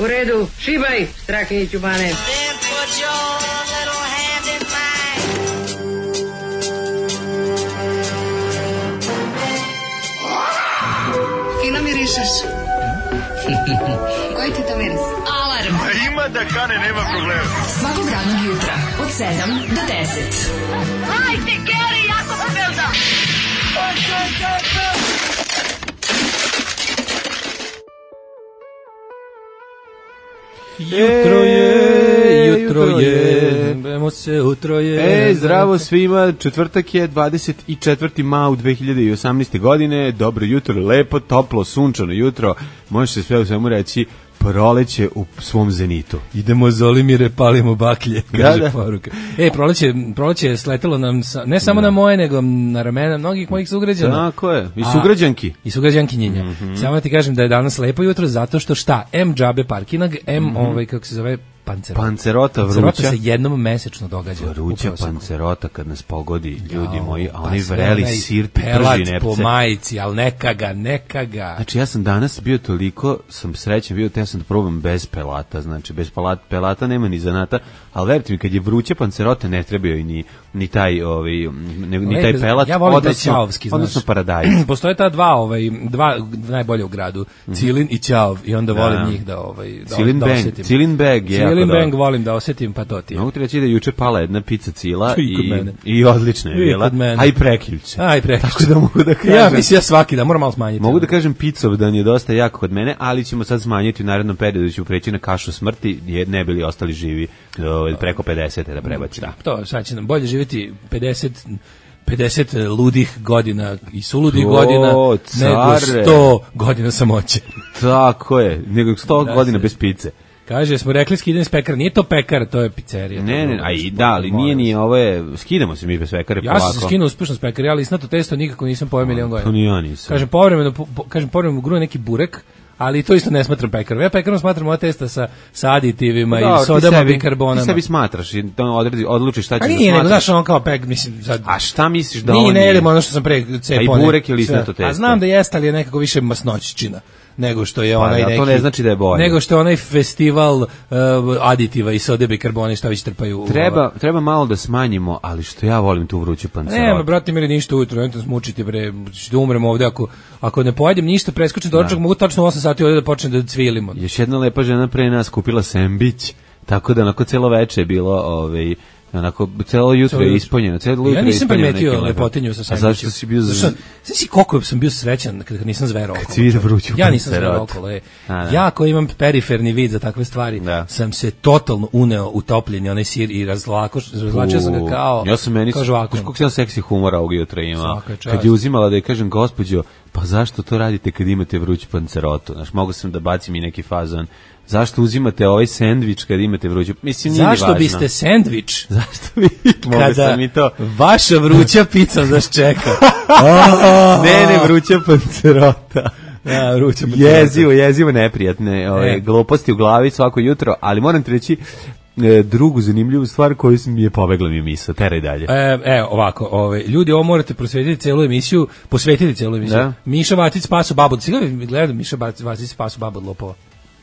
U redu, šibaj, Strahinjiću Bane. Fino mirišeš. Koji ti to miris? Alarm. Ima da kane, nema problema. Svakog radnog jutra, od 7 do 10. Hajde, Geri, jako se velda. Jutro je, bemo se utroje. Zdravo svima, četvrtak je 24. maj 2018. godine, dobro jutro, lepo, toplo, sunčano jutro, može se sve u svemu reći, proleće u svom zenitu. Idemo Zolimire, palimo baklje, kaže da. poruka. Proleće je sletelo nam, ne samo na moje, nego na ramena mnogih mojih sugrađana. Tako je, i sugrađanki. I sugrađankinjenja. Samo da ti kažem da je danas lepo jutro, zato što šta? M džabe parkinag, kako se zove, pancerota vruća. Pancerota se jednom mesečno događa. Vruća pancerota kad nas pogodi, ljudi moji, a oni vreli sir ti prži nepce. Po majici, ali neka ga. Znači ja sam danas bio toliko, sam srećan bio, te ja sam da probam bez pelata, znači bez pelata nema ni zanata, ali verujte mi, kad je vruća pancerota ne trebaju ni taj taj pelat, ja volim taj ćaovski, odnosno paradajz. Postoje ta dva najbolje u gradu, Cilin i Ćaov, i onda volim njih da osetim. Cilin bag, Cilin bag volim da osetim, pa to ti je. Mogu ti reći da je juče pala jedna pizza Cila i odlična je bila, a i prekjuče. Tako da mogu da kažem. Ja mislim svaki dan, moram malo smanjiti. Mogu da kažem pizzovdan je dosta jak kod mene, ali ćemo sad smanjiti u narednom periodu, da ću preći na kašu smrti, jer ne bili ostali živi preko 50 da prebacimo. Da, to sad će nam bolje živjeti 50 ludih godina i suludih godina nego 100 godina samoće. Tako je, nego 100 godina bez pice. Kaže, smo rekli skidanje s pekara, nije to pekar, to je pizzerija. Ne, ali nije ni ovo je, skidamo se mi bez pekare polako. Ja sam se skinuo uspešno s pekara, ali isnato testo nikako nisam pojeo milion godina. To ni ja nisam. Kažem, povremeno gruje neki burek, ali to isto ne smatram pekarom. Ja pekarom smatram ova testa sa aditivima i sodama, bikarbonama. Ti sebi smatraš i odlučiš šta ćeš da smatraš. A nije, nego znaš on kao pek, mislim. Sad, a šta misliš da on nije? Ne jedemo ono što sam pre cepone. A i burek ili isnato testo? A znam da jeste, ali je nekako više masnoćčina nego što je onaj neki. To ne znači da je bolje. Nego što je onaj festival aditiva i sode bikarbone šta već trpaju. Treba malo da smanjimo, ali što ja volim tu vruću pancerotu. Ne, brate, mi ništa ujutro, ne smučiti bre, da umrem ovde ako ne pojedem ništa, preskočim doručak, mogu tačno 8 sati ovde da počnem da cvilimo. Još jedna lepa žena pre nas kupila sembić, tako da onako celo veče je bilo onako celo jutro je ispunjeno, ja nisam primetio lepotinju sa sandvičem. A zašto si bio Znaš koliko sam bio srećan kad nisam zverao okolo. Kad si vidio vruću ja nisam zverao okolo. Ja koji imam periferni vid za takve stvari, sam se totalno uneo u topljenje onaj sir i razvlačio sam ga kao žvakom. Kako si seksi humora ovog jutra imao. Kad je uzimala da je kažem, gospođo, pa zašto to radite kad imate vruću pancerotu? Znaš, mogu sam da bacim i neki fazon. Zašto uzimate ovaj sendvič kad imate vruću? Mislim, nije zašto biste sendvič? Zašto bi? Kada vaša vruća pizza nas čeka. Ne, vruća pancerota. Ja, vruća pancerota. Jezivo neprijatne gluposti u glavi svako jutro, ali moram ti reći drugu zanimljivu stvar koju mi je pobegla mi misao, teraj dalje. Ovako, ljudi, ovo morate posvetiti celu emisiju. Da? Miša Vacić spaso babu. Gledam Miša Vacić spaso babu od lopova.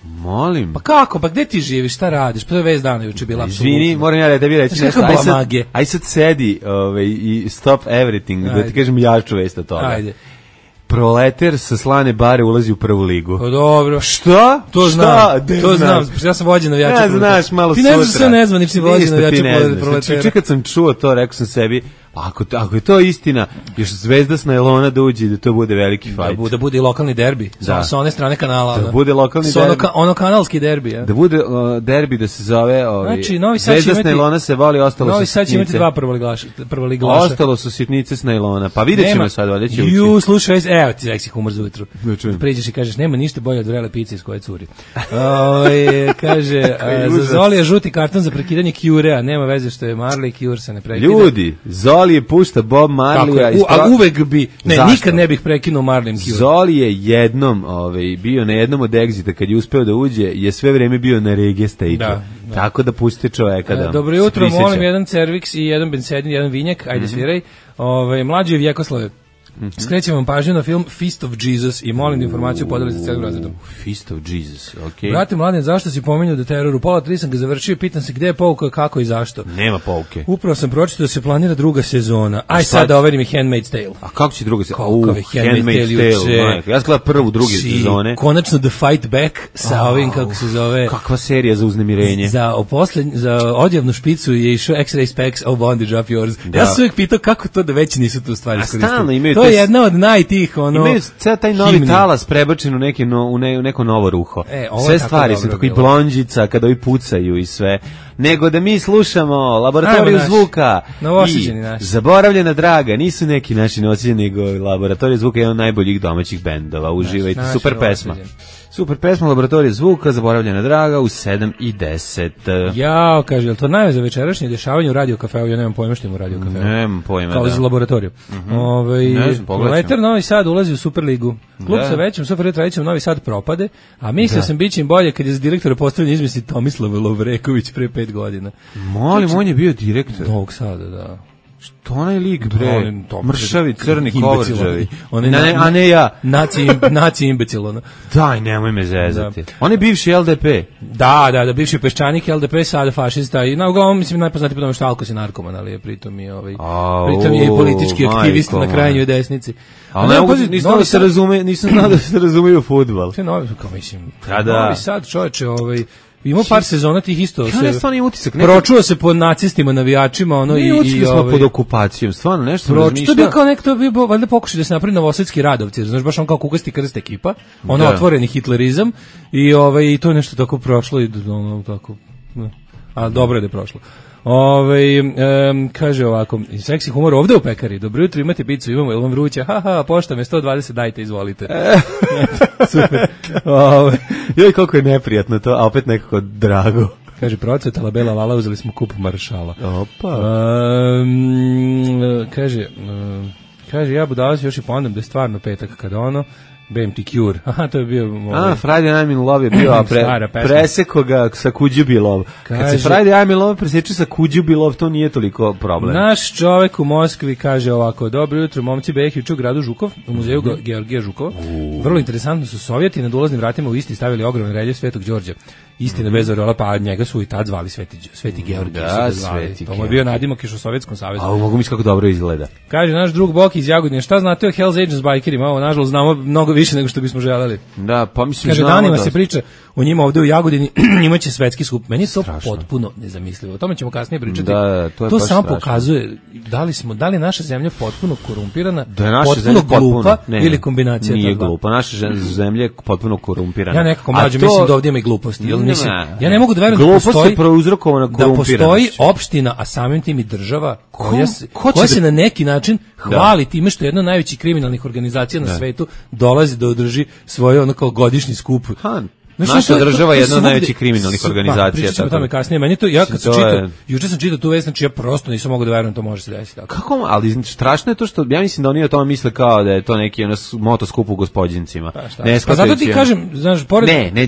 Molim. Pa kako, pa gde ti živiš, šta radiš? Pa to je vez dana juče bila apsolutno. Izvini, moram ja da tebi reći nešto. Aj sad sedi i stop everything, da ti kažem jaču vest od toga. Ajde. Proleter sa slane bare ulazi u prvu ligu. Pa dobro. Šta? To znam. Ja sam vođen navijača. Ja znaš, malo sutra. Ti ne znaš sve nezvanični vođen navijača Proletera. Čekaj kad sam čuo to, rekao sam sebi, ako je to istina, još Zvezda s najlona da uđe i da to bude veliki fajt. Da bude i lokalni derbi, sa one strane kanala. Da bude lokalni derbi. Ono kanalski derbi. Ja. Da bude derbi da se zove znači, Zvezda s najlona se voli, ostalo su sitnice. Novi Sad će imati dva prvoligaša. Ostalo su sitnice s najlona. Pa vidjet ćemo sad, valjda će ući. Slušaj, evo ti seksi humor za ujutru. Priđeš i kažeš, nema ništa bolje od vrele pice iz koje curi. Kaže, za Zoli je žuti karton za prekidanje Curea, nema veze što je Marley, Cure se ne prekida. Ljudi, Zoli je pušta Bob Marleya. A uvek bi, nikad ne bih prekinuo Marleym Cure. Zoli je jednom bio na jednom od Exita, kad je uspeo da uđe, je sve vreme bio na reggae stage-u. Tako da pustite čoveka da dobro jutro, molim jedan cerviks i jedan bensedin, jedan vinjak, ajde sviraj. Mlađe Vjekoslave. Skrećem vam pažnju na film Feast of Jesus i molim da informaciju podelite sa celim razredom. Feast of Jesus, okej. Brate Mladen, zašto si pominjao da teroru? Pola 3 sam ga završio i pitam se gde je pouka, kako i zašto. Nema pouke. Upravo sam pročitao da se planira druga sezona. Aj sad da overim i Handmaid's Tale. A kako će druga sezona? Handmaid's Tale. Ja gledam prvu, druge sezone. Konačno The Fight Back sa ovim, kako se zove... Kakva serija za uznemirenje. Za odjavnu špicu je išao X-Ray Specs, Oh Bondage Up Yours. Da. Ja sam uvijek pitao kako to da već nisu tu stvari iskoristili. To je jedna od najtih, imaju ceo taj novi talas prebačen u neko novo ruho. Sve stvari su tako i blondžica kada ovi pucaju i sve. Nego da mi slušamo Laboratoriju zvuka i Zaboravljena draga, nisu neki naši nosilje, nego Laboratorija zvuka je jedan od najboljih domaćih bendova. Uživajte, super pesma. Super pesma Laboratorija zvuka, Zaboravljena draga u 7:10. Jao, kaže, je li to najve za večerašnje dešavanje u Radio Kafeu? Ja nemam pojma što ima u Radio Kafeu. Nemam pojma, kao za laboratoriju. Leter Novi Sad ulazi u Superligu. Klub sa većim, Superligu Novi Sad propade, a mislio sam biće im bolje kad je za direktora postavljen izmisli Tomislav Lovreković pre 5 godina. Molim, on je bio direktor Novog Sada, da. Što onaj lik, bre, mršavi, crni, kovrđavi. A ne ja. Naci imbecil, ono. Daj, nemoj me zezati. On je bivši LDP. Da, bivši peščanik LDP, sada fašista. I na uglavnom, mislim, najpoznati po tome što Alkos je narkoman, ali je pritom i i politički aktivist na krajnjoj desnici. Ali nisam znao da se razumeju u fudbal. Sve novi, kao mislim, Novi Sad, čoveče, imao par sezona tih isto. Pročuo se po nacistima, navijačima, ono i smo pod okupacijom, stvarno nešto razmišlja. To bi kao nekto bio valjda pokušaj da se napravi novosadski Radovci, znaš, baš on kao Kukasti krst ekipa, ono otvoreni hitlerizam i to je nešto tako prošlo i ono tako. A dobro je da je prošlo. Kaže ovako, seksi humor ovde u pekari. Dobro jutro, imate picu, imamo, jel vam vruće? Haha, pošta me 120, dajte, izvolite. Super. Joj, koliko je neprijatno to, a opet nekako drago. Kaže, procvetala bela lala, uzeli smo kup maršala. Opa. Kaže, ja budalac još i pondam da je stvarno petak kada ono, BMT Cure. Aha, to je bio... Friday I'm in Love je bio, a preseko ga sa Could You Be Love. Kad se Friday I'm in Love preseče sa Could You Be Love, to nije toliko problem. Naš čovek u Moskvi kaže ovako, dobro jutro, momci Behić u gradu Žukov, u muzeju Georgija Žukova. Vrlo interesantno su Sovjeti nad ulaznim vratima u Isti stavili ogroman reljef Svetog Đorđa. Istina bez orela, pa njega su i tad zvali Sveti Georgij. Da, Sveti to mu je bio nadimak još u Sovjetskom savezu. A mogu misliti kako dobro izgleda. Kaže naš drug Boki iz Jagodine, šta znate o Hells Angels bikerima? Ovo, nažalost, znamo mnogo više nego što bismo želeli. Da, pa mislim, kaže, danima se priča o njima ovde u Jagodini, njima će svetski skup. Meni je to potpuno nezamislivo. O tome ćemo kasnije pričati. Da, to samo pokazuje da li je naša zemlja potpuno korumpirana, potpuno glupa ili kombinacija toga. Nije glupa, naša zemlja je potpuno korumpirana. Ja nekako mlađe mislim da ovdje ima i gluposti. Ja ne mogu da verujem da postoji opština, a samim tim i država koja se na neki način hvali time što je jedna od najvećih kriminalnih organizacija na svetu dolazi da održi svoj ono kao godišnji skup. Naša država je jedna od najvećih kriminalnih organizacija. Pričat ćemo o tome kasnije. Meni to, ja kad sam čitao, juče sam čitao tu vest, znači ja prosto nisam mogao da verujem to može se desiti. Kako? Ali strašno je to što, ja mislim da oni o tome misle kao da je to neki motoskup u Gospođincima. Pa zato ti kažem, znaš,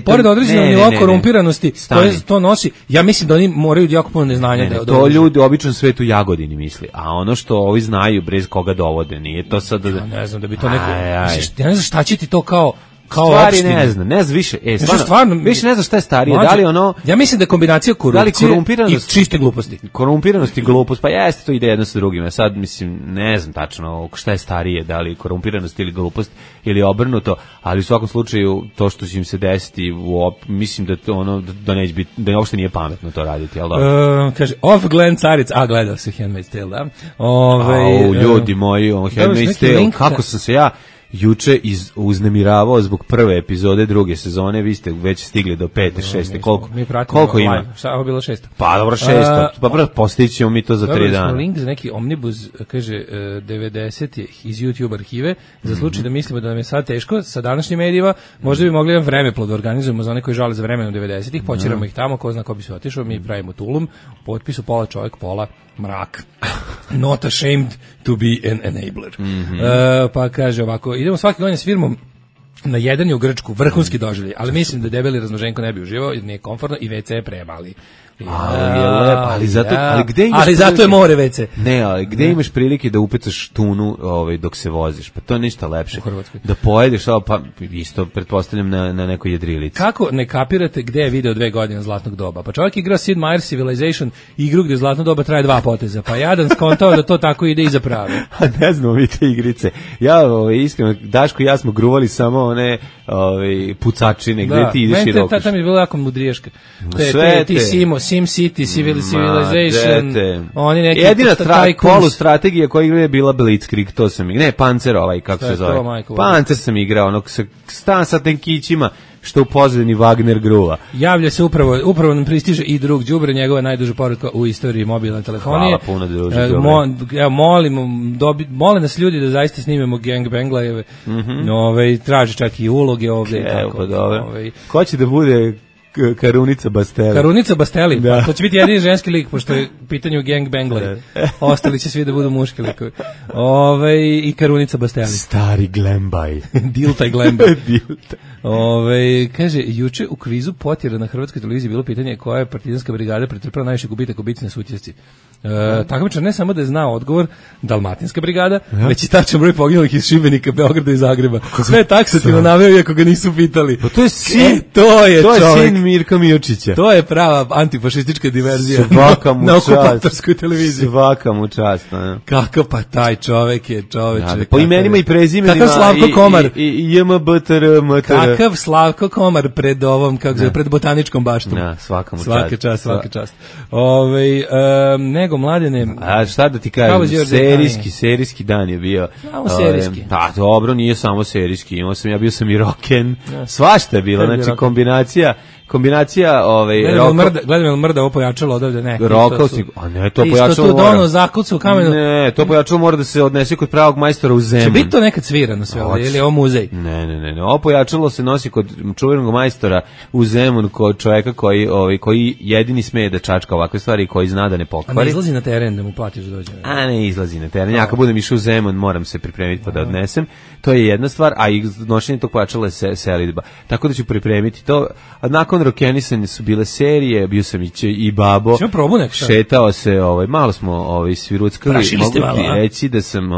pored određenog nivoa korumpiranosti koje to nosi, ja mislim da oni moraju jako puno neznanja. To ljudi u običnom svetu Jagodini misli, a ono što ovi znaju bez koga dovode, nije to sad... Ja ne znam da bi to neko... Ja ne znam šta će ti to kao stvari opštine. Ne znam više, stvarno, više ne znam šta je starije, da li ono... Ja mislim da je kombinacija korupcije i čiste gluposti. Korumpiranost i glupost, pa jeste, to ide jedno sa drugim, sad mislim, ne znam tačno šta je starije, da li korumpiranost ili glupost ili obrnuto, ali u svakom slučaju to što će im se desiti, mislim da to ono, da neće biti, da uopšte nije pametno to raditi, jel da? Kaže, Glenn Caric, gledao se Handmaid's Tale, da? Ljudi moji, Handmaid's Tale, kako sam se ja juče uznemiravao zbog prve epizode druge sezone, vi ste već stigli do 5. 6. Koliko ima? Šta je bilo 6? Pa dobro, 6. Pa postićemo mi to za 3 dana. Link za neki omnibus, kaže 90 iz YouTube arhive, za slučaj da mislimo da nam je sad teško sa današnjim medijima, možda bi mogli jedan vremeplov da organizujemo za one koji žale za vremenom 90-ih, počiramo ih tamo, ko zna ko bi se otišao, mi pravimo tulum, potpisu pola čovjek, pola mrak. Not ashamed to be an enabler. Pa kaže ovako, idemo svake godine s firmom Na jedan je u Grčku, vrhunski doživljaj, ali mislim da debeli raznoženko ne bi uživao jer nije komfortno i WC je premali. Ali zato je more WC. Ne, ali gde imaš prilike da upecaš tunu dok se voziš? Pa to je ništa lepše. Da pojedeš, pa isto pretpostavljam na nekoj jedrilici. Kako ne kapirate gde je video 2 godine zlatnog doba? Pa čovjek igra Sid Meier's Civilization, igru gde zlatno doba traje 2 poteza. Pa jadan skontao da to tako ide iza prave. Ne znamo mi te igrice. Ja iskreno, Daško i ja smo gruvali samo one pucačine, gde ti ideš i rokaš. Tam je bilo jako mudriješka. Ti Sim City, Civilization, oni neki jedina polustrategija koja igra je bila Blitzkrieg, to sam igrao, ne, Panzer kako se zove. Panzer sam igrao, onog stan sa tenkićima, što u pozadini Wagner gruva. Javlja se upravo nam pristiže i drug đubre, njegova najduža poruka u istoriji mobilne telefonije. Hvala puno druže. Mole nas ljudi da zaista snimemo gangbanglajeve. Traži čak i uloge ovde. Evo, dobro. Ko će da bude Karunica Basteli? Karunica Basteli, pa to će biti jedini ženski lik, pošto je pitanje gangbanglaj. Ostali će svi da budu muški likovi. I Karunica Basteli. Stari Glembaj. Diltaj Glembaj. Kaže, juče u kvizu Potjera na hrvatskoj televiziji bilo pitanje koja je partizanska brigada pretrpela najviše gubitaka u bici na Sutjesci. Takmičar ne samo da je znao odgovor, Dalmatinska brigada, već i tačan broj poginulih iz Šibenika, Beograda i Zagreba. Sve je taksativno naveo, iako ga nisu pitali. Pa to je sin, to je sin Mirka Miočića. To je prava antifašistička diverzija na okupatorskoj televiziji. Svaka mu čast. Kako pa taj čovek je čoveče. Po imenima i prezimenima. Kakav Slavko Komar. I JMBTR, MTR. Kakav Slavko Komar pred ovom, kako se pred botaničkom baštom. Svaka mu čast. Svaka čast. Nego Mladene. A šta da ti kažem, serijski dan je bio. Samo serijski. Pa dobro, nije samo serijski, bio sam i rocken. Svašta je bilo, znači kombinacija gledam mrda ovo pojačalo odavde, ne. Rokovsnik, a ne, to pojačalo isto tu dono zakucu u kamenu. Ne, to pojačalo mora da se odnese kod pravog majstora u Zemun. Će biti to nekad svirano sve ovdje, ili je ovo muzej? Ne, ovo pojačalo se nosi kod čuvenog majstora u Zemun, kod čovjeka koji jedini smeje da čačka ovakve stvari i koji zna da ne pokvari. A ne izlazi na teren da mu platiš da dođe? A ne izlazi na teren, ja kad budem išao u Zemun moram se pripremiti pa da odnesem, to je jedna stvar, a i nošenje tog pojačala je selidba, tako da ću pripremiti to, a nakon rokenisanja su bile serije, bio sam i babo. Ćemo probu nekšta? Šetao se, malo smo sviruckali. Mogu ti reći da sam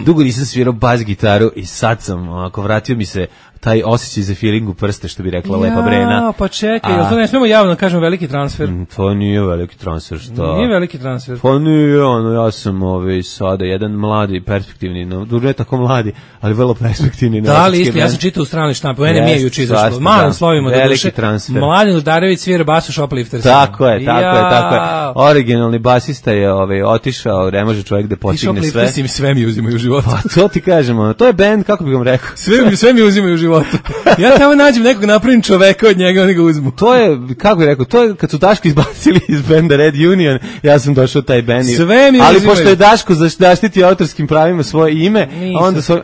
dugo nisam svirao bas gitaru i sad sam, vratio mi se taj osjećaj za feeling u prste, što bi rekla Lepa Brena. Pa čekaj, jel to ne smemo javno da kažemo veliki transfer? To nije veliki transfer, što? Nije veliki transfer. Pa nije, ja sam sada jedan mladi, perspektivni, ne tako mladi, ali vrlo perspektivni. Da, ali isto, ja sam čitao u stranoj štampi, mene mi je juče izašlo. Malim slovima da duše, Mladen Udarević svira bas u Shoplifter. Tako je. Originalni basista je otišao, ne može čovjek da postigne sve. Shoplifter sve mi uzimaju u životu. Pa to ti kažemo, to je band, kako bih vam rekao. Sve mi uzimaju u životu. Ja tamo nađem nekog, napravim čoveka od njega, oni ga uzmu. To je, kako bih rekao, to je kad su Daško izbacili iz benda Red Union, ja sam došao taj band. Ali pošto je Daško zaštitio autorskim pravima svoje ime,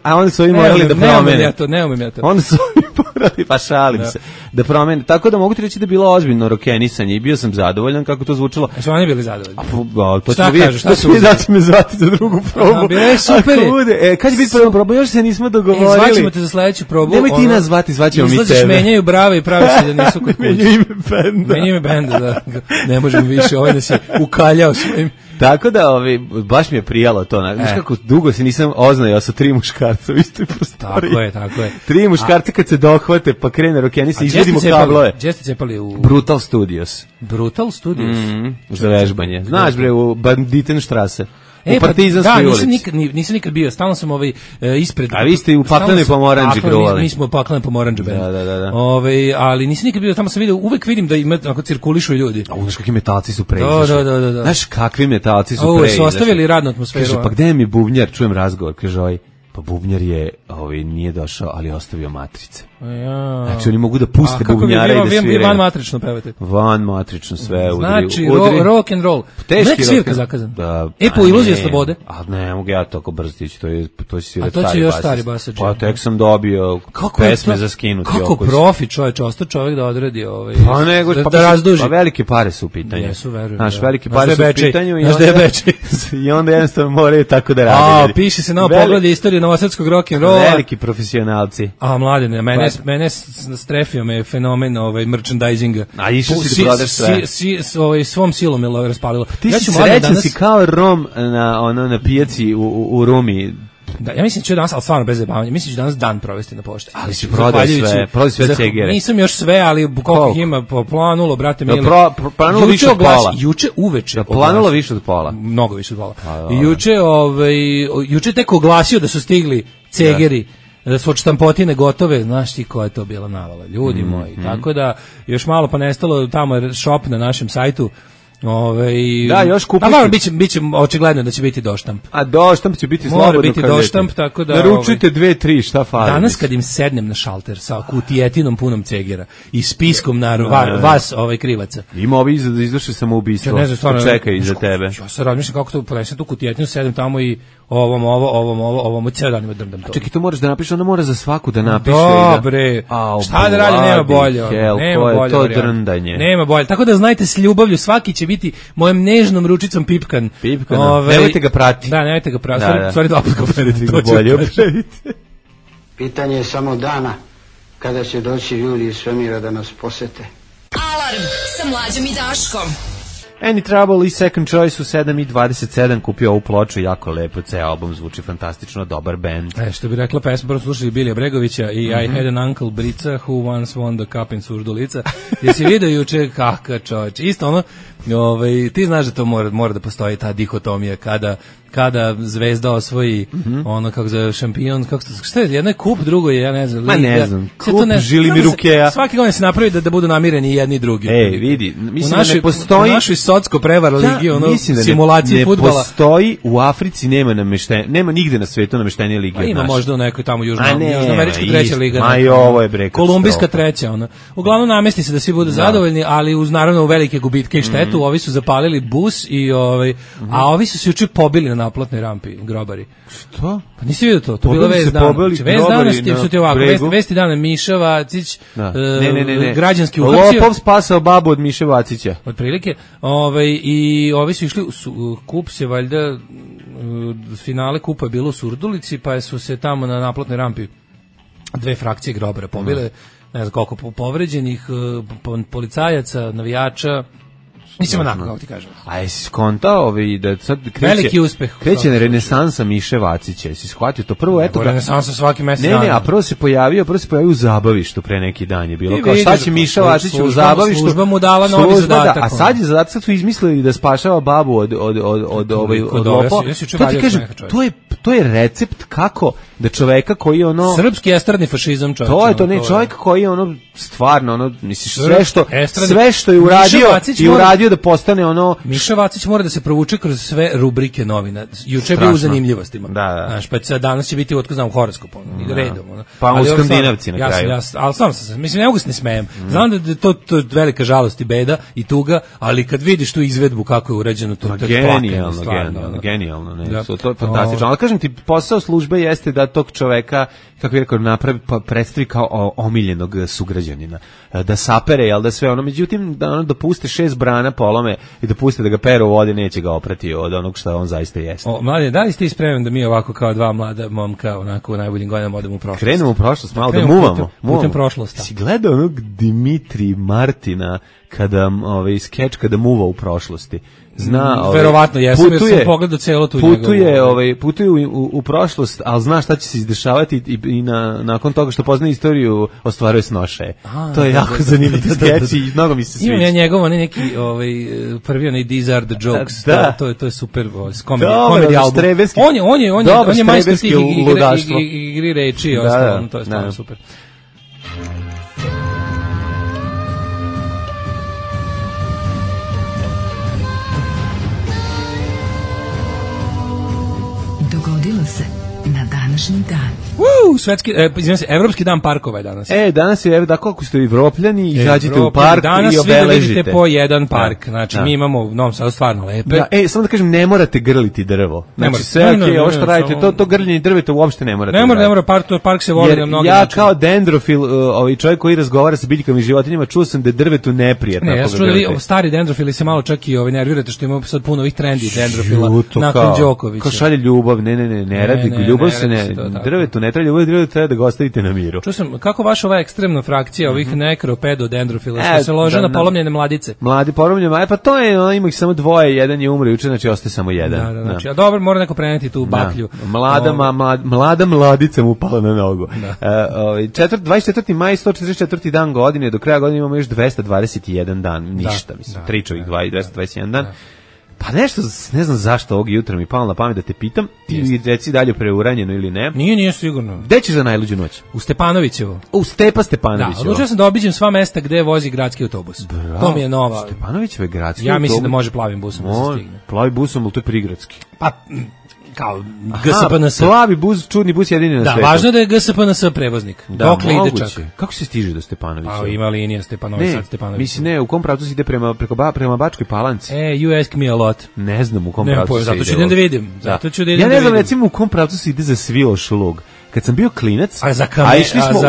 a onda su ovi morali da promene. Ne umem ja to. Onda su ovi morali, pa šalim se, da promene. Tako da mogu ti reći da je bilo ozbiljno rokenisanje i bio sam zadovoljan kako to zvučilo. A su oni bili zadovoljni? Šta kažeš? Šta su da će me zvati za drugu probu? Bilo super. Kad će biti prva proba? Još se nismo dogovorili. Zvaćemo te za sledeću probu. Nemoj ti nas zvati, zvaćemo mi tebe. Izlaziš, menjaju brave i pravi se da nisu kod kuće. Menjaju ime benda, da. Ne možemo više, ovaj nas je ukaljao svojim. Tako da, baš mi je prijalo to. Znaš kako dugo se nisam oznajao sa 3 muškarca u istoj prostoriji. Tako je. 3 muškarca kad se dohvate, pa krene rokenisa, izvedimo kablove. Gdje ste cepali u... Brutal Studios. Brutal Studios? Za vežbanje. Znaš bre, u Banditenstrasse. U Partizanskoj ulici. Nisam nikad bio, stalno sam ispred. A vi ste u Paklenoj Pomoranđi gruvali. Mi smo u Paklenoj Pomoranđi band. Da. Ali nisam nikad bio, tamo sam vidio, uvek vidim da ima, ako cirkulišu ljudi. A znaš kakvi metalci su preizašli. Da. Znaš kakvi metalci su preizašli. Su ostavili radnu atmosferu. Kaže, pa gde je mi bubnjar, čujem razgovor, kaže pa bubnjar je, nije došao, ali ostavio matrice. Znači oni mogu da puste bubnjare i da sviraju. Van matrično pevate. Van matrično sve udri. Znači rock and roll. Nek svirka zakazan. Da. Po iluzije slobode. A ne mogu ja tako brzo tići, to će svirati stari basač. A to će još stari basač. Pa tek sam dobio pesme za skinuti. Kako profi ostao čovjek da odradi da razduži. Pa velike pare su u pitanju. Jesu, verujem. Znaš, velike pare su u pitanju i onda jednostavno moraju tako da radi. Piše se na pogled istorije novosadskog rock and rolla. Veliki profesionalci. Mladine, mene strefio me fenomen merchandisinga. A išao si da prodaš sve. Svom silom je raspalilo. Ti si srećan si kao Rom na pijaci u Rumi. Da, ja mislim da ću danas, ali stvarno bez zabavanja, mislim da ću danas dan provesti na pošti. Ali si prodao sve cegere. Nisam još sve, ali koliko ima planulo, brate mili. Planulo više od pola. Juče uveče. Planulo više od pola. Mnogo više od pola. Juče tek oglasio da su stigli cegeri, da su od štampotine gotove, znaš ti koja je to bila navala, ljudi moji. Tako da, još malo pa nestalo, tamo je shop na našem sajtu. Da, još kupiti. Biće očigledno da će biti doštamp. A doštamp će biti slobodno. Mora biti doštamp, tako da naručujte 2-3, šta fali. Danas kad im sednem na šalter sa kutijetinom punom cegera i spiskom na vas krivaca. Ima ovi da izvrše samoubistvo. Čekaj iza tebe. Ja se razmišljam kako to ponesem tu kutijetinu, sedem tamo i ovom ceo dan ima drndam to. Čekaj, to moraš da napišeš, onda mora za svaku da napiše. Dobre, šta da radi, nema bolje. Nema bolje. To drndanje. Nema bolje, tako da znajte s ljubavlju, svaki će biti mojom nežnom ručicom pipkan. Nemojte ga prati. Da, nemojte ga prati. Stvari dva put ga operiti. Bolje operiti. Pitanje je samo dana kada će doći ljudi iz svemira da nas posete. Alarm sa Mlađom i Daškom. Any Trouble i Second Choice u 7:27 kupio ovu ploču, jako lepo, ceo album zvuči fantastično, dobar band. Što bi rekla pesma, prvo slušali Bilija Bregovića i I Had an Uncle Brica who once won the cup in Surdulica. Jesi vidio juče kakav čovječ? Isto ono, ti znaš da to mora da postoji ta dihotomija kada zvezda osvoji ono kako zove šampion, šta je, jedno je kup, drugo je, ja ne znam. Ma ne znam, kup Žilimiru Keja. Svaki godin se napravi da budu namireni jedni i drugi. Vidi, mislim da ne postoji... U našoj socko prevar ligi, simulaciji fudbala. Ne postoji, u Africi nema nigde na svetu nameštenije lige. Pa ima možda u nekoj tamo južnoamerička treća liga. Ma i ovo je breka. Kolumbijska treća, ona. Uglavnom namesti se da svi budu zadovoljni, ali uz naravno velike gubitke i štetu, ovi su zapalili bus a ovi su se juče pobili na naplatnoj rampi, grobari. Što? Pa nisi vidio to? To bila vest dana. Vest dana su ti ovako, vesti dana Miša Vacić, građanski uhapsio. Lopov spasao babu od Miše Vacića. Od prilike. I ovi su išli, kup se valjda, finale kupa je bilo u Surdulici, pa su se tamo na naplatnoj rampi dve frakcije grobara pobile, ne znam koliko povređenih, policajaca, navijača. Mislim onako, kako ti kažem. A jesi skontao da sad veliki uspeh. Kreće na renesansa Miše Vacića, jesi shvatio to prvo, eto. Renesansa svaki mesec dana. Ne, a prvo se pojavio u zabavištu pre neki dan je bilo. Kao šta će Miša Vacić u zabavištu? Služba mu dala novi zadatak. A sad je zadatak, sad su izmislili da spašava babu od lopova. To ti kažem, to je recept kako da čoveka koji je ono... Srpski estradni fašizam čovjek. To je to, ne, čovjek koji je ono stvarno, ono, misliš, sve što je uradio da postane ono... Miša Vacić mora da se provuče kroz sve rubrike novina. Juče je bio u zanimljivostima. Da. Znaš, pa danas će biti otkaz u horoskopu, redom. Pa u Skandinavci na kraju. Ali stvarno sam se, mislim, ne mogu se ne smejem. Znam da je to velika žalost i beda i tuga, ali kad vidiš tu izvedbu kako je urađeno, to je genijalno. To je fantastično. Ali kažem ti, posao službe jeste da tog čoveka, kako je rekao, napravi, predstavi kao omiljenog sugrađanina. Da sapere, jel da sve ono, međutim, da puste 6 brana polome i da puste da ga peru u vodi, neće ga oprati od onog što on zaista jeste. Mladen, da li ste spreman da mi ovako kao dva mlada momka, onako u najboljim godinama odemo u prošlost? Krenemo u prošlost, malo da muvamo. Putem prošlosti. Si gledao onog Dimitri Martina kada, skeč kada muva u prošlosti? Zna, verovatno jesam, jer sam pogledao celo tu putuje u prošlost, ali zna šta će se izdešavati i nakon toga što poznaje istoriju ostvaruje snošaje. To je jako zanimljiv skeč i mnogo mi se sviđa. Imam ja njegov, neki prvi onaj These Are the Jokes, to je super komedi album. On je majstor tih igri reči i ostalo, to je stvarno super. Dogodilo se na današnji dan. svetski, izvinjam se, Evropski dan parkova je danas. Danas je, da koliko ste Evropljani, izađite u park i obeležite. Danas svi vidite po jedan park, znači mi imamo u Novom Sadu stvarno lepe. Da, samo da kažem, ne morate grliti drvo. Znači sve ovo što radite, to grljenje drveta uopšte ne morate. Ne mora, park se voli na mnogi način. Ja kao dendrofil, čovjek koji razgovara sa biljkama i životinjama, čuo sam da je drvetu neprijatno. Ne, ja sam čuo da vi stari dendrofili se malo čak i nervirate što ima sad puno ovih trendi dendrofila nakon Đokovića. Kao šalje ljubav, ne radi ljubav se ne, drvetu ne treba ljubav, drvetu treba da ga ostavite na miru. Čuo sam, kako vaša ova ekstremna frakcija ovih nekropedodendrofila, što se lože na polomljene mladice? Mladi polomljene, pa to je, ima ih samo dvoje, jedan je umro juče, znači ostaje samo jedan. Da, znači, a dobro, mora neko preneti tu baklju. Mlada mladica mu pala na nogu. 24. maj, 144. dan godine, do kraja godine imamo još 221 dan, ništa, mislim, tričovih 221 dan. Pa nešto, ne znam zašto ovog jutra mi palo na pamet da te pitam, ti reci dalje preuranjeno ili ne. Nije sigurno. Gde ćeš za najluđu noć? U Stepanovićevo. U Stepanovićevo. Da, odlučio sam da obiđem sva mesta gde vozi gradski autobus. Bravo. To mi je nova. Stepanovićevo je gradski autobus. Ja mislim da može plavim busom da se stigne. Plavi busom, ali to je prigradski. Pa, kao GSPNS. Plavi bus, čudni bus jedini na svetu. Da, važno je da je GSPNS prevoznik. Dokle ide čak. Kako se stiže do Stepanovića? A ima linija Stepanović, sad Stepanović. Mislim, ne, u kom pravcu se ide prema Bačkoj Palanci? You ask me a lot. Ne znam u kom pravcu se ide. Zato ću da vidim. Ja ne znam, recimo, u kom pravcu se ide za Sviloš lug. Kad sam bio klinac, a išli smo u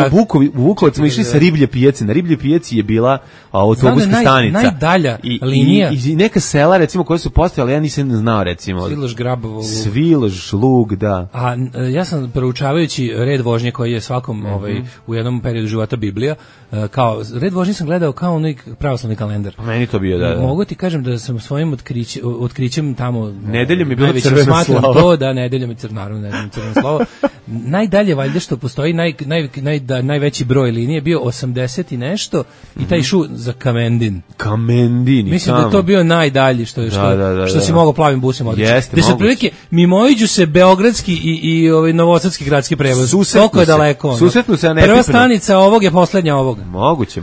Vukovac, smo išli sa Riblje pijace. Na Riblje pijaci je bila autobuska stanica. Najdalja linija. I neka sela, recimo, koje su postojale, ja nisam znao, recimo. Sviloš, Grabovo. Sviloš, Lug, da. A ja sam proučavajući red vožnje koji je svakom u jednom periodu života Biblija, kao red vožnje sam gledao kao onaj pravoslavni kalendar. A meni to bio, da. Mogu ti kažem da sam svojim otkrićem tamo... Nedeljom je bilo crveno slovo. To, da, nedeljom je crveno slovo. Najdalje, valjda što postoji, najveći broj linije bio 80 i nešto i taj šu za Kamendin. Mislim da je to bio najdalji što si mogao plavim busom odlično. Jeste, moguće. Prilike, mimoiđu se beogradski i novosadski gradski prevoz. Toliko je daleko. Susretnu se, a ne prva stanica ovog je poslednja ovog. Moguće.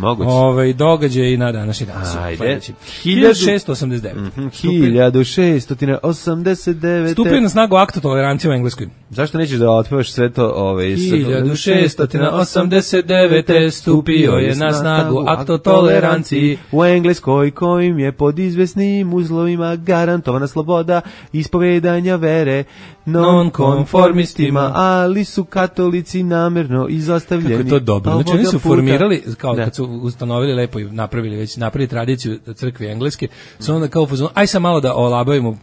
Događaj na današnji dan. Ajde. 1689. 1689. Stupio na snagu akt o toleranciji u Engleskoj. Zašto nećeš da otpevaš sve to? 1689. stupio je na snagu akt o toleranciji u Engleskoj, kojim je pod izvesnim uslovima garantovana sloboda ispovedanja vere nonkonformistima, ali su katolici namerno izostavljeni. Kako je to dobro. Znači oni su formirali, kao kad su ustanovili lepo i napravili tradiciju crkve engleske, su onda kao aj sam malo da olabavimo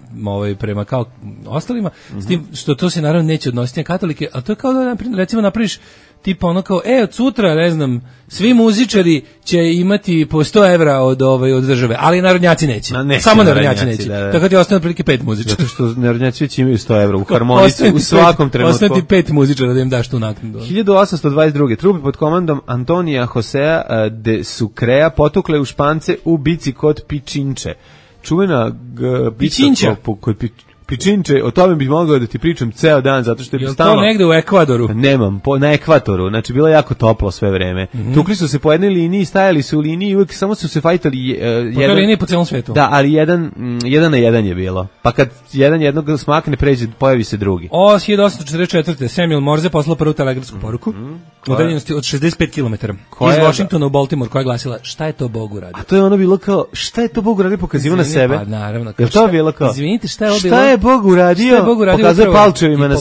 prema kao ostalima, s tim što to se naravno neće odnositi na katolike, a to je kao da recimo napraviš tipa ono kao, od sutra, ne znam, svi muzičari će imati po 100 evra od države, ali narodnjaci neće. Samo narodnjaci neće. Da. Tako da je ostane otprilike 5 muzičara. Zato što narodnjaci već imaju 100 evra u harmonici u svakom trenutku. Ostane ti 5 muzičara da im daš tu naknadu. 1822. Trupe pod komandom Antonija Josea de Sucrea potukle u Špance u bici kod Pičinče. Čuvena Pičinča. Pičinče, o tome bih mogao da ti pričam ceo dan, zato što je stalno... to negde u Ekvadoru? Nemam, na Ekvatoru, znači bilo je jako toplo sve vreme. Tukli su se po jednoj liniji, stajali su u liniji i uvijek samo su se fajtali po toj liniji po celom svetu. Da, ali jedan na jedan je bilo. Pa kad jedan jednog smakne, pređe, pojavi se drugi. 1844. Samuel Morse poslao prvu telegrafsku poruku u udaljenosti od 65 km iz Washingtona u Baltimore, koja je glasila: šta je to Bog uradio? A to je ono bilo kao, šta je to Bog uradio, pokazivo na sebe. Pa naravno. Jer to je bilo kao, izvinite, šta je ovo bilo? Bog uradio, pokazuje palčevima na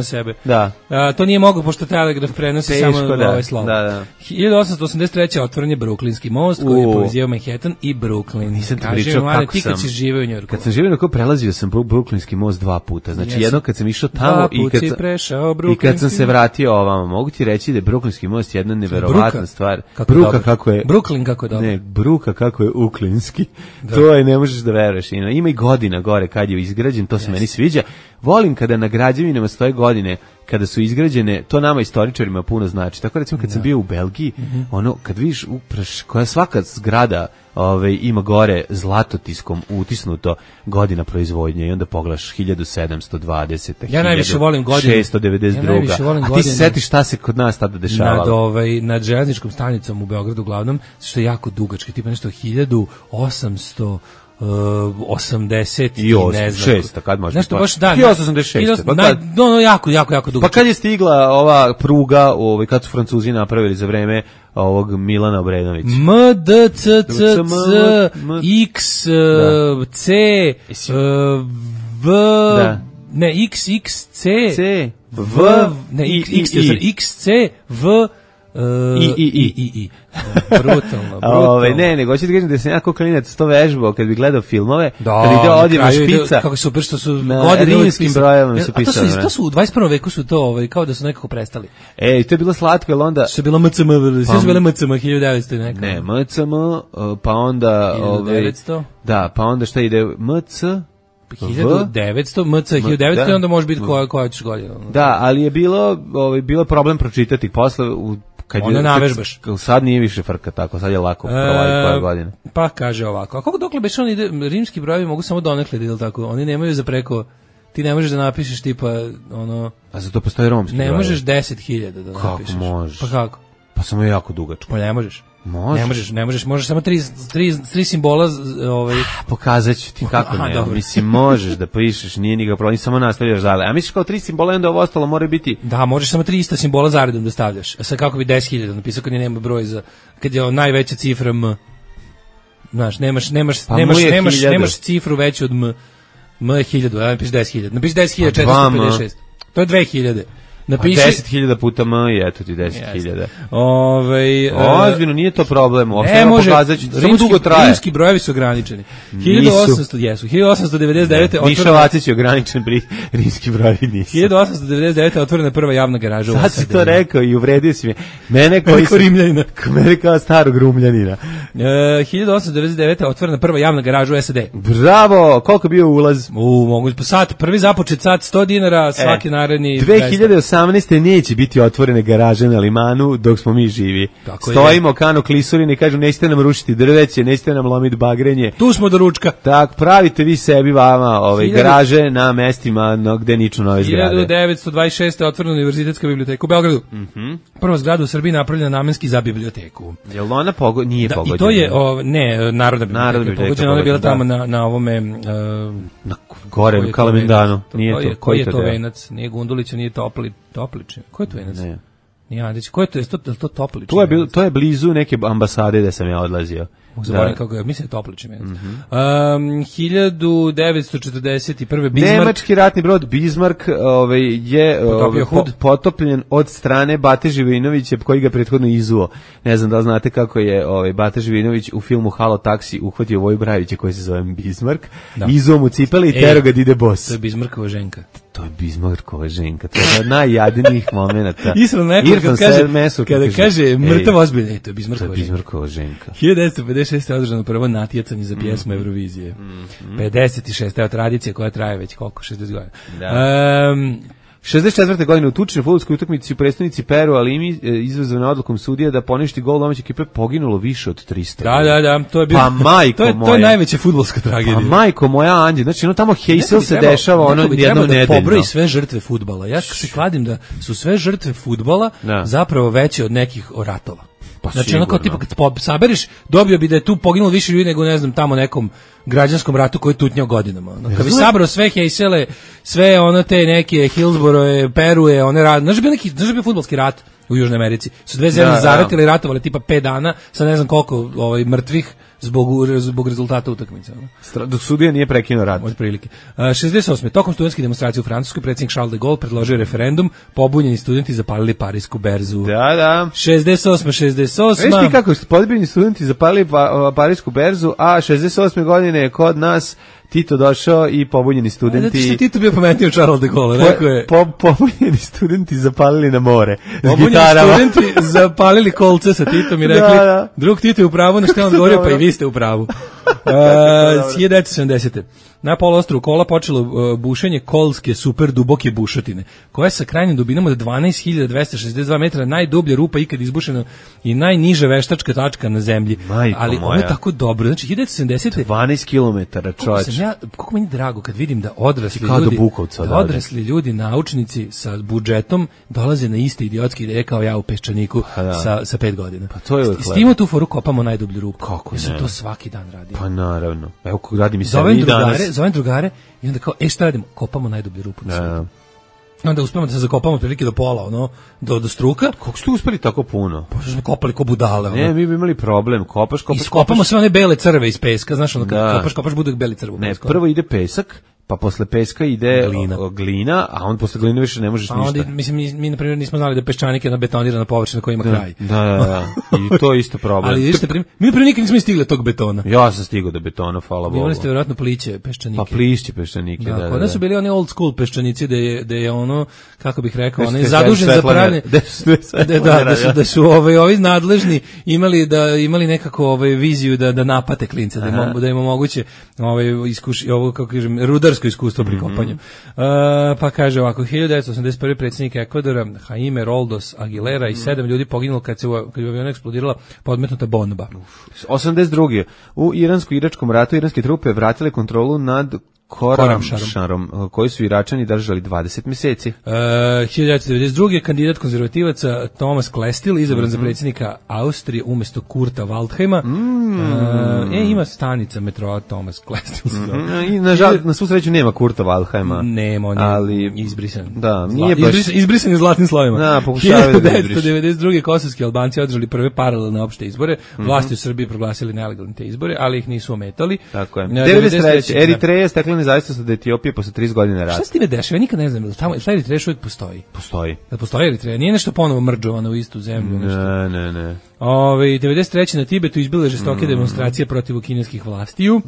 sebe. Da. To nije moglo, pošto telegraf prenosi samo ovaj slovo. Da. 1883. otvoren je Brooklynski most koji je povezivao Manhattan i Brooklyn. Nisam ti pričao kako sam. Kad si živeo u Njujorku. Kad sam živeo, prelazio sam Brooklynski most 2 puta. Znači jedno kad sam išao tamo i kad sam se vratio ovamo. Mogu ti reći da je Brooklynski most jedna neverovatna stvar. Bruka kako je. Brooklyn kako je dobro. Ne, Bruka kako je uklinski. To je, ne možeš da veruješ. Ima i godina gore kad je izgrađen, to se meni sviđa. Volim kada na građevinama stoje godine kada su izgrađene, to nama istoričarima puno znači. Tako recimo kad sam bio u Belgiji, ono kad vidiš koja svaka zgrada ima gore zlatotiskom utisnuto godina proizvodnje i onda pogledaš 1720. Ja najviše volim godine 692. A ti se setiš šta se kod nas tada dešavalo? Nad železničkom stanicom u Beogradu uglavnom, što je jako dugački, tipa nešto 1800 80 i ne znam. 6, kad može. Nešto baš da. 1986. Pa jako dugo. Pa kad je stigla ova pruga, kad su Francuzi napravili za vreme ovog Milana Obrenovića. X C V ne XXC V ne XC V I. Brutalno. Ne, nego hoću da kažem da sam jako klinac to vežbao kad bi gledao filmove, kad ide odjeva špica. Kako super što su rimskim brojevima su pisali. To su u 21. veku su to kao da su nekako prestali. To je bilo slatko, jer onda... Što je bilo MCM, sve su bile MCM 1900 neka. Ne, MCM, pa onda... 1900? Da, pa onda šta ide MC... 1900, MC 1900 i onda može biti koja ćeš godina. Da, ali je bilo problem pročitati posle onda navežbaš. Sad nije više frka tako, sad je lako provaliti koje godine. Pa kaže ovako, a kako dokle beše on ide, rimski brojevi mogu samo donekle, ili tako, oni nemaju za preko, ti ne možeš da napišeš tipa, A za to postoji romski brojevi? Ne možeš 10.000 da napišeš. Kako možeš? Pa kako? Pa samo je jako dugačko. Pa ne možeš. Ne možeš samo tri simbola pokazat ću ti kako ne. Mislim, možeš da pišeš, nije nikakav problem, samo nastavljaš dalje. A misliš kao 3 simbola, onda ovo ostalo mora biti... Da, možeš samo 3 ista simbola zaredom da stavljaš. A sad kako bi 10.000 napisao kad nema broj kad je najveća cifra M. Znaš, nemaš cifru veću od M. M je 1000, a napiš 10.000. Napiš 10.456. To je 2000. Napiši 10.000 puta M i eto ti 10.000. Ozbiljno, nije to problem. Ne može, samo dugo traje. Rimski brojevi su ograničeni. 1899. Miša Vacić je ograničen, rimski brojevi nisu. 1899. otvorena prva javna garaža. Sad si to rekao i uvredio si me. Mene kao starog Rumljanina. 1899. otvorena prva javna garaža u SAD. Bravo, koliko bio ulaz? Mogu po sat, prvi započet sat $100, svaki naredni 2018. neće biti otvorene garaže na Limanu dok smo mi živi. Stojimo kano klisurine i kažu nećete nam rušiti drveće, nećete nam lomiti bagrenje. Tu smo do ručka. Tak, pravite vi sebi vama garaže na mestima gde niču nove zgrade. 1926. otvorena univerzitetska biblioteka u Beogradu. Prva zgrada u Srbiji napravljena namenski za biblioteku. Jel ona nije pogođena? I to je, Narodna biblioteka pogođena, ona je bila tamo na ovome... na gore, u Kalemegdanu. Koji je to venac? Nije Gundulića, nije Topličin. Ko je to venac? Ne. Nije Andić. Ko je to? Je to Topličin? To je blizu neke ambasade da sam ja odlazio. Zaboravim kako je, mislim je Topličin venac. 1941. Bismarck. Nemački ratni brod Bismarck je potopljen od strane Bate Živinovića, koji ga prethodno izuo. Ne znam da li znate kako je Bate Živinović u filmu Halo taksi uhvatio Voju Brajevića koji se zove Bismarck, izuo mu cipele i tero ga da ide bos. To je Bismarckova ženka. To je Bismarckova ženka. To je od najjadnijih momenata. Irfan kada kaže mrtav ozbiljno, to je Bismarckova ženka. 1956. je održano prvo natjecanje za pjesmu Eurovizije. 56. je tradicija koja traje već koliko? 60 godina. 64. godine u tučnoj fudbalskoj utakmici u prestonici Peru, ali izazvana odlukom sudija da poništi gol domaće ekipe, poginulo više od 300. Da, to je bilo. Pa majko moja. To je najveća fudbalska tragedija. Pa majko moja, Anđe, znači tamo Heysel se dešava jednom nedeljno. Da pobroji sve žrtve fudbala. Ja se kladim da su sve žrtve fudbala zapravo veće od nekih ratova. Znači ono kao tipa kad saberiš, dobio bi da je tu poginulo više ljudi nego ne znam tamo nekom građanskom ratu koji je tutnjao godinama. Kad bi sabrao sve Heysele, sve ono te neke Hillsborough, Peruje, one rad, znaš bi bio fudbalski rat u Južnoj Americi. Su dve zemlje zaratile i ratovale tipa 5 dana, sa ne znam koliko mrtvih zbog rezultata utakmice. Dok sudija nije prekinuo rat. Od prilike. 68. Tokom studentskih demonstracija u Francuskoj predsjednik Charles de Gaulle predložio referendum, pobunjeni studenti zapalili Parisku berzu. Da. 68. Veš ti kako su pobunjeni studenti zapalili Parisku berzu, a 68. godine je kod nas Tito došao i pobunjeni studenti... Zato što Tito bio pametniji od Charles de Gaulle, rekao je... Pobunjeni studenti zapalili na more. Pobunjeni studenti zapalili kolce sa Titom i rekli, drug Tito je u pravu, na što je on govorio, pa i vi ste u pravu. 1970. Na poluostrvu Kola počelo bušenje kolske super duboke bušotine, koja je sa krajnjim dubinom od 12.262 metra najdublja rupa ikad izbušena i najniža veštačka tačka na zemlji. Ali ono je tako dobro. Znači, 1970. 12 kilometara, čovječ. Koliko meni drago kad vidim da odrasli ljudi, naučnici sa budžetom dolaze na iste idiotske ideje kao ja u Peščaniku sa 5 godina. Pa to je Stimo tu foru kopamo najdublju rupu. Kako ne? Ja sam to svaki dan radio. Pa naravno. Evo kako radim i sad i danas. Zovem drugare i onda kao, šta radimo? Kopamo najdublju rupu na svijetu. Onda uspemo da se zakopamo otprilike do pola, do struka. Kako ste uspeli tako puno? Pa što smo kopali ko budale. Ne, mi bi imali problem. Kopaš. Iskopamo sve one bele crve iz peska, znaš, kad kopaš budu beli crve u pesku. Ne, prvo ide pesak, pa posle peska ide glina, a on posle gline više ne možeš ništa. Onda, mislim, mi na primjer nismo znali da peščanik je jedna betonirana površina koja ima kraj. Da. I to je isto problem. Ali vidite, mi na primjer nikad nismo stigli tog betona. Ja sam stigao do betona, hvala Bogu. Imali ste vjerojatno pliće peščanike. Pa plišće peščanike, da. Kod nas su bili oni old school peščanici da je ono, kako bih rekao, oni zadužen za pravne. Da su ovi nadležni imali nekako viziju da napate klince, da im omoguće ovo, kako kažem, rudarsko iskustvo pri kopanju. Pa kaže ovako, 1981. predsjednik Ekvadora Jaime Roldos Aguilera i 7 ljudi poginulo kad je u avionu eksplodirala podmetnuta bomba. 82. U iransko-iračkom ratu iranske trupe vratile kontrolu nad Koramšarom, koji su Iračani držali 20 mjeseci. 1992. kandidat konzervativaca Thomas Klestil izabran za predsjednika Austrije umjesto Kurta Waldheima. Ima stanica metroa Thomas Klestil. I na svu sreću nema Kurta Waldheima. Nema, on je izbrisan. Da, nije baš... Izbrisan je zlatnim slovima. Da, pokušavaju da izbriš. 1992. kosovski Albanci održali prve paralelne opšte izbore. Vlasti u Srbiji proglasili nelegalne te izbore, ali ih nisu ometali. Tako je. 93. Eritreja stekla nezavisnost od Etiopije posle 30 godina rata. Šta se time dešava? Ja nikad ne znam, šta Eritreja uvijek postoji? Postoji Eritreja, nije nešto ponovo mrđovano u istu zemlju. Ne. 93. na Tibetu izbile žestoke demonstracije protiv kineskih vlastiju,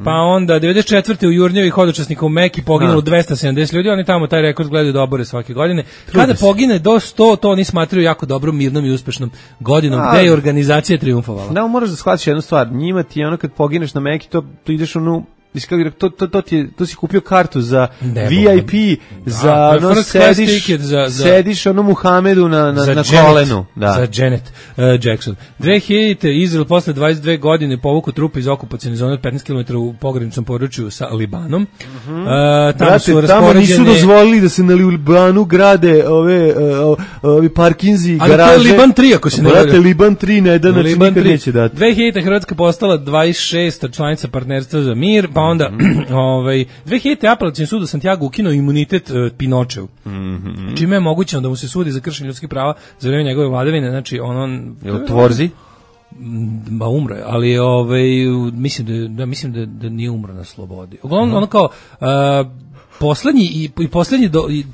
pa onda 94. u Jurnjevi hodočasnika u Meki poginulo 270 ljudi, oni tamo taj rekord gledaju da obore svake godine. Kada pogine do 100, to oni smatraju jako dobrom, mirnom i uspešnom godinom, gde je organizacija triumfovala. Da, moraš da shvatiš jednu stvar, njima ti je ono kad pogineš na Meki, to ideš to si kupio kartu za VIP, za sediš ono Muhamedu na kolenu. Za Janet Jackson. 2000. Izrael posle 22 godine povuku trupe iz okupacione zone od 15 km u pograničnom području sa Libanom. Tamo nisu dozvolili da se na Libanu grade ovi parkinzi, garaže. Ali to je Liban 3, ako se ne vrati. Liban 3 na jedan način nikad neće dati. 2000. Hrvatska postala 26. članica partnerstva za mir, pa onda 2000. apelacioni sud u Santiago ukinuo imunitet Pinočeu. Čime je mogućeno da mu se sudi za kršenje ljudskih prava za vrijeme njegove vladavine, znači Tvorzi? Ba umro je, ali mislim da nije umro na slobodi. Uglavnom ono kao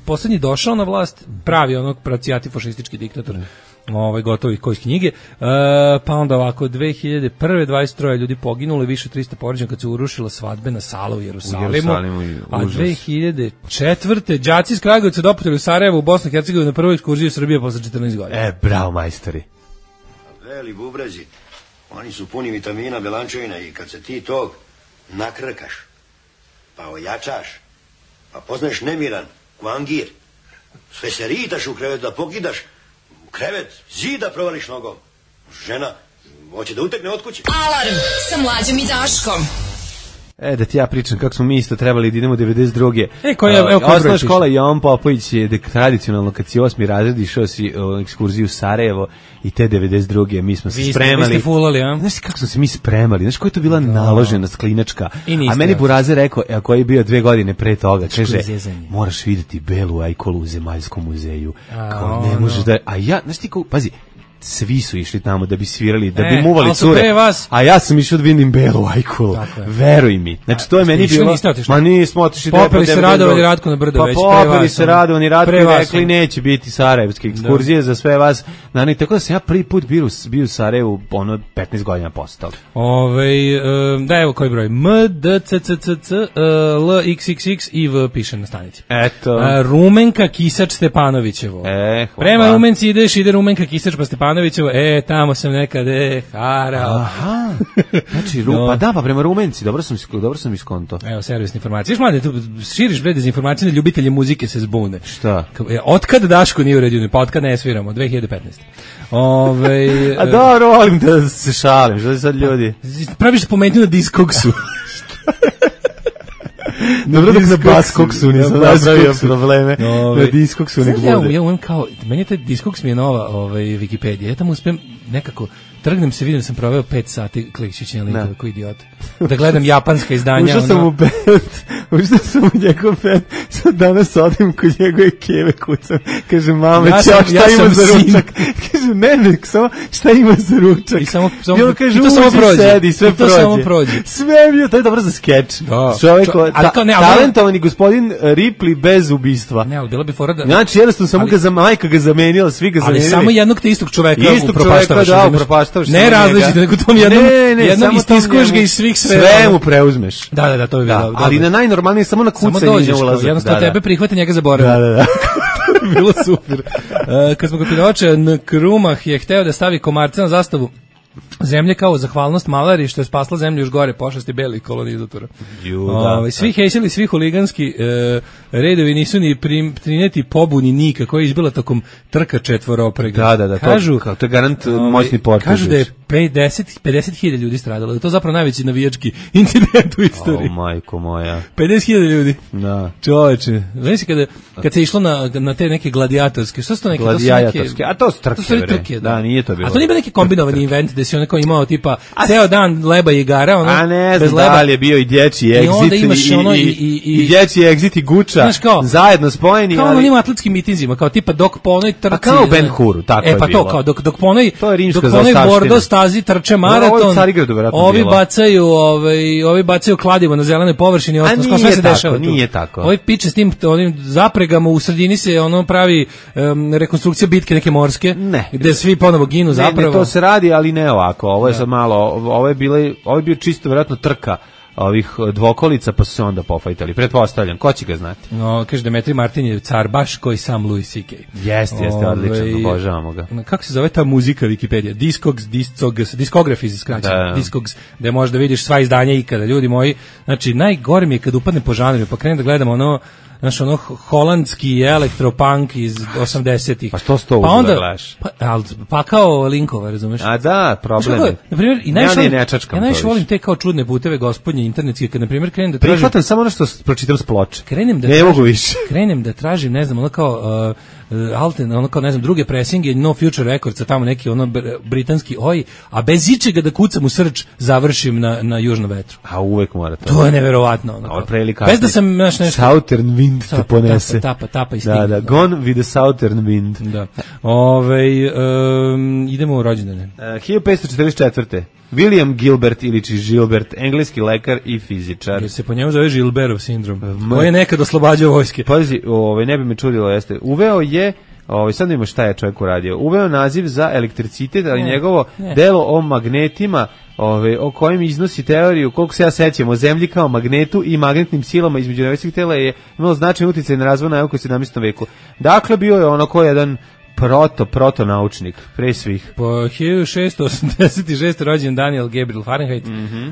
poslednji došao na vlast, pravi onog pracijati fašistički diktator. Gotovi koji iz knjige, pa onda ovako 2001. 23 ljudi poginulo, više 300 povređeno kad se urušila svadbena sala u Jerusalimu, a 2004. đaci iz Kragujevca doputili u Sarajevo u Bosnu i Hercegovinu na prvu ekskurziju Srbije posle 14 godina. Bravo majstori. Veli bubrezi, oni su puni vitamina, belančevina i kad se ti tog nakrkaš, pa ojačaš, pa poznaješ nemiran, kvangir, sve se ritaš u krevet da pokidaš, krevet, zida provališ nogom. Žena, hoće da utekne od kuće. Alarm sa Mlađom i Daškom. Da ti ja pričam kako smo mi isto trebali da idemo 92. Osnovna škola Jovan Popović je tradicionalno kad si 8. razred išao si ekskurziju u Sarajevo i te 92. mi smo se spremali. Vi ste fulali, a? Znaš kako smo se mi spremali, znaš koja je to bila naložena sklinačka. A meni Burazer rekao, koji je bio 2 godine pre toga, kaže, moraš vidjeti belu ajkolu u Zemaljskom muzeju. Kao ne možeš da... A ja, znaš ti kao, pazi, svi su išli tamo da bi svirali, da bi muvali cure, a ja sam išao da vidim belu ajkulu, veruj mi. Znači to je meni bilo, ma nismo otišli. Popeli se Radovani Ratko na brdo već pre vas. Popeli se Radovani Ratko i rekli neće biti sarajevske ekskurzije za sve vas. Tako da sam ja prvi put bio u Sarajevu 15 godina postao. Da, evo koji broj, M, D, C, C, C, C, L, X, X, X i V piše na stanici. Eto. Rumenka Kisač Stepanovićevo. Prema Rumenci ide Rumenka Kisač pa Stepanovićevo, tamo sam nekad, harao. Aha, znači, pa prema Rumenci, dobro sam iskonto. Evo, servisne informacije. Viš, mlade, tu širiš bre dezinformacije, da ljubitelji muzike se zbune. Šta? Otkad Daško nije uredio, pa otkad ne sviramo, 2015. A dobro, volim da se šalim, što je sad ljudi? Praviš spomenju na Discogsu. Dobro dok na Baskoksu nisam napravio probleme. Na Discogsu nek bude. Ja umem kao, meni je taj Discogs mi je nova Wikipedija. Ja tamo uspem nekako, trgnem se, vidim da sam proveo 5 sati klikćući na linkove, koji idiot. Da gledam japanska izdanja. Ušao sam u njegov band, sad danas odim kod njegove keve kucam. Kaže, mama, šta ima za ručak? Kaže, ne, samo šta ima za ručak? I on kaže, uđi, sedi, sve prođe. Sve mi je, to je dobro za skeč. Čovjek, talentovani gospodin Ripley bez ubistva. Ne, ali bilo bi fora da... Znači, jednostavno samo majka ga zamenila, svi ga zamenili. Ali samo jednog te istog čoveka upropaštavaš. Ne različite, nego tom jednom istiskuješ ga iz svih sfera. Sve mu preuzmeš. Da, to bi bilo. Ali na najnormalnije, samo na kucanje ne ulazi. Jednostavno tebe prihvate, njega zaboravio. Da. Bilo super. Kad smo ga pinoče, Krumah je hteo da stavi komarce na zastavu zemlje kao zahvalnost Malari što je spasla zemlju još gore pošasti belih kolonizatora. Svi hejsili, svi huliganski redovi nisu ni prineti pobuni Nika koja je izbila tokom trka četvoroprega. Da, kažu, to je garant moćni potez. Kažu da je 50.000 ljudi stradalo. Da je to zapravo najveći navijački incident u istoriji. Majko moja. 50.000 ljudi. Da. Čoveče. Znači kad se išlo na te neke gladijatorske, što su to neke? Gladijatorske, a to su trke. To su trke, da, nije to bilo. A to nije bio neki kombinovani event gde si onako imao tipa ceo dan leba i igara, ono. A ne znam da li je bio i dječji exit i dječji exit i guča zajedno spojeni. Kao onim atletskim mitinzima, kao tipa dok po onoj trci. A kao Ben Huru, tako je bilo. Pa to, kao dok po onoj Bordo stazi trče maraton, ovi bacaju kladivo na zelenoj površini, ostalo sve se dešava. Nije tako. Ovi piče s tim onim zapregama u sredini se ono pravi rekonstrukcija bitke neke morske, gde svi ponovo ginu zapravo. Ne, to se radi, ali ne ovako. Ovo je sad malo, ovo je bio čisto vjerojatno trka ovih dvokolica, pa su se onda pofajtali. Pretpostavljam, ko će ga znati? No, kaže Demetri Martin je car baš koji sam Louis C.K. Jeste, odličan, obožavamo ga. Kako se zove ta muzika Wikipedija? Discography skraćeno. Discogs, gde možda vidiš sva izdanja ikada, ljudi moji. Znači, najgore mi je kad upadne po žanru, pa krenem da gledam ono holandski elektropunk iz 80-ih. Pa što sto uzela gledaš? Pa kao linkova, razumeš? A da, problem je. Na primjer, ja najviše volim te kao čudne puteve gospodnje internetske, kad na primjer krenem da tražim... Prihvatam samo ono što pročitam s ploče. Krenem da tražim, ne znam, ono kao... Alten, ono kao, ne znam, druge presinge, No Future Records, tamo neki ono britanski a bez ičega da kucam u srč završim na Južnom vetru. A uvek mora to. To je neverovatno. Bez da sam nešto... Southern Wind te ponese. Tapa i stigne. Da, Gone with the Southern Wind. Da. Idemo u rođendane. 1544. William Gilbert iliči Gilbert, engleski lekar i fizičar. Jer se po njemu zove Gilbertov sindrom. Koji je nekad oslobađao vojske. Pazi, ne bi me čudilo, jeste. Uveo je, sad vidimo šta je čovjek uradio. Uveo naziv za elektricitet, ali njegovo delo o magnetima, o kojem iznosi teoriju, koliko se ja sećam, o zemlji kao magnetu i magnetnim silama između nebeskih tela je imalo značajan utjecaj na razvoj nauke u 17. veku. Dakle, bio je ono ko jedan protonaučnik, pre svih. Po 1686. rođen Daniel Gabriel Fahrenheit,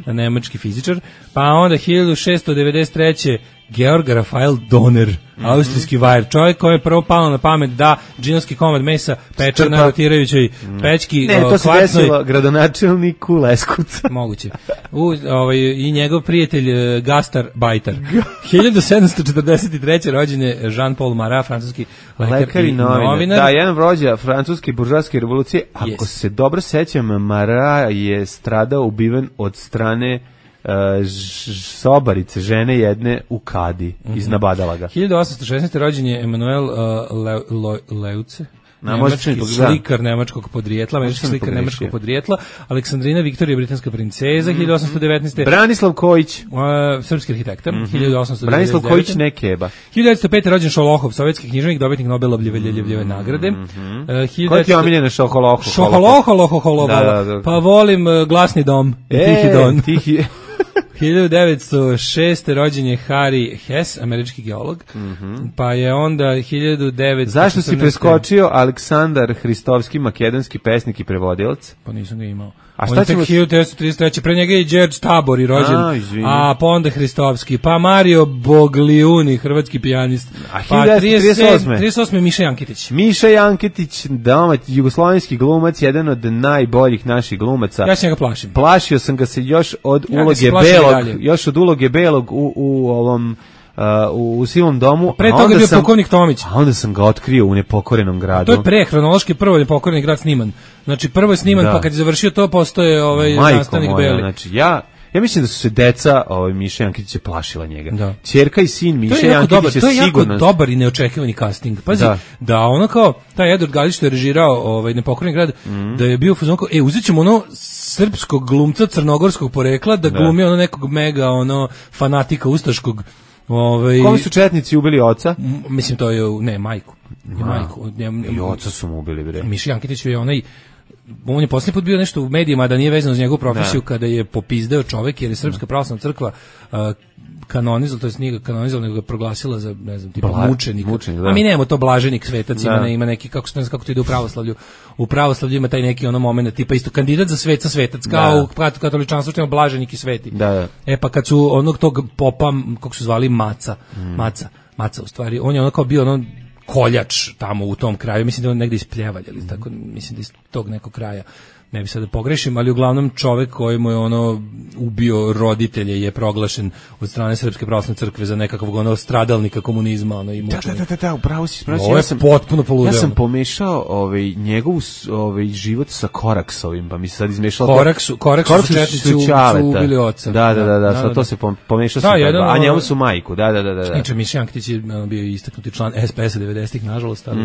nemački fizičar, pa onda 1693. Georg Rafael Donner, austrijski vajer, čovjek koji je prvo palo na pamet da džinovski komad mesa peče na rotirajućoj pećki. Ne, to se desilo gradonačelniku Leskovca. Moguće. I njegov prijatelj Gastar Bajtar. 1743. rođen je Jean-Paul Marat, francuski lekar i novinar. Da, jedan vođa francuske buržoaske revolucije. Ako se dobro sećam, Marat je stradao, ubiven od strane sobarice, žene jedne u Kadi, iznabadala ga. 1816. rođen je Emanuel Leuce, nemački slikar nemačkog podrijetla, Aleksandrina Viktorija, britanska princeza, 1819. Branislav Kojić, srpski arhitekta, 1899. Branislav Kojić Nekeba. 1905. rođen Šolohov, sovjetski književnik, dobitnik Nobelovljeve nagrade. Koja ti je omiljena Šoholohov? Šoholohov, pa volim Glasni dom, Tihi don. 1906. rođen je Harry Hess, američki geolog, pa je onda 1914. Zašto si preskočio Aleksandar Hristovski, makedonski pesnik i prevodilac? Pa nisam ga imao. A šta ćemo... 1933. Pre njega je Đerđ Tabor i rođen, pa onda Hristovski, pa Mario Bogliuni, hrvatski pijanist, pa 38. Miša Jankitić. Miša Jankitić, jugoslovenski glumac, jedan od najboljih naših glumaca. Ja se njega plašim. Plašio sam ga se još od uloge Belog u ovom u Sivom domu. Pre toga je bio Pukovnik Tomić. A onda sam ga otkrio u Nepokorenom gradu. To je pre, hronološki prvo Nepokoreni grad sniman. Znači prvo je sniman, pa kad je završio to postoje nastavnik Beli. Znači ja mislim da su se deca Miša Jankitića plašila njega. Ćerka i sin Miša Jankitić je sigurno. To je jako dobar i neočekivani casting. Pazi, da ono kao taj Edward Galić što je režirao Nepokoreni grad, da je bio fazon kao uzet ćemo ono srpskog glumca crnogorskog porekla da glumi ono nekog mega fanatika ustaškog. Kome su četnici ubili oca? Mislim to je majku. I oca su mu ubili, bre. Miša Jankitić je on je posljednji put bio nešto u medijima da nije vezano za njegovu profesiju kada je popizdeo čovek jer je Srpska pravoslavna crkva kanonizovala, to jest nije ga kanonizovala, nego ga proglasila za, ne znam, tipa mučenika. A mi nemamo to blaženik svetac, ima neki, kako to ide u pravoslavlju. U pravoslavlju ima taj neki moment, tipa isto kandidat za sveca svetac, kao u katoličanstvu što ima blaženik i sveti. Pa kad su onog tog popa, kako su zvali, Maca u stvari, on je kao bio koljač tamo u tom kraju, mislim da je on negde iz Pljevalja, ili tako, mislim da iz tog nekog kraja, ne bi sad da pogrešim, ali uglavnom čovek koji mu je ubio roditelje je proglašen od strane Srpske pravoslavne crkve za nekakvog stradalnika komunizma i mučenika. Da, upravo si. Ovo je potpuno poludeo. Ja sam pomešao njegov život sa Koraksovim, pa mi se sad izmešao. Koraksu su četnici ubili oca. Da, sad to se pomešao sa a njemu su majku, da. Inače, Miša Jankitić je bio istaknuti član SPS-a 90-ih, nažalost, ali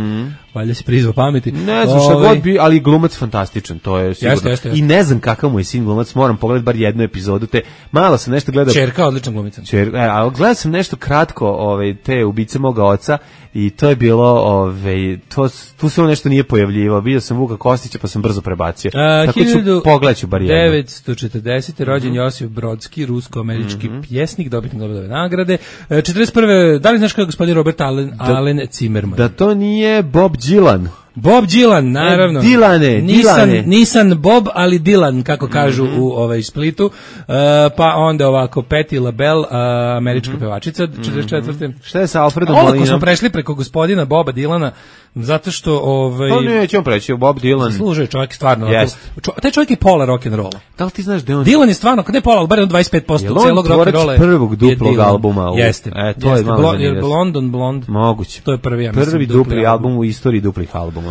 valjda se prizvao pameti. Ne znam šta god bi, ali glumac fantastičan, to je sigurno. Jeste. I ne znam kakav mu je sin glumac, moram pogledati bar jednu epizodu, malo sam nešto gledao. Ćerka odličan glumica. A gledao sam nešto kratko, te Ubice moga oca i to je bilo, tu se on nešto nije pojavljivao. Vidio sam Vuka Kostića pa sam brzo prebacio. Tako pogledaću bar jednu. 1940. rođen Josif Brodski, rusko-američki pjesnik, dobitnik Nobelove nagrade. 41. Da li znaš kako je gospodin Robert Allen Zimmerman? Da to nije Bob Dylan. Bob Dylan, naravno. Dilane. Nisam Bob, ali Dylan, kako kažu u Splitu. Pa onda ovako, Patti LaBelle, američka pevačica, 44. Šta je sa Alfredom Molinom? Ovako smo prešli preko gospodina Boba Dylana, zato što... To nećemo preći, Bob Dylan. Zaslužuje čovjek stvarno. Taj čovjek je pola rock'n'rolla. Da li ti znaš da on... Dylan je stvarno, ne pola, ali bar 25% celog rock'n'rolla. Je on prvog duplog albuma? Jeste. To je malo zanimljivo. Blond. Moguće. To je prvi dupli album u istoriji duplih albuma.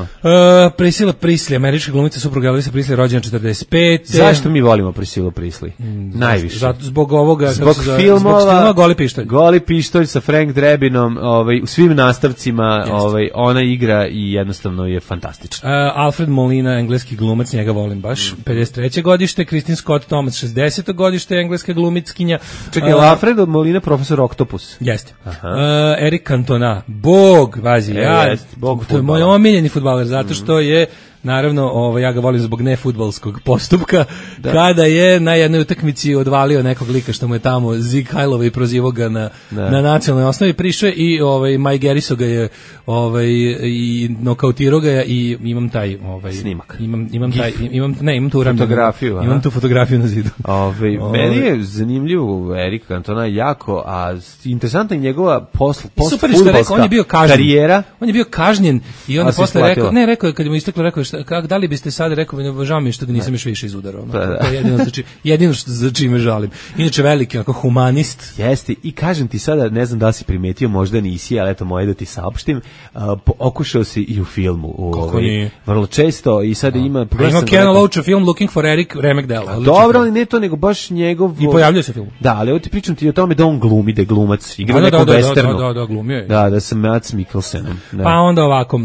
Priscilla Presley, američka glumica, supruga Elvisa Presley, rođena 45. Zašto mi volimo Priscillu Presley? Najviše. Zbog ovoga, zbog filmova Goli pištolj. Goli pištolj sa Frank Drabinom, u svim nastavcima, ona igra i jednostavno je fantastična. Alfred Molina, engleski glumac, njega volim baš. 53. godište, Kristin Scott Thomas, 60. godište, engleska glumickinja. Čekaj, Alfred Molina, profesor Octopus. Jeste. Eric Cantona, bog, vazi, to je moj omiljeni fudbaler, zato što je, naravno, ja ga volim zbog nefudbalskog postupka, kada je na jednoj utakmici odvalio nekog lika što mu je tamo Zig Hajlova i prozivao ga na nacionalnoj osnovi, prišao i Maj Geriso ga je i nokautirao ga i imam taj snimak. Imam tu fotografiju. Imam tu fotografiju na zidu. Meni je zanimljiv Erik Cantona jako, a interesantna je njegova postfudbalska karijera. On je bio kažnjen i onda posle rekao je kad mu isteklo, rekao da li biste sad rekao, žao mi je što ga nisam još više izudarao. To je jedino za čime žalim. Inače veliki humanist. Jeste, i kažem ti sada, ne znam da li si primetio, možda nisi, ali eto moje da ti saopštim, okušao si i u filmu. Kako nije? Vrlo često i sada ima... Ima Ken Loach film Looking for Eric Remekdale. Dobro, ali ne to, nego baš njegov... I pojavljuje se film. Da, ali ovo ti pričam ti o tome da on glumi, da je glumac. Igra nekom westernu. Da, glumio je. Da, sa Mads Mikkelsenom. Pa onda ovako,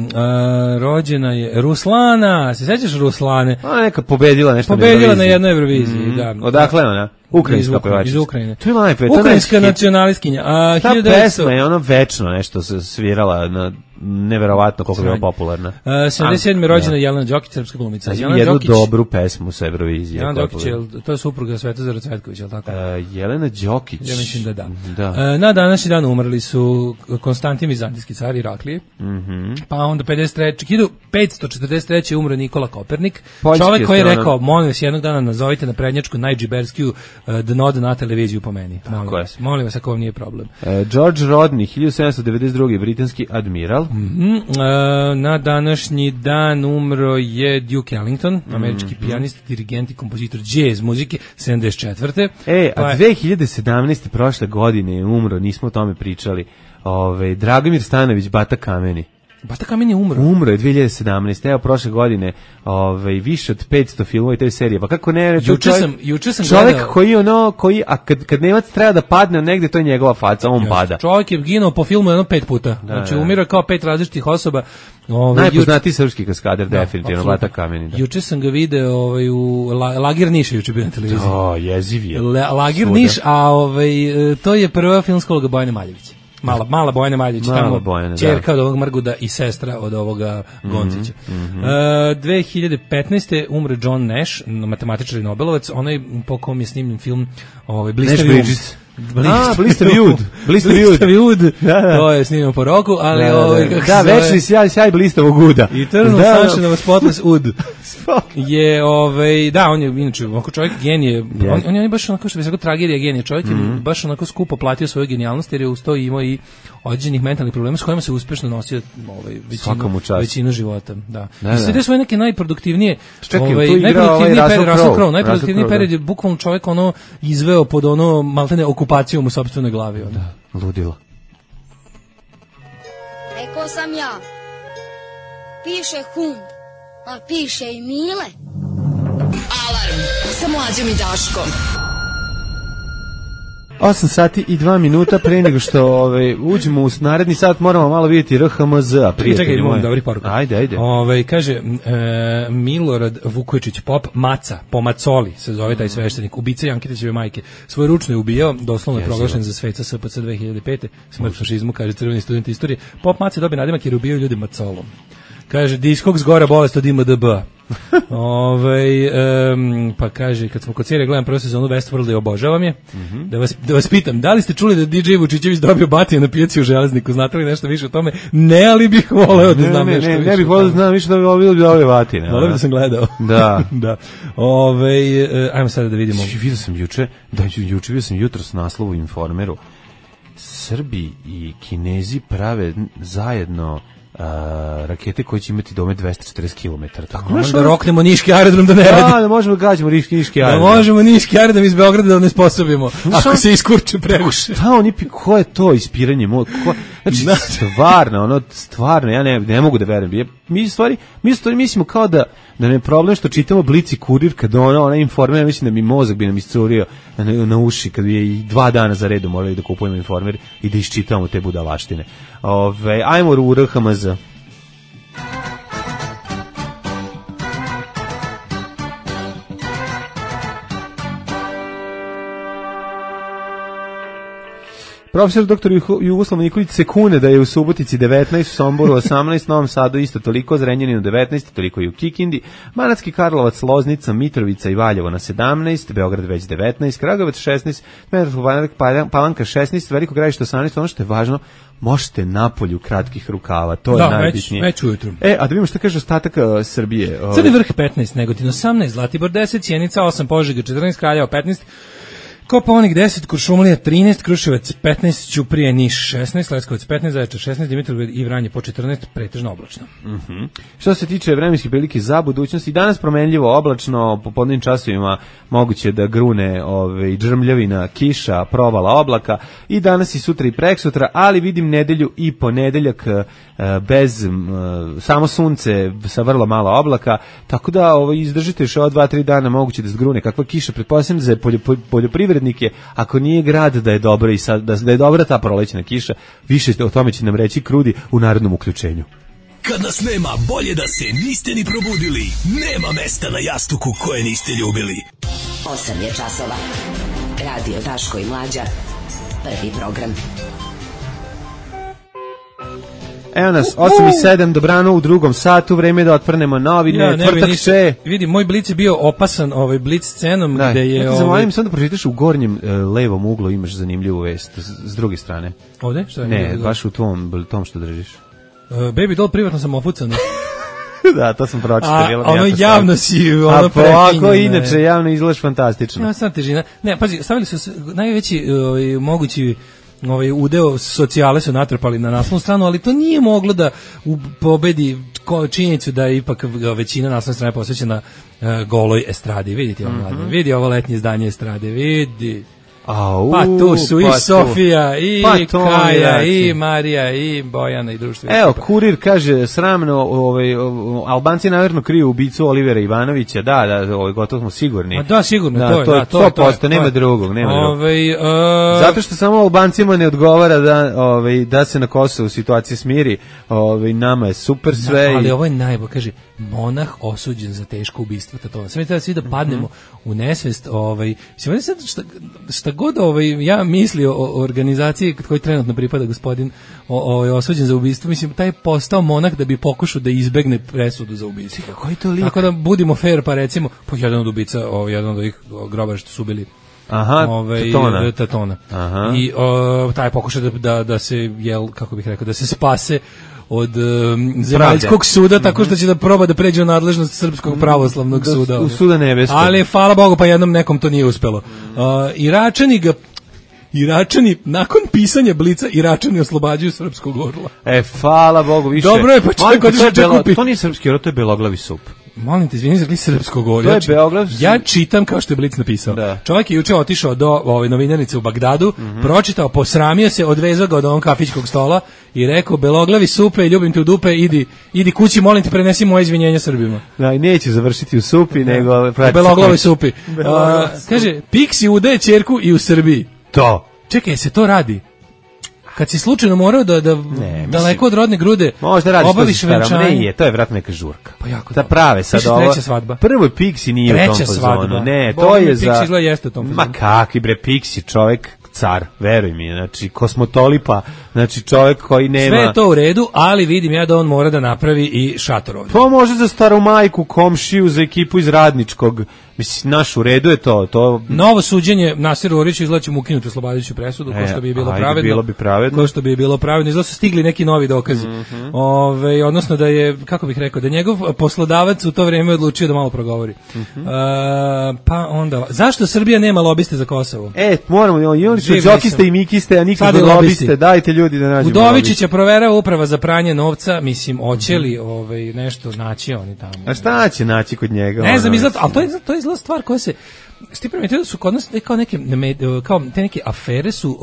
rođena je Ruslana, se sećaš Ruslane? Neka pobedila nešto na jednoj Euroviziji, da. Odakle ona? Ukrajinska pevačica. Iz Ukrajine. To je najpre. Ukrajinska nacionalistkinja. Ta pesma je ono večno nešto se svirala na neverovatno koliko je bila popularna. 77. rođena Jelena Đokić, srpska glumica. Jednu dobru pesmu sa Eurovizije. Jelena Đokić, to je supruga Svetozara Cvetkovića, je li tako? Jelena Đokić. Ja mislim da. Na današnji dan umrli su Konstantin Vizantijski car Iraklije, pa onda 1543. umro Nikola Kopernik, čovek koji je rekao, molim vas, jednog dana nazovite na prednjačku najdžiberskiju dno na televiziju po meni. Molim vas, ako vam nije problem. George Rodney, 1792. britanski admiral. Na današnji dan umro je Duke Ellington, američki pijanist, dirigent i kompozitor jazz muzike, 74. A 2017. prošle godine je umro, nismo o tome pričali, Dragomir Stanović, Bata Kameni. Bata Kamen je umro. Umro je 2017. Evo prošle godine, više od 500 filmova i te serije. Pa kako ne, juče sam čovjek koji kad Nemac treba da padne negde, to je njegova faca, on pada. Čovjek je ginuo po filmu 5 puta. Znači umira kao 5 različitih osoba. Najpoznatiji srpski kaskader, definitivno, Bata Kameni. Juče sam ga video u Lager Niš, juče bio na televiziji. Jeziv je. Lager Niš, a to je prva filmska uloga Bojane Maljevića. Mala Bojana Maljević, tamo ćerka od ovog Mrguda i sestra od ovoga Goncića. 2015. umre John Nash, matematičar i Nobelovac, onaj po kom je snimljen film Blistavi Ud. To je snimljeno po roku, ali večni sjaj blistavog uda. Eternal Sunshine of a Spotless Ud. Je on je inače onako čovjek genije. On je baš onako što bi se rekao tragedija genije. Čovjek je baš onako skupo platio svoju genijalnost jer je uz to imao i određenih mentalnih problema s kojima se uspešno nosio većinu života. Da. I sve svoje neke najproduktivnije najproduktivniji period je bukvalno čovjek izveo pod maltene okupacijom u sopstvenoj glavi. Ludilo. Rekao sam ja, piše hum, a piše i Mile. Alarm sa Mlađom i Daškom. 8 sati i 2 minuta pre nego što uđemo u naredni sat, moramo malo vidjeti RHMZ-a, prijatelji moji. Dobri poruka. Ajde. Kaže, Milorad Vukojičić, pop Maca, po Macoli se zove taj sveštenik, ubica Jankitićeve majke. Svoj ručno je ubijao, doslovno je proglašen za sveca SPC 2005. Smrt fašizmu, kaže crveni student istorije. Pop Maca dobije nadimak jer ubijao ljudi macolom. Kaže, diskog zgora bolest od IMDB. Pa kaže, kad smo kod serije gledam prvu sezonu Westworlda i obožavam je, da vas pitam, da li ste čuli da DJ Vučićević dobio batije na pijaci u Železniku? Znate li nešto više o tome? Ne, ali bih voleo da znam nešto više. Ne bih voleo da znam više da bi dobio batije. Voleo da sam gledao. Da. Ajmo sada da vidimo. Vidio sam vidio sam jutro s naslovu u Informeru. Srbi i Kinezi prave zajedno rakete koje će imati domet 240 km. Tako da roknemo niški aerodrom da ne radi. Da možemo gađamo niški aerodrom. Da možemo niški aerodrom iz Beograda da ne sposobimo. Ako se iskurče previše. Ko je to ispiranje? Znači, stvarno, ja ne mogu da verujem. Mi stvari mislimo kao da nam je problem što čitamo Blic i Kurir, kad ona Informer, mislim da mi mozak bi nam iscurio na uši, kad je i 2 dana za redu morali da kupujemo Informer i da iščitamo te budalaštine. Ajmo u RHMZ. Profesor dr. Jugoslav Nikolić se kune da je u Subotici 19, u Somboru 18, Novom Sadu isto toliko, Zrenjaninu 19, toliko i u Kikindi, Banatski Karlovac, Loznica, Mitrovica i Valjevo na 17, Beograd već 19, Kragujevac 16, Palanka 16, Veliko Gradište 18, ono što je važno, možete napolju kratkih rukava, to je najbitnije. Već ujutru. A da vidimo što kaže ostatak Srbije. Crni vrh 15, Negotin 18, Zlatibor 10, Sjenica 8, Požega 14, Kraljevo 15, Kopaonik 10, Kuršumlija 13, Kruševac 15, Ćuprije, Niš 16, Leskovac 15, Zaječar 16, Dimitrovgrad i Vranje po 14, pretežno oblačno. Što se tiče vremenskih prilike za budućnost, i danas promenljivo oblačno, po podnevnim časovima moguće da grune džrmljavina, kiša, provala oblaka, i danas i sutra i preksutra, ali vidim nedelju i ponedeljak bez samo sunce sa vrlo malo oblaka, tako da izdržite još ova 2-3 dana, moguće da zgrune kakva kiša, pretpostavljam za poljoprivrednike, ako nije grad da je dobro i sad, da je dobra ta prolećna kiša. Više o tome će nam reći Krudi u narodnom uključenju. Kad nas nema, bolje da se niste ni probudili. Nema mesta na jastuku koje niste ljubili. 8 je časova. Radio Daško i Mlađa. Prvi program. Evo nas, 8:07, dobrano u drugom satu, vreme da otvrnemo novine, tvrtak še. Vidi, moj blic je bio opasan blic scenom, gde je... Ja te zamolim sam da pročitaš u gornjem levom uglu, imaš zanimljivu vest, s druge strane. Ovde? Šta je? Ne, baš u tom što držiš. Baby doll, privatno sam ofucana. Da, to sam pročitao. A ono javno si ovako, inače javno izgledaš fantastično. Ja, sam težina. Ne, pazi, stavili su najveći mogući udeo socijale su natrpali na naslovnu stranu, ali to nije moglo da pobedi činjenicu da je ipak većina naslovne strane posvećena goloj estradi. Vidite ovo mladine, vidi ovo letnje izdanje estrade, vidi. Pa tu su i Sofija, i Kaja, i Marija, i Bojana, i društvo. Evo, Kurir kaže, sramno, Albanci naverno kriju ubicu Olivera Ivanovića, da, gotovo smo sigurni. Da, sigurno, to je 100%, nema drugog. Zato što samo Albancima ne odgovara da se na Kosovu situacija smiri, nama je super sve. Ali ovo je najbolje, kaže, monah osuđen za teško ubistvo Tatona. Sve treba svi da padnemo u nesvest, šta god ja mislio o organizaciji koji trenutno pripada gospodin osuđen za ubistvo, mislim, taj je postao monah da bi pokušao da izbegne presudu za ubistvo. Koji to lik? Tako da budimo fair, pa recimo, jedan od ubica, jedan od ovih grobara što su ubili Tatona. I taj je pokušao da se, kako bih rekao, da se spase od zemaljskog suda, tako što će da proba da pređe u nadležnost Srpskog pravoslavnog suda. U suda nebeskog. Ali, hvala Bogu, pa jednom nekom to nije uspelo. Iračani, nakon pisanja Blica, Iračani oslobađaju srpskog orla. Hvala Bogu, više. Dobro je, pa čovjek otišao da kupi. To nije srpski orlo, to je beloglavi sup. Molim te, izvini, rekli srpskog orla. To je Beograd. Ja čitam kao što je Blic napisao. Da. Čovjek je juče otišao do novinarnice u Bagdadu, pročitao, posramio se, odvezao ga od onog kafićkog stola i rekao, beloglavi supe, ljubim te u dupe, idi kući, molim te, prenesi moje izvinjenja Srbima. Da, i neće završiti u supi, nego... U beloglavi supi. Kaže, Pixi udaje ćerku i u Srbiji. To. Čekaj, se to radi? Kad si slučajno morao da daleko od rodne grude obaviš venčanje. Ne, to je vratno neka žurka. Pa jako da prave sad ovo. Treća svadba. Prvo je Pixi nije u tom fazonu. Ne, to je za... Pixi izgleda jeste u tom fazonu. Ma kakvi bre, Pixi čovek car, veruj mi, znači kosmotolipa, znači čovjek koji nema... Sve je to u redu, ali vidim ja da on mora da napravi i šator ovdje. To može za staru majku, komšiju, za ekipu iz Radničkog. Mislim, naš u redu je to. Novo suđenje Nasiru Oriću izlači mu ukinuti oslobađajuću presudu, ko što bi bilo pravedno. Bilo bi pravedno. Ko što bi bilo pravedno. Izgleda su stigli neki novi dokazi. Odnosno da je, kako bih rekao, da njegov poslodavac u to vrijeme odlučio da malo progovori. Pa onda, zašto Srbija nema lobiste za Kosovo? Moramo, i oni su džokiste i mikiste, a nikad lobiste. Dajte ljudi da nađemo. Udovičića proverava uprava za pranje novca, mislim, hoće li nešto naći oni tamo. A šta će naći kod njega? Ne znam, ali to je stvar koja se ti primetio da su kod nas kao te neke afere su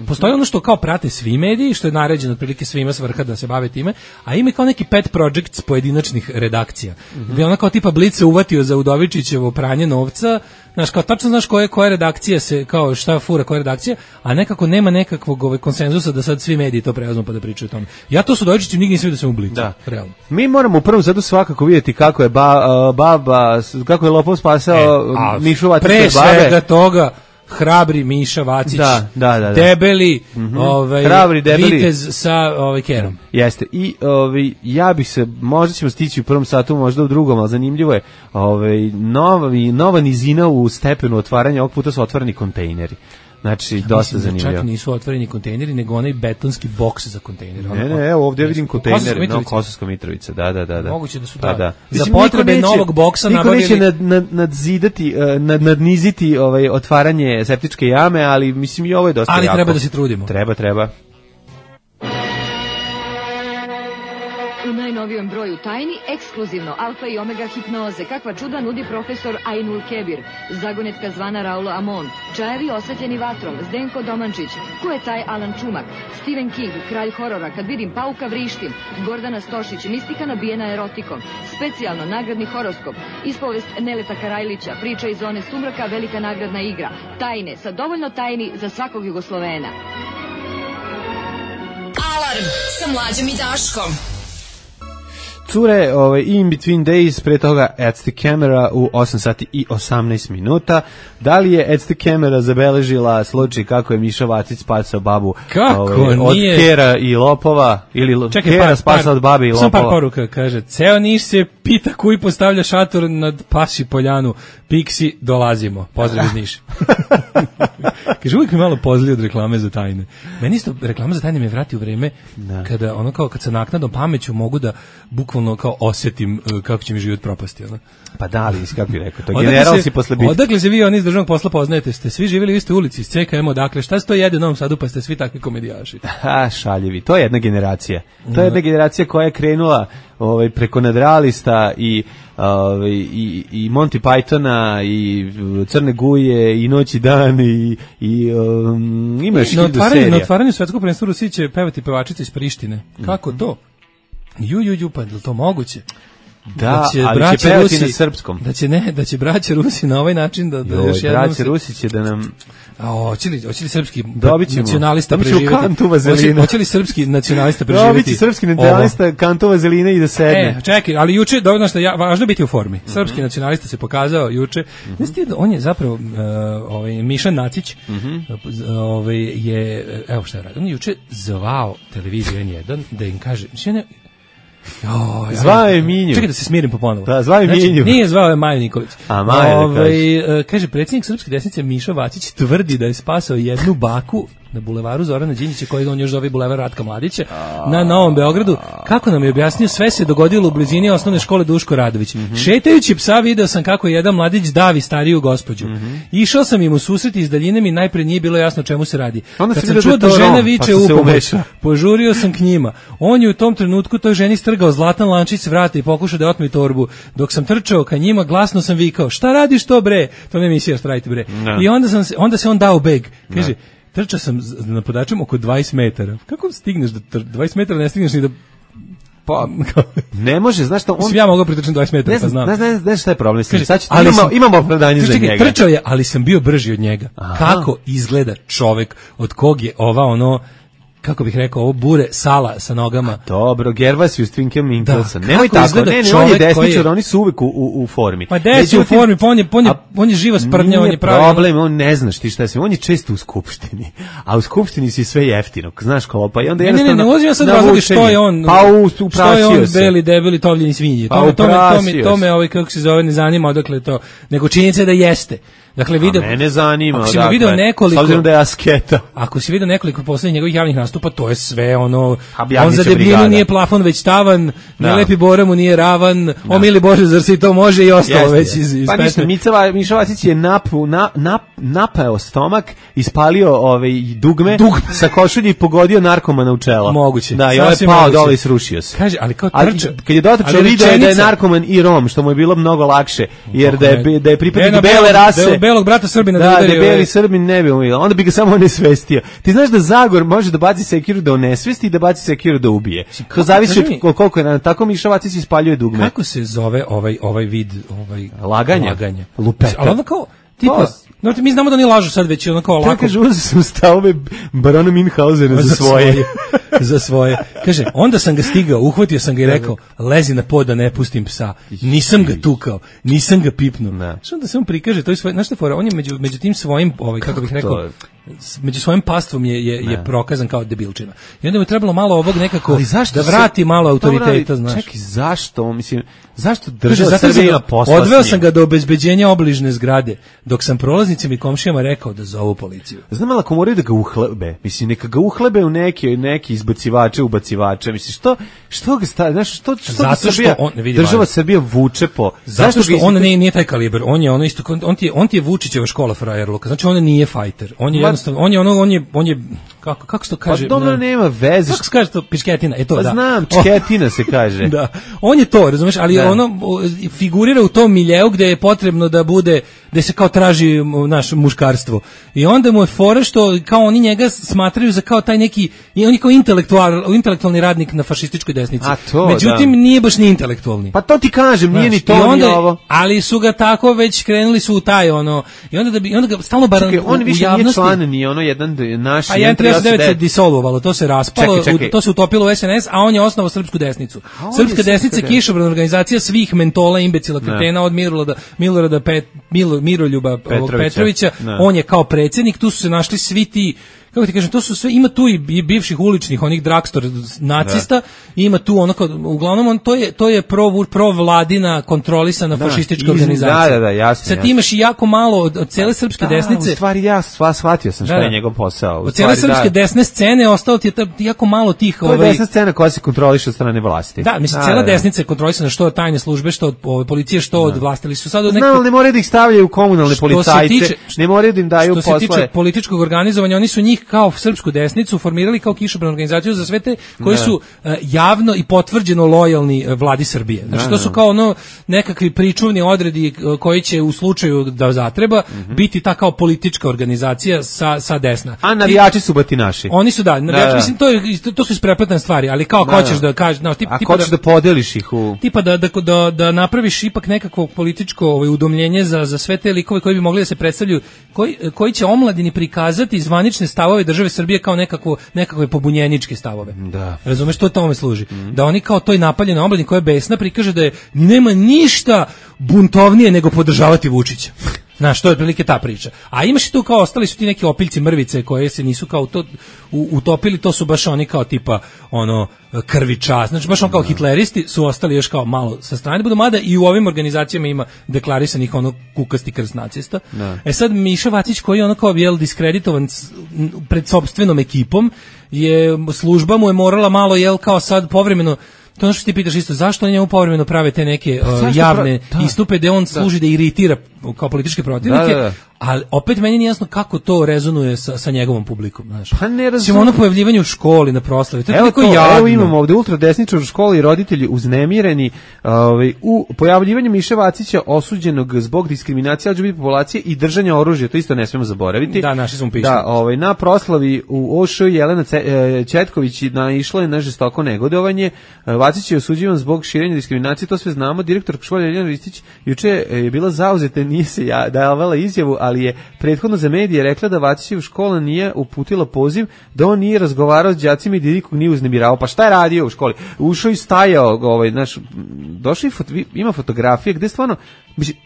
postoji ono što kao prate svi mediji, što je naređeno otprilike svima s vrha da se bave time, a ima kao neki pet projects pojedinačnih redakcija. Gde ona kao tipa Blic se uvatio za Udovičićevo pranje novca, znaš, kao tačno znaš koja redakcija se, kao šta fura koja redakcija, a nekako nema nekakvog konsenzusa da sad svi mediji to preuzmu pa da pričaju o tome. Ja to su Udovičićem nigdje nisam vidio da sam u Blicu, realno. Mi moramo u prvom satu svakako vidjeti kako je kako je lopov spasao Mišu Vacića babe. Pre svega toga hrabri Miša Vacić, debeli, hrabri, debeli vitez sa kerom. Jeste. I ja bih se, možda ćemo stići u prvom satu, možda u drugom, ali zanimljivo je, nova nizina u stepenu otvaranja, ovog puta su otvoreni kontejneri. Znači, dosta zanimljivo. Čak nisu otvoreni kontejneri, nego onaj betonski boks za kontejnere. Ne, evo ovdje vidim kontejner, Kosovska Mitrovica, da. Moguće da su za potrebe novog boksa nabavili... Niko neće nadniziti otvaranje septičke jame, ali mislim i ovo je dosta jako. Ali treba da se trudimo. Treba. U najnovijem broju tajni, ekskluzivno alfa i omega hipnoze, kakva čuda nudi profesor Ainul Kebir, zagonetka zvana Raulo Amon, čajevi osvetljeni vatrom, Zdenko Domančić, ko je taj Alan Čumak, Stephen King, kralj horora, kad vidim pauka vrištim, Gordana Stošić, mistika nabijena erotikom, specijalno nagradni horoskop, ispovest Neleta Karajlića, priča iz zone sumraka, velika nagradna igra, tajne, sa dovoljno tajni za svakog Jugoslovena. Alarm sa Mlađom i Daškom. Cure, In Between Days, pre toga At the Camera u 8 sati i 18 minuta. Da li je At the Camera zabeležila slučaj kako je Miša Vacić spasao babu od kera i lopova, ili kera spasao od babe i lopova? Samo par poruka, kaže, ceo Niš se pita koji postavlja šator nad Pasi poljanu, Piksi, dolazimo. Pozdrav iz Niša. Kaže, uvijek mi malo pozli od reklame za tajne. Meni isto reklama za tajne me vrati u vreme kada ono kao kad sa naknadnom pameću mogu da bukvalno kao osjetim kako će mi život propasti. Ono. Pa da li, kako bih rekao, to general si posle bitke. Odakle se vi oni iz državnog posla poznajete? Ste svi živjeli u istoj ulici, iz CKM, odakle? Šta se to jede u Novom Sadu, pa ste svi takvi komedijaši? Šaljevi, to je jedna generacija. To je jedna generacija koja je krenula preko Nadralista i Monty Pythona i Crne guje i Noć i dan i ima još hiljadu serija. Na otvaranju svetskog prvenstva Rusiji će pevati pevačica iz Prištine. Kako to? Pa je li to moguće? Da, ali će pevati na srpskom. Da će braća Rusi na ovaj način da još jednom... Braća Rusi će da nam... Hoće li srpski nacionalista preživjeti? Hoće li srpski nacionalista preživjeti? Dobit će srpski nacionalista kantu vazeline i da sedne. Čekaj, ali juče, dovoljno što važno biti u formi. Srpski nacionalista se pokazao juče. On je zapravo Mišan Nacić, evo šta je radio. On je juče zvao televiziju N1 da im kaže... Zvao je Minju. Čekaj da se smirim ponovo. Da, zvao je Minju. Nije zvao je Maju Nikolić. A Maja da kaže. Kaže, predsjednik Srpske desnice Miša Vacić tvrdi da je spasao jednu baku na bulevaru Zorana Đinđića, koji on još zove bulevar Ratka Mladića, na Novom Beogradu. Kako nam je objasnio, sve se dogodilo u blizini osnovne škole Duško Radović. Šetajući psa video sam kako jedan mladić davi stariju gospođu. Išao sam im u susret iz daljine, mi najpre nije bilo jasno čemu se radi. Kad sam čuo da žena viče u pomoć, požurio sam k njima. On je u tom trenutku toj ženi strgao zlatan lančić s vrata i pokušao da otme torbu. Dok sam trčao ka njima, glasno sam vikao: "Šta radiš to bre?" To mi je emisija Štrajte bre. I onda se on dao beg. Kaže: "Trčao sam na podačem oko 20 metara. Kako stigneš da 20 metara ne stigneš ni da pa ne može, znaš što on... Ja mogu pritrčati 20 metara, pa znam. Ne, šta je problem s njim? Imamo opravdanje za njega. Trčao je, ali sam bio brži od njega. Kako izgleda čovek od kog je ova kako bih rekao, ovo bure sala sa nogama. Dobro, Gervasius Twinkel Minkelson. Nemoj tako, on je desničar, oni su uvek u formi. Pa desničar u formi, pa on je živa sprdnja, on je pravi. Problem, on ne zna ti šta je sve, on je često u skupštini, a u skupštini si sve jeftino, znaš kopa, i onda jednostavno... Ne ulazim ja sad razloga što je on, što je on beli, debeli, tovljeni svinji. To me, kako se zove, ne zanima odakle to, nego činjenica je da jeste. Dakle, mene zanima, ako si video nekoliko, s obzirom da je asketa. Ako si video nekoliko poslednjih njegovih javnih nastupa, to je sve on za debljinu nije plafon već tavan, ne lepi Bora mu nije ravan, o mili Bože, zar se i to može, i ostalo već iz pa pesme. Miša Vacić je napao stomak, ispalio dugme sa košulje i pogodio narkomana u čelo. Moguće. Da, i ovaj pao dole i srušio se. Kaže, ali kao trča. Kad je dotačao video da je narkoman i Rom, što mu je bilo mnogo lakše, jer da je pripadnik bele rase, belog brata Srbina da udari. Da, beli Srbin ne bi umio. Onda bi ga samo onesvestio. Ti znaš da Zagor može da baci sekiru da onesvesti i da baci sekiru da ubije. To zavisi od koliko je. Tako Miša Vacić ispaljuje dugme. Kako se zove ovaj vid laganja? Lupeta. Ali onda kao, tipa, mi znamo da oni lažu sad već ono kao lako. Tako kaže, uzeo sam stavove barona Minhausena za svoje. Kaže, onda sam ga stigao, uhvatio sam ga i rekao: "Lezi na pod da ne pustim psa." Nisam ga tukao, nisam ga pipnuo. Što onda se on prikaže, to je svoje, znaš šta fora, on je među tim svojim, kako bih rekao, među svojim pastvom je prokazan kao debilčina. I onda mu je trebalo malo ovog nekako da vrati malo autoriteta, znaš. Čekaj, zašto? Mislim, zašto država Srbija poslala? Odveo sam ga do obezbeđenja obližne zgrade, dok sam prolaznicima i komšijama rekao da zovu policiju. Znam, ali ako moraju da ga uhlebe, mislim, neka ga uhlebe u neki izbacivače, ubacivače, mislim, što ga stavlja, znaš, što država Srbija vuče po... Zato što on nije taj kaliber, on je ono isto, on ti je Vučićeva škola frajerluka, znači on nije fajter, on je jednostavno, on je kako se to kaže? Pa dobro, nema veze. Kako se kaže to, pišketina, Pa znam, čketina se kaže. Da, on je to, razumeš, ali ono figurira u tom miljeu gde je potrebno da bude, gde se kao traži naš muškarstvo. I onda mu je fora što kao oni njega smatraju za kao taj neki, on je kao intelektualni radnik na fašističkoj desnici. Međutim, nije baš ni intelektualni. Pa to ti kažem, nije ni to, ni ovo. Ali su ga tako već krenuli su u taj ono, i onda ga stalno on više nije član jedan i ono jedan naš. A 1.39 se disolvovalo, to se raspalo, to se utopilo u SNS, a on je osnovao Srpsku desnicu. Srpska desnica je kišobrana organizacija svih mentola, imbecila, kretena, od Milorada Miroljuba Petrovića. On je kao predsjednik, tu su se našli svi ti, kako ti kažem, to su sve, ima tu i bivših uličnih, onih dragstor nacista, ima tu ono, uglavnom to je provladina kontrolisana fašistička organizacija. Da, jasno. Sad ti imaš i jako malo od cele srpske desnice. U stvari ja shvatio sam šta je njegov posao. Od cele srpske desne scene ostalo ti je jako malo tih... To je desna scena koja se kontroliše od strane vlasti. Da, mislim, cela desnica je kontrolisana što od tajne službe, što od policije, što od vlasti. Su sad Znam, ne moraju da ih stavljaju komunalne policajce, ne moraju da im daju posle. Što se tiče političkog organizovanja, oni su njih kao srpsku desnicu formirali kao kišobranu organizaciju za sve te koji su javno i potvrđeno lojalni vladi Srbije. Znači to su kao ono nekakvi pričuvni odredi koji će u slučaju da zatreba biti ta kao politička organizacija sa desna. A navijači su batinaši. Oni su navijači, mislim to su isprepletane stvari, ali kao hoćeš da kažeš, hoćeš da podeliš ih u tipa da napraviš ipak nekakvo političko udomljenje za sve te likove koji bi mogli da se predstavljaju, koji će omladini prikazati zvanične stavove države Srbije kao nekakve pobunjeničke stavove. Da. Razumeš, to tome služi. Da oni kao toj napaljene omladini koja je besna prikaže da je nema ništa buntovnije nego podržavati Vučića. Znaš, to je otprilike ta priča. A imaš i tu kao ostali su ti neki opiljci mrvice koje se nisu kao to utopili, to su baš oni kao tipa ono krviča, znači baš on kao hitleristi su ostali još kao malo sa strane, budu mada i u ovim organizacijama ima deklarisanih ono kukasti krst nacista. Sad Miša Vacić koji je ono kao diskreditovan pred sopstvenom ekipom, služba mu je morala malo kao sad povremeno. To ono što ti pitaš isto, zašto oni njemu povremeno prave te neke javne istupe gde on služi da iritira kao političke protivnike, ali opet meni nije jasno kako to rezonuje sa njegovom publikom, znaš. Pa ne razumijem. Ono pojavljivanje u školi na proslavi, to je toliko jadno. Evo imamo ovde ultradesničar u školi i roditelji uznemireni u pojavljivanju Miše Vacića osuđenog zbog diskriminacije LGBT populacije i držanja oružja, to isto ne smemo zaboraviti. Da, naši smo pisali. Da, na proslavi u OŠ Jelena Četković naišla je na žestoko negodovanje. Vacić je osuđivan zbog širenja diskriminacije, to sve znamo. Direktor škole Jelena Ristić juče je bila zauzeta, nije se davala izjavu, ali je prethodno za medije rekla da Vacićev škola nije uputila poziv, da on nije razgovarao s đacima i da nikog nije uznemiravao. Pa šta je radio u školi? Ušao i stajao, došli ima fotografije gde stvarno, mislim,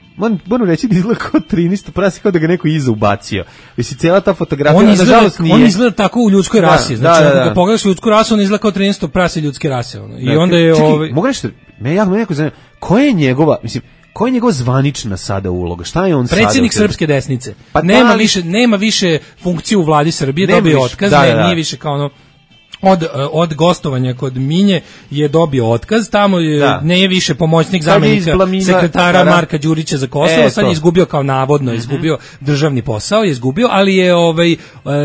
moram reći da izgleda kao 13 prasi, kao da ga neko iza ubacio. Mislim, cijela ta fotografija, nažalost nije. On izgleda tako u ljudskoj rasi. Znači, ako pogledaš ljudsku rasu, on izgleda kao 13 prasi ljudske rase. I onda je... Čekaj, mogu nešto, me neko zanima, koja je njegova zvanična sada uloga? Šta je on sada? Predsjednik srpske desnice. Pa nema više funkciju u vladi Srbije, dobio otkaz, nije više kao ono... Od gostovanja kod Minje je dobio otkaz, tamo ne je više pomoćnik zamjenika sekretara Marka Đurića za Kosovo, sad je izgubio kao navodno, izgubio državni posao, ali je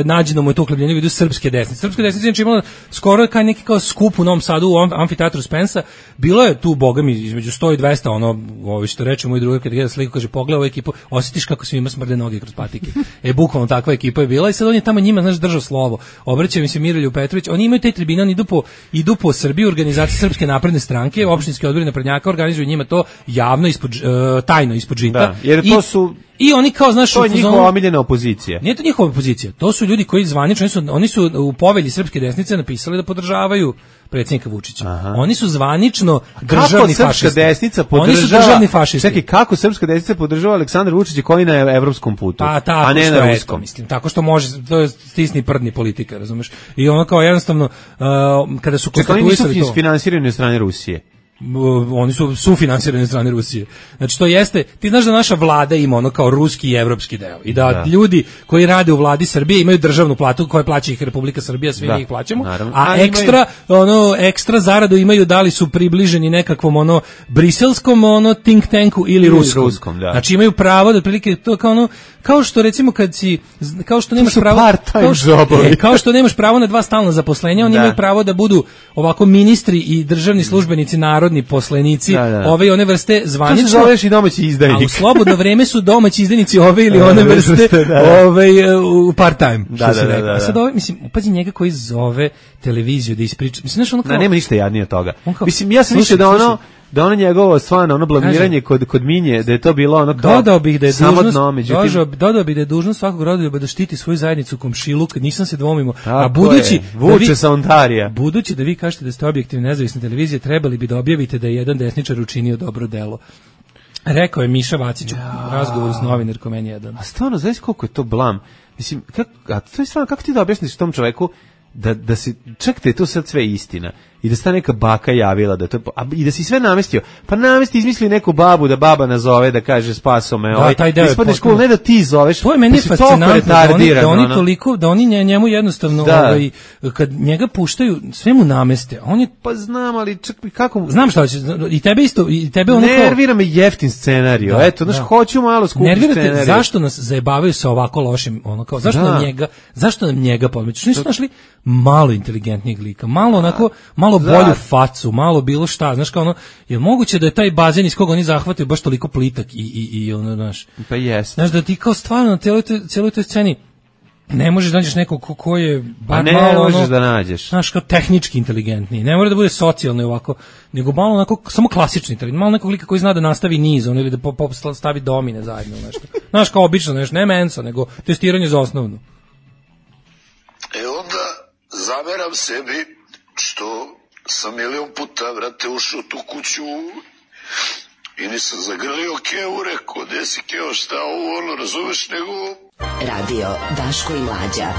nađeno mu je to uhljebljenje u vidu srpske desnice. Srpska desnica je imala skoro neki kao skup u Novom Sadu u amfiteatru Spensa, bilo je tu, bogami, između 100 i 200, što reče moj drugar kad gleda sliku, kaže, pogledaj ovu ekipu, osjetiš kako svima smrde noge kroz patike. Bukvalno takva ekipa je bila i sad on je tamo njima, držao slovo. Obraća mi se Mirolju Petrović, oni imaju te tribine, oni idu po Srbiji, organizacije Srpske napredne stranke, opštinski odbori naprednjaka organizuju njima to javno, tajno ispod žita. Da, jer to su... I oni kao, znaš, to je njihova omiljena opozicija. Nije to njihova opozicija, to su ljudi koji zvanično, oni su u povelji Srpske desnice napisali da podržavaju predsjednika Vučića. Aha. Oni su zvanično državni fašisti. Oni su državni fašisti. Čekaj, kako Srpska desnica podržava Aleksandra Vučića koji na evropskom putu, a ne na ruskom? Mislim, tako što može, to je stisni prdni politika, razumeš? I ono kao jednostavno, kada su konstatuisali to... Oni nisu finansirani od strane Rusije. Oni su sufinansirani od strane Rusije. Znači to jeste, ti znaš da naša vlada ima ono kao ruski i evropski deo i da ljudi koji rade u vladi Srbije imaju državnu platu koju plaća ih Republika Srbija, svi mi ih plaćamo, a ekstra zaradu imaju da li su približeni nekakvom briselskom think tanku ili ruskom. Znači imaju pravo da otprilike to kao što recimo kao što nemaš pravo na 2 stalna zaposlenja, oni imaju pravo da budu ovako ministri i državni službenici, narodni poslenici, ove i one vrste zvanično. To se zoveš i domaći izdajnik. A u slobodno vreme su domaći izdajnici ove ili one vrste u part time. A sad mislim, pazi njega koji zove televiziju da ispriča. Mislim, nema ništa jadnije od toga. Mislim, ja sam mislio da ono njegovo stvarno ono blamiranje kod Minje, da je to bilo ono kao dodao bih da je samo dužnost, dno, međutim dodao bih da je dužnost svakog rodoljuba da štiti svoju zajednicu komšiluk, nisam se dvomimo. A budući vuče sa Ontarija. Budući da vi kažete da ste objektivne nezavisne televizije, trebali bi da objavite da je jedan desničar učinio dobro delo. Rekao je Miša Vacić u razgovoru s novinarkom N1. A stvarno, znaš koliko je to blam? Mislim, kako ti da objasniš tom čoveku da se, čekajte, to sad sve istina. I da sta neka baka javila da to, i da si sve namestio. Pa namesti, izmisli neku babu da baba nazove, da kaže spaso me, ispadneš cool, ne da ti zoveš. To je meni fascinantno, da oni njemu jednostavno, kad njega puštaju, sve mu nameste. On je, pa znam, ali čak kako... Znam šta će, i tebe isto, i tebe ono kao... Nervira me jeftin scenariju, eto, znaš, hoću malo skupi scenariju. Nervirate, zašto nas zajebavaju sa ovako lošim, ono kao, zašto nam njega podmeću? Nisu našli malo inteligentnijeg lika, malo onako, malo bolju facu, malo bilo šta, znaš kao ono, je moguće da je taj bazen iz koga oni zahvataju baš toliko plitak i ono, znaš. Pa jest. Znaš, da ti kao stvarno na cijeloj toj sceni ne možeš da nađeš nekog ko je bar malo ono... Ne možeš da nađeš. Znaš, kao tehnički inteligentniji, ne mora da bude socijalno i ovako, nego malo onako, samo klasični inteligentni, malo nekog lika koji zna da nastavi niz, ono, ili da stavi domine zajedno, nešto. Znaš, kao obično, nešto, ne mensa, nego testiranje za osnovnu. Onda zameram sebi što sam milion puta, vrate, ušao tu kuću i nisam zagrlio Keo, rekao, gde si Keo, šta ovo, ono, razumeš, nego... Radio Daško i Mlađa,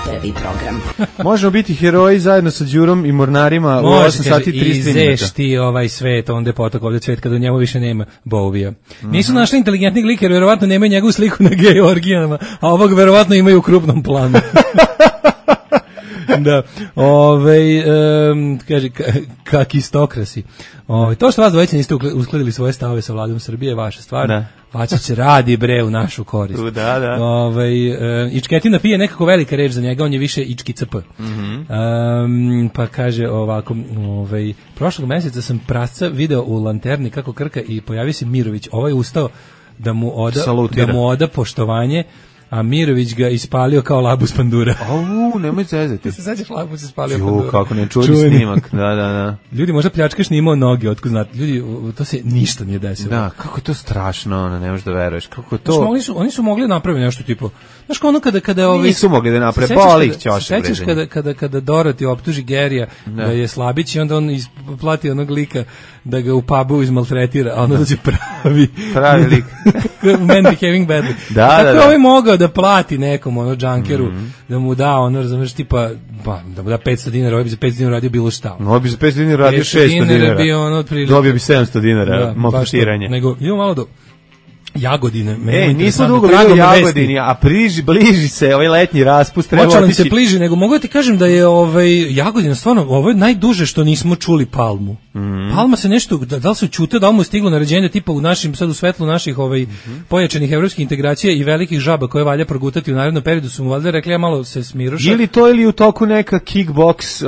prvi program. Možemo biti heroji zajedno sa Đurom i mornarima u 8 sati 30 minuta. Izeš ti ovaj svet, onda je potok ovdje cvet, kada u njemu više nema Bovija. Nisu našli inteligentnih lika, jer verovatno nemaju njegovu sliku na gej orgijama, a ovog verovatno imaju u krupnom planu. Da, kaže, kakistokrasi. To što vas dvojice niste uskladili svoje stavove sa vladom Srbije je vaša stvar. Vačić radi bre u našu korist. Da. Ičketina pije nekako velika reč za njega, on je više Ički CP. Pa kaže ovako, prošlog mjeseca sam prasca video u Lanterni kako krka i pojavio se Mirović. Ovaj ustao da mu oda poštovanje, a Mirović ga ispalio kao labus pandura. Nemoj zezati. Se sećaš, labus ispalio pandura. Kako ne čuli snimak. Da. Ljudi, možda pljačkaš nije imao noge, otkud znate. Ljudi, to se ništa nije desilo. Da, kako je to strašno, ne možeš da veruješ. Kako je to... Oni su mogli napraviti nešto tipo... Znaš kao ono kada nisu mogli da naprave, boli ih ćošak. Sećaš kada Dorothy optuži Gerija da je slabić i onda on plati onog lika da ga u pubu izmaltretira, a onda dođe pravi lik. Man behaving badly. Tako je ovaj mogao da plati nekom ono džankeru, da mu da ono, razumeš, tipa, da mu da 500 dinara, ovaj bi za 500 dinara radio bilo šta. Ovaj bi za 500 dinara radio 600 dinara. Dobio bi 700 dinara maltretiranje. Nego, idemo malo do Jagodine. Nismo dugo bili u Jagodini, a bliži se ovaj letnji raspust. Počelo se bliži, nego mogu ti kažem da je Jagodina stvarno, ovo je najduže što nismo čuli Palmu. Palma se nešto, da li se čute, da li mu je stiglo naređenje tipa u našim, sad u svetlu naših pojačanih evropskih integracija i velikih žaba koje valja progutati u narednom periodu, su mu valjda rekli, ja malo se smiruša. Ili to, ili u toku neka kickboks,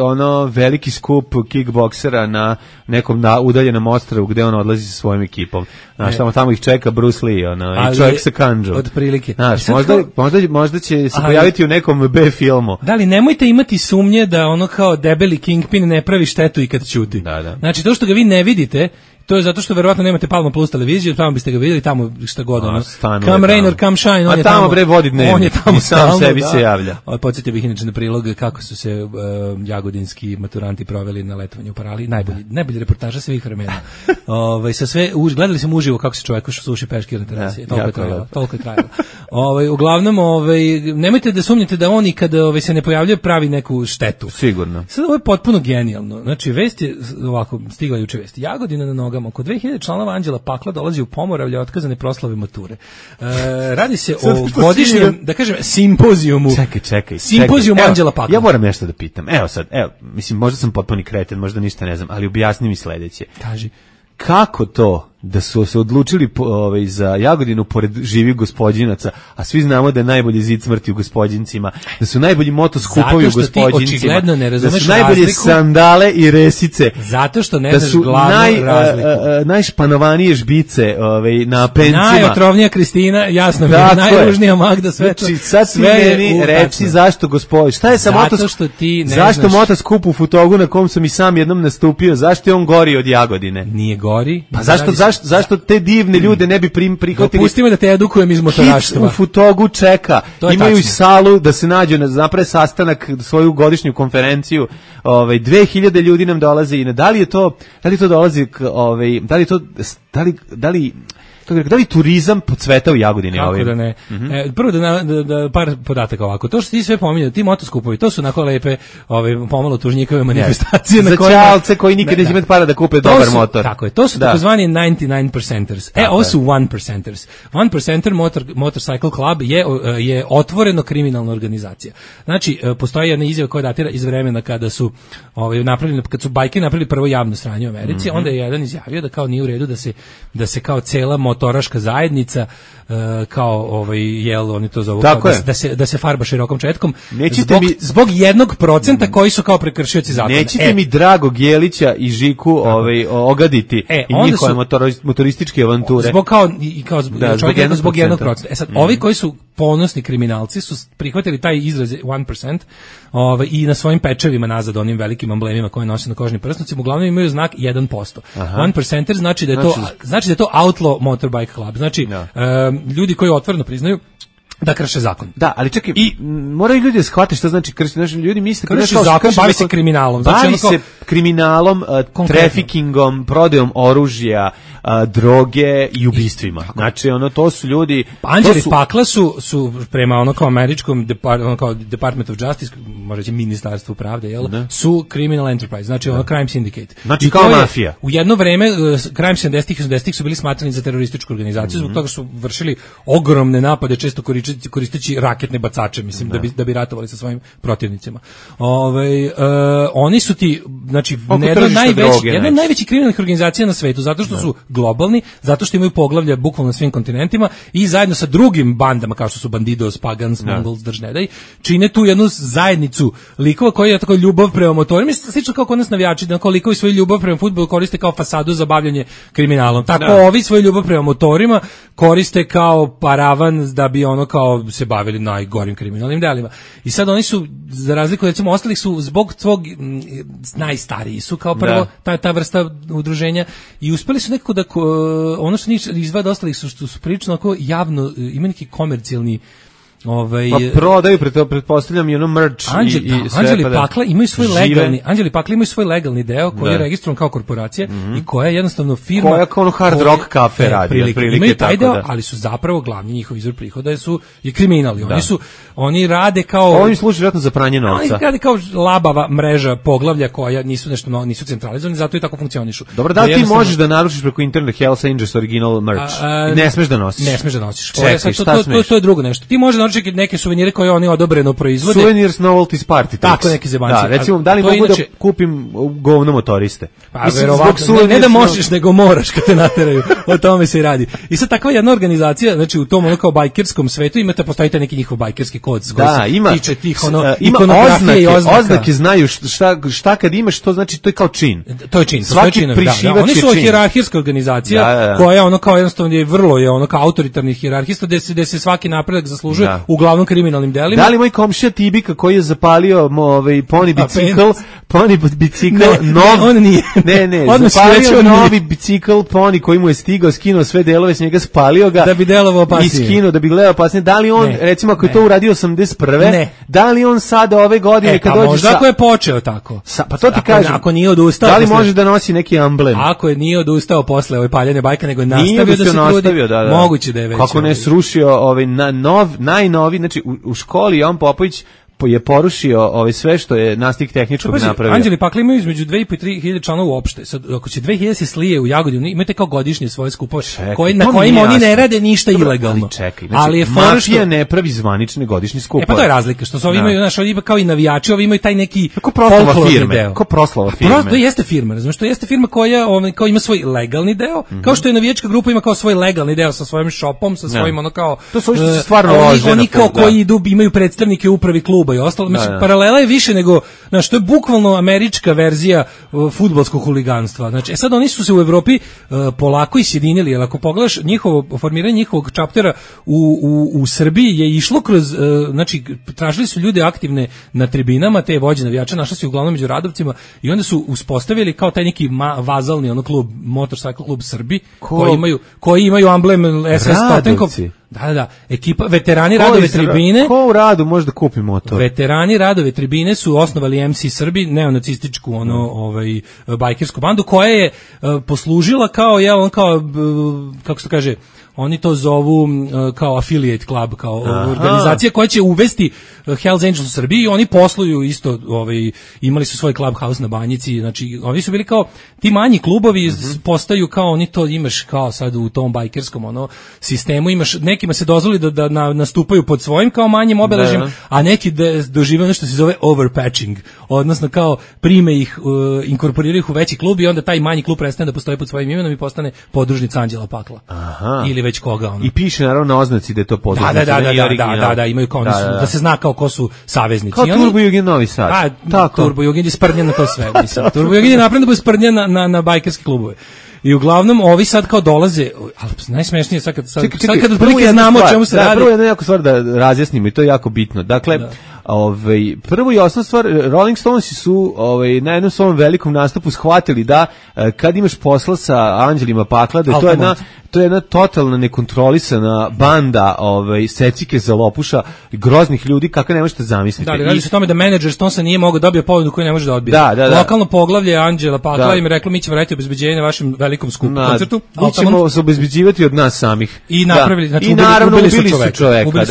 veliki skup kickboksera na nekom udaljenom ostrvu gde on odlazi sa svojim ekipom. Znaš, tamo ih čeka Bruce Lee, i čovjek sa kanđom. Od prilike. Znaš, možda će se pojaviti u nekom B filmu. Da li nemojte imati sumnje da ono kao debeli Kingpin ne pravi štetu i kad ćuti. Da. Znači, to što ga vi ne vidite, to je zato što verovatno nemate Palma Plus televiziju, tamo biste ga vidjeli, tamo šta god ono. Come rain or come shine, on je tamo. Bre vodi dnevnik. On je tamo sam sebi se javlja. Podsjetio bih inače na prilog kako su se jagodinski maturanti proveli na letovanju u Parali, najbolji reportaža svih vremena. Sa sve gledali smo uživo kako se čovjek suši peškir na terasi. Toliko je trajalo. Uglavnom, nemojte da sumnjate da oni kada se ne pojavljuje pravi neku štetu. Sigurno. Sad ovo je potpuno genijalno. Znači, vest je ovako, stigla juče vest. Jagodina na nogama. Oko 2000 članova Anđela Pakla dolazi u Pomoravlje otkazane proslave mature. Radi se o godišnjem, da kažem, simpozijumu. Čekaj. Simpozijum Anđela Pakla. Ja moram nešto da pitam. Mislim, možda sam potpuni kreten, možda ništa ne znam, ali objasni mi sledeće. Kaži. Kako to da su se odlučili za Jagodinu pored živih gospodinaca, a svi znamo da je najbolji zid smrti u gospodincima, da su najbolji motoskupovi u gospodincima, da su najbolje sandale i resice, zato što ne znaš glavnu razliku. Najšpanovanije žbice na pencima. Najotrovnija Kristina, jasno mi je, najružnija Magda, sve to. Znači, sad ti meni reci zašto gospodin, šta je sa zašto motoskup u Futogu na kom sam i sam jednom nastupio, zašto je on gori od Jagodine? Nije gori. Pa zašto te divne ljude ne bi prihvatili? Dopustimo da te edukujem iz motoraštva. U Futogu čeka. Imaju i salu da se nađu, naprave sastanak, svoju godišnju konferenciju. 2000 ljudi nam dolaze i da li to dolazi da li turizam podcveta u Jagodini? Kako da ne. Prvo da par podataka ovako. To što ti sve pominjao, ti motoskupovi, to su onako lepe, pomalo tužnjikove manifestacije. Za čalce koji nikad neće imati para da kupe dobar motor. Tako je, to su takozvani 99%. Ovo su 1%. 1% Motorcycle Club je otvoreno kriminalna organizacija. Znači, postoji jedna izjava koja datira iz vremena kada su kad su bajke napravili prvo javno sranje u Americi, onda je jedan izjavio da kao nije u redu da se kao cela motoraška zajednica kao oni to zovu da se farba širokom četkom zbog 1% koji su kao prekršioci zakona. Nećete mi Dragog Jelića i Žiku ogaditi i njihove motorističke avanture. Zbog 1%. Sad, ovi koji su ponosni kriminalci su prihvatili taj izraz 1% i na svojim pečevima nazad, onim velikim amblemima koje nose na kožnim prsnucima, uglavnom imaju znak 1%. 1% znači da je to outlaw motorbike club. Znači, ljudi koji otvoreno priznaju da krše zakon. Da, ali čekaj, moraju ljudi da shvate šta znači kršiti. Znači, ljudi misle krši zakon, bavi se kriminalom. Bavi se kriminalom, trafikingom, prodajom oružja, droge i ubistvima. Znači, to su ljudi... Anđeli pakla su prema kao američkom Department of Justice, možda će ministarstvo pravde, su criminal enterprise, znači crime syndicate. Znači, kao mafija. U jedno vreme, krajem 70-ih i 80-ih su bili smatrani za terorističku organizaciju, zbog toga su vršili ogromne napade, često koristeći raketne bacače, mislim, da bi ratovali sa svojim protivnicima. Oni su ti, znači, jedna od najvećih kriminalnih organizacija na svetu, zato što su globalni, zato što imaju poglavlja bukvalno na svim kontinentima i zajedno sa drugim bandama, kao što su Bandidos, Pagans, Mongols, Držnedaj, čine tu jednu zajednicu likova koji je tako ljubav prema motorima, slično kao kod nas navijači, da likovi svoju ljubav prema fudbalu koriste kao fasadu za bavljanje kriminalom. Tako ovi svoju ljubav prema motorima koriste kao paravan da bi kao se bavili najgorim kriminalnim delima. I sad oni su, za razliku od recimo ostalih, su zbog svog najstariji su kao prvo ta vrsta udruženja i uspeli su nekako da ono što njih izvada ostalih su što su prilično ako javno ima neki komercijalni prodaju, pretpostavljam i ono merch i sve. Anđeli Pakla imaju svoj legalni deo koji je registrovan kao korporacija i koja je jednostavno firma koja kao Hard Rock Cafe radi. Imaju taj deo, ali su zapravo glavni njihov izvor prihoda je kriminali. Oni rade kao... Oni služe vjerojatno za pranje novca. Oni rade kao labava mreža poglavlja koja nisu centralizovani, zato i tako funkcionišu. Dobro, da ti možeš da naručiš preko interneta Hells Angels original merch? Ne smeš da nosiš. Ne smeš da nosiš. To je drugo nešto. Ti možeš neke suvenire koje oni odobreno proizvode. Souvenirs novelties party tricks. Tako neki zebanci. Da, recimo, da li mogu da kupim govno motoriste? Pa verovatno, ne da možeš, nego moraš kad te nateraju. O tome se i radi. I sad takva jedna organizacija, znači u tom kao bajkerskom svetu postojite neki njihov bajkerski kod koji se tiče tih ikonografije i oznake znaju šta kad imaš, to znači to je kao čin. To je čin. Svaki prišivač oni su hijerarhijska organizacija koja kao jednostavno je vrlo kao autoritarni hijerarhista gde se svaki napredak zaslužuje uglavnom kriminalnim delima. Da li moj komšija Tibika koji je zapalio poni bicikl on nije. Ne, zapalio novi bicikl poni koji mu je stigao, skinuo sve delove s njega, spalio ga da bi delovao opasnije. I skinuo da bi gledao opasnije. Da li on, recimo ako je to uradio 81. Da li on sada ove godine kad dođe možda ako je počeo tako. Pa to ti kažem. Ako nije odustao. Da li može da nosi neki emblem? Ako je nije odustao posle ove paljene bajke, nego je nastavio da se trudi. Moguće da je već. Kako ne srušio najnovi, znači u školi Jovan Popović je porušio sve što je Nastik tehničkog napravio. Anđeli Pakla imaju između 2.500 i 3.000 članova uopšte. Sad, ako će 2.000 se slije u Jagodinu, imate kao godišnje svoje skupove na kojima oni ne rade ništa ilegalno. Čekaj, ali je mafija ne pravi zvanične godišnje skupove. Pa to je razlika, što su ovi imaju, znaš, ovi kao i navijači, ovi imaju taj neki proslava firme. To jeste firma, razumiješ, to jeste firma koja kao ima svoj legalni deo, kao što je navijačka grupa ima kao svoj legalni deo sa svojim shopom, sa svojim ono kao to su što se stvarno lože. Oni kao koji idu imaju predstavnike u upravi kluba i ostalo. Znači paralela je više nego, znači to je bukvalno američka verzija fudbalskog huliganstva. Znači sad oni su se u Evropi polako isjedinili, jer ako pogledaš formiranje njihovog čaptera u Srbiji je išlo kroz, znači tražili su ljude aktivne na tribinama, te vođe navijača našli su uglavnom među radovcima i onda su uspostavili kao taj neki vazalni klub, Motorcycle klub Srbi, koji imaju amblem SS Totenkov. Da, ekipa veterani Radove tribine. Ko u Radu može da kupi motor? Veterani Radove tribine su osnovali MC Srbi, neonacističku bajkersku bandu koja je poslužila kao kako se kaže, oni to zovu kao affiliate club, kao organizacija koja će uvesti Hells Angels u Srbiji i oni posluju isto, imali su svoj clubhouse na Banjici, znači oni su bili kao ti manji klubovi postaju kao oni to imaš kao sad u tom bajkerskom sistemu, imaš nekima se dozvoli da nastupaju pod svojim kao manjim obeležjem, a neki dožive ono što se zove overpatching, odnosno kao prime ih, inkorporiraju ih u veći klub i onda taj manji klub prestane da postoji pod svojim imenom i postane podružnica Anđela Pakla. Ili već koga I piše naravno na oznaci da je to podružnica. Da, imaju kao da se zna kao ko su saveznici. Kao Turbo Jugend Novi Sad. Turbo Jugend je sprdnja na to sve, mislim. Turbo Jugend je napravljeno da bude sprdnja na bajkerske klubove. I uglavnom ovi sad kao dolaze, ali najsmešnije sad kad otprilike znamo o čemu se radi. Prvo jedna jako stvar da razjasnimo i to je jako bitno. Dakle, prvo i osnovna stvar, Rolling Stonesi su na jednom svom velikom nastupu shvatili da kad imaš posla sa Anđelima Pakla, da to je jedna totalna nekontrolisana banda secike za lopuša, groznih ljudi, kako ne možete zamisliti. Da, radi se o tome da menadžer Stonesa nije mogao dobiti ponudu koju ne može da odbije. Lokalno poglavlje Anđela Pakla im reklo mi ćemo raditi obezbeđenje na vašem velikom skupu koncertu. Mi ćemo se obezbeđivati od nas samih. I napravili, znači ubili su čoveka.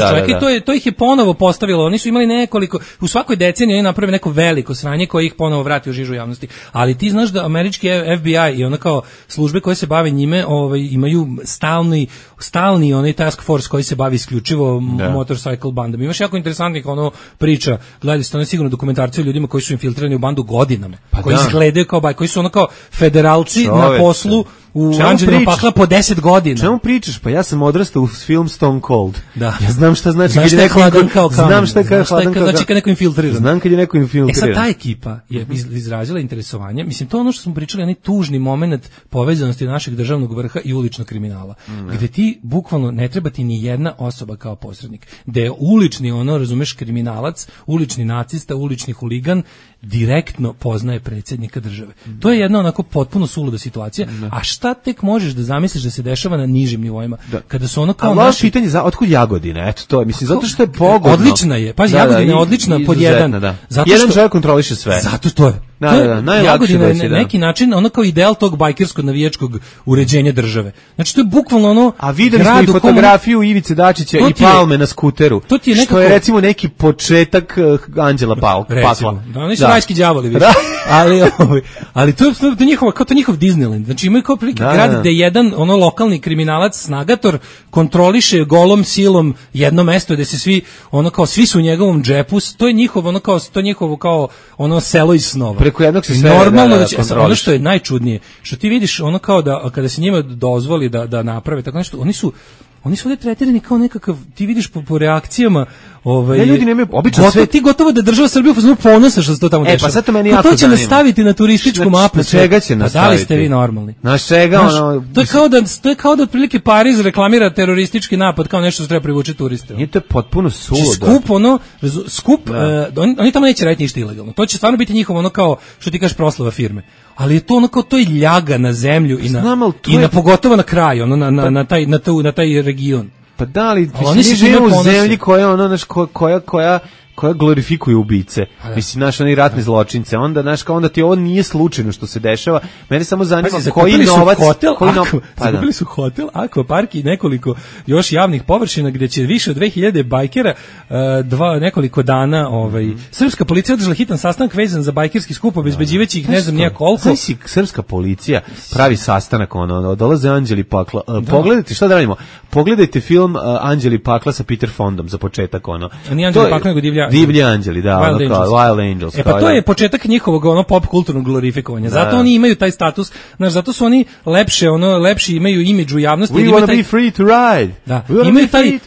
I to ih je ponovo postavilo. Oni su imali nekoliko, u svakoj deceniji oni naprave neko veliko sranje koje ih ponovo vrati u žižu javnosti. Ali ti znaš da američki FBI i ono kao službe koje se bave njime imaju stalni onaj task force koji se bavi isključivo motorcycle bandama. Imaš jako interesantnih priča, gledali ste sigurno dokumentarce o ljudima koji su infiltrirani u bandu godinama, koji izgledaju kao koji su kao federalci na poslu u Anđelima Pakla po 10 godina. Čemu pričaš? Pa ja sam odrastao u film Stone Cold. Da. Ja znam šta znači kad je neko hladan kao kamen. Znam šta je hladan kao znači kad neko infiltriran. Znam kad je neko infiltriran. Sad ta ekipa je izrazila interesovanje. Mislim, to je ono što smo pričali, onaj tužni moment povezanosti našeg državnog vrha i uličnog kriminala. Gde ti bukvalno ne treba ti ni jedna osoba kao posrednik. Gde je ulični razumeš, kriminalac, ulični nacista, ulični huligan direktno poznaje predsjednika države. To je jedna onako potpuno suluda situacija. A šta tek možeš da zamisliš da se dešava na nižim nivoima? Kada su ono kao naši... pitanje otkud Jagodina? Eto to je, mislim, zato što je pogodno. Odlična je. Pa Jagodina je odlična pod jedan. Jedan čovjek kontroliše sve. Zato to je. Jagodina je na neki način ono kao ideal tog bajkerskog navijačkog uređenja države. Znači to je bukvalno a videli smo i fotografiju Ivice Dačića i Palme na skuteru. Što je recimo neki početak Anđela Pakla. Oni su rajski đavoli više. Ali to je njihov Disneyland. Znači imaju kao prilike grad gde jedan lokalni kriminalac, snagator, kontroliše golom silom jedno mesto gde se svi su u njegovom džepu. To je njihovo kao selo iz snova. Preko jednog se sve normalno ono što je najčudnije, što ti vidiš ono kao da kada se njima dozvoli da naprave tako nešto, oni su ovdje tretirani kao nekakav, ti vidiš po reakcijama, ljudi nemaju obično sve. Ti gotovo da država Srbija ponosa što se to tamo dešava. Pa sad to meni jako zanima. To će nastaviti na turističku mapu. Na čega će nastaviti? Da li ste vi normalni? Na čega To je kao da otprilike Pariz reklamira teroristički napad kao nešto što treba privući turiste. Nije to potpuno suludo. Skup, oni tamo neće raditi ništa ilegalno. To će stvarno biti njihovo kao što ti kažeš proslava firme. Ali je to to je ljaga na zemlju i na pogotovo na kraju, na taj region. Pa da li, mi živimo u zemlji koja koja glorifikuje ubice. Mislim, naš oni ratne zločince. Onda, znaš, kao onda ti ovo nije slučajno što se dešava. Mene samo zanima koji novac... Zakupili su hotel, akvapark i nekoliko još javnih površina gde će više od 2000 bajkera nekoliko dana srpska policija održala hitan sastanak vezan za bajkerski skup, obezbeđivajući ih ne znam nijak koliko. Znači, srpska policija pravi sastanak, dolaze Anđeli Pakla. Pogledajte, šta da radimo? Pogledajte film Anđeli Pakla sa Peter Fondom za početak, Nije Anđeli Pakla, nego Divlji Anđeli, da, Wild Angels. Pa to je početak njihovog pop kulturnog glorifikovanja. Zato oni imaju taj status, zato su oni lepši imaju imidž u javnosti. We want to be free to ride. Da, imaju taj,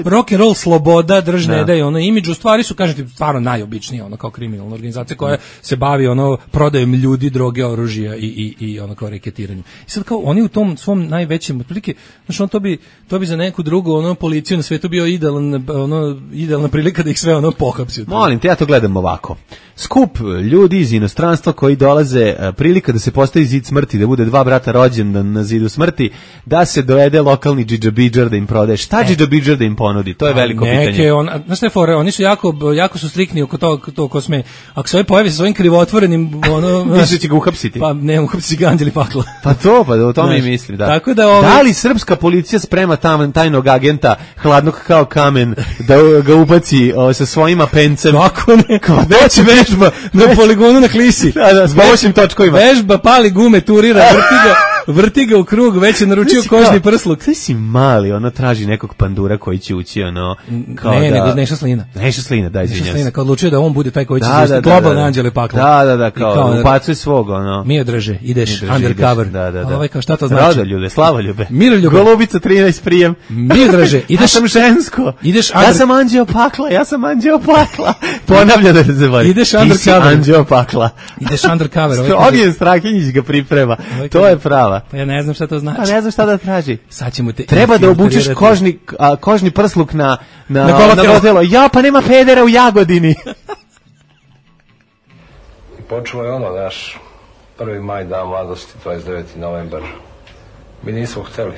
rock and roll, sloboda, držne da je imidž, u stvari su, kažem ti, stvarno najobičniji, kao kriminalna organizacija koja se bavi prodajom ljudi, droge, oružja i kao reketiranjem. I sad kao oni u tom svom najvećem, otprilike, to bi za neku drugu policiju na svetu bio idealna prilika da ih sve pohapsi. Molim te, ja to gledam ovako. Skup ljudi iz inostranstva koji dolaze, prilika da se postavi zid smrti, da bude dva brata rođendan na zidu smrti, da se dovede lokalni džidžabidžar da im prodaje. Šta džidžabidžar da im ponudi? To je veliko pitanje. Znaš šta je fore, oni su jako su striktni oko to ko sme. Ako se ovaj pojavi sa svojim krivotvorenim... Više će ga uhapsiti. Pa ne, uhapsiti ga Anđeli Pakla. Pa o tome i mislim, da. Tako da li srpska policija sprema tajnog agenta, hladnog kao kamen, da ga ubaci sa svojim apencem? Kako ne? Već vežba na poligonu na Klisi. S pomoćnim točkovima. Vežba, pali gume, turira, vrti ga u krug, već je naručio kožni prsluk. Sve si mali, traži nekog pandura koji će ući, nego Neša Slina. Neša Slina, da, izvinjam se. Neša Slina, kao odlučio da on bude taj koji će zvesti globalne Anđele Pakla. Da, kao upacuje svog, Miodraže, ideš undercover. Da. Kao šta to znači? Rodoljube, slavoljube. Miroljube. Golubica 13 prijem. Miodraže, ideš. Ja sam žensko. Ja sam Anđeo Pakla. Ponavlja da se voli. Ideš undercover. Anđeo Pakla. Ideš undercover. Ognjen Strahinjić ga priprema. To je prava. Pa ja ne znam šta to znači. Pa ne znam šta da traži. Sad ćemo te... Treba da obučeš kožni prsluk na vodelo. Ja, pa nema pedera u Jagodini. I počelo je naš 1. maj, dan mladosti, 29. novembar. Mi nismo hteli.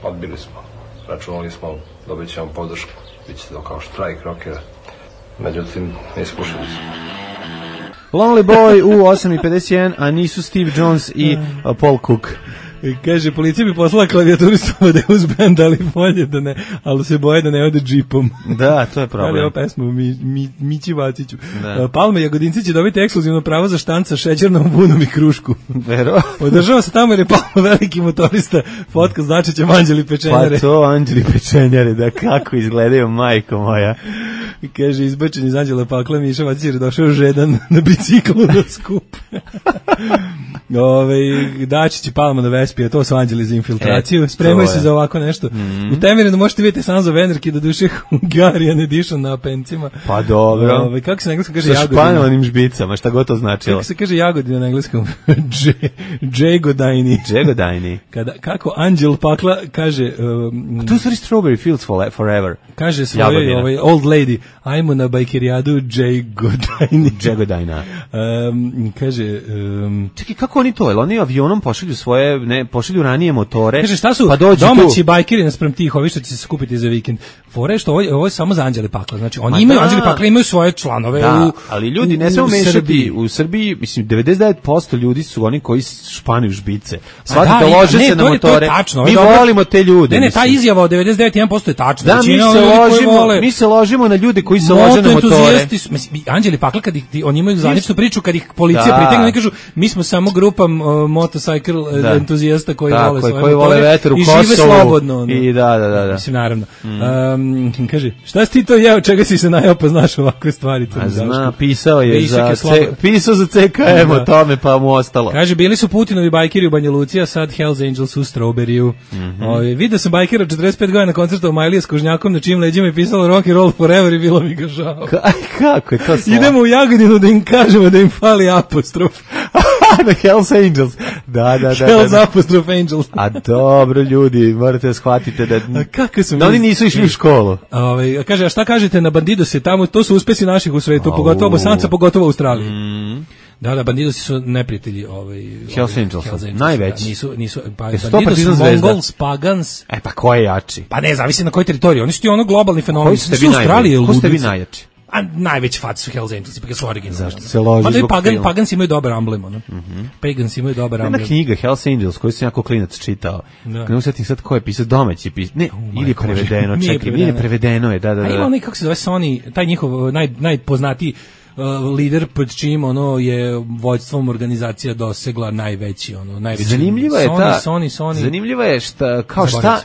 Odbili smo. Računali smo, dobit ćemo podršku. Biće to kao štrajk rokera. Međutim, ne ispušili smo. Lonely Boy u 8:51, a nisu Steve Jones i Paul Cook. Kaže, policija bi poslala klavijaturistu da je uz band, ali bolje da ne, ali se boje da ne ode džipom. Da, to je problem. Ali ovo pesmu Mići Vaciću. Palme Jagodinci će dobiti ekskluzivno pravo za štanc sa šećernom bunom i krušku. Vero? Održava se tamo jer je Palma veliki motorista, fotka znači će Anđeli Pečenjare. Pa to Anđeli Pečenjare, da kako izgledaju, majko moja. I kaže, izbačen iz Anđela Pakla, Miša Vacić je došao žedan na biciklu na skup. Daći će Palma na Vespija, to su Anđeli za infiltraciju, spremaju se za ovako nešto. U Temerinu možete vidjeti Sons of Anarchy, do duše Hungarian edition na apencima. Pa dobro. Kako se na engleskom kaže Jagodina? Sa španovanim žbicama, šta god to značilo. Kako se kaže Jagodina na engleskom? Džegodajni. Džegodajni. Kako Anđel Pakla kaže... to su Strawberry Fields Forever. Kaže svojoj old lady, ajmo na bajkerijadu Džegodajni. Džegodajna. Kaže... Čekaj, kako oni to? Oni avionom pošalju ranije motore. Kaže, šta su pa domaći bajkeri naspram tih, ovi što će se skupiti za vikend? Fore što ovo je samo za Anđele Pakla. Znači, oni imaju, Anđeli Pakla imaju svoje članove ali ljudi ne smiju mešati. U Srbiji, mislim, 99% ljudi su oni koji španuju žbice. Shvatite, lože se na motore. Mi volimo te ljude. Ne, ta izjava od 99% je tačna. Da, mi se ložimo na ljude koji se lože na motore. Anđeli Pakla, kad oni imaju zvaničnu priču, kad ih policija pritegne, oni kažu, mi smo samo grupa motorcycle entuzijasta koji vole svoje motore i žive slobodno. I da. Mislim, naravno. Kaže, šta si ti to jeo, čega si se najao pa znaš ovakve stvari? Pisao je pisao za CKM o tome, pa mu ostalo. Kaže, bili su Putinovi bajkeri u Banja Luci, a sad Hells Angels u Strawberryu. Vidio sam bajkera 45 godina na koncertu u Majlije s Kožnjakom, na čijim leđima je pisalo Rock and Roll Forever i bilo mi ga žao. Kako je to slavo? Idemo u Jagodinu da im kažemo da im fali apostrof. The Hells Angels. Da. Hells apostrof Angels. A dobro, ljudi, morate da shvatite da oni nisu išli u školu. Kaže, a šta kažete na Bandidose tamo? To su uspesi naših u svetu, pogotovo Bosanca, pogotovo u Australiji. Da, Bandidosi su neprijatelji Hells Angels, najveći. Nisu Bandidosi, Mongols, Pagans. Pa ko je jači? Pa ne, zavisi na kojoj teritoriji. Oni su ti globalni fenomen. Ko ste vi najjači? A najveći faci su Hells Angels, ipak su originalni. Zašto se loži zbog filma? Pagans imaju dobar emblem, ono. Pagans imaju dobar emblem. Jedna knjiga, Hells Angels, koju sam jako klinac čitao. Ne usjetim sad ko je pisao, domaći pisao. Ne, ili je prevedeno, čekaj, nije prevedeno je, da. A ima onaj, kako se zove Sony, taj njihov najpoznatiji lider pod čim ono je vođstvom organizacija dosegla najveći zanimljiva je Sony. Zanimljiva je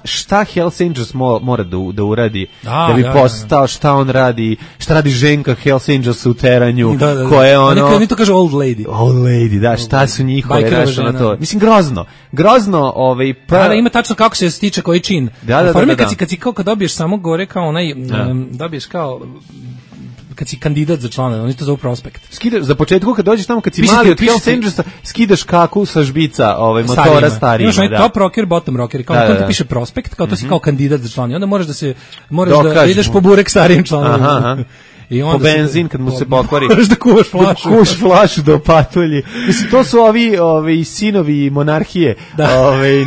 šta Hells Angels mora da uradi da bi postao, šta on radi, šta radi Ženka Hells Angels u teranju, koja je ono oni to kažu old lady, da, šta su njihove raše na to, mislim grozno da ima tačno kako se stiče koji čin kad si kao kad dobiješ samo gore kao onaj dobiješ kao kad si kandidat za člana, oni to zovu prospekt. Za početku kad dođeš tamo, kad si mali od Hells Angelsa, skidaš kaku sa žbica motora starijima. Imaš onaj top rocker, bottom rocker, kao to ti piše prospekt, kao to si kao kandidat za člana. I onda moraš da ideš po burek starijim članovima. Po benzin kad mu se pokvari. Moraš da kuvaš flašu do patulji. Mislim, to su ovi sinovi monarhije,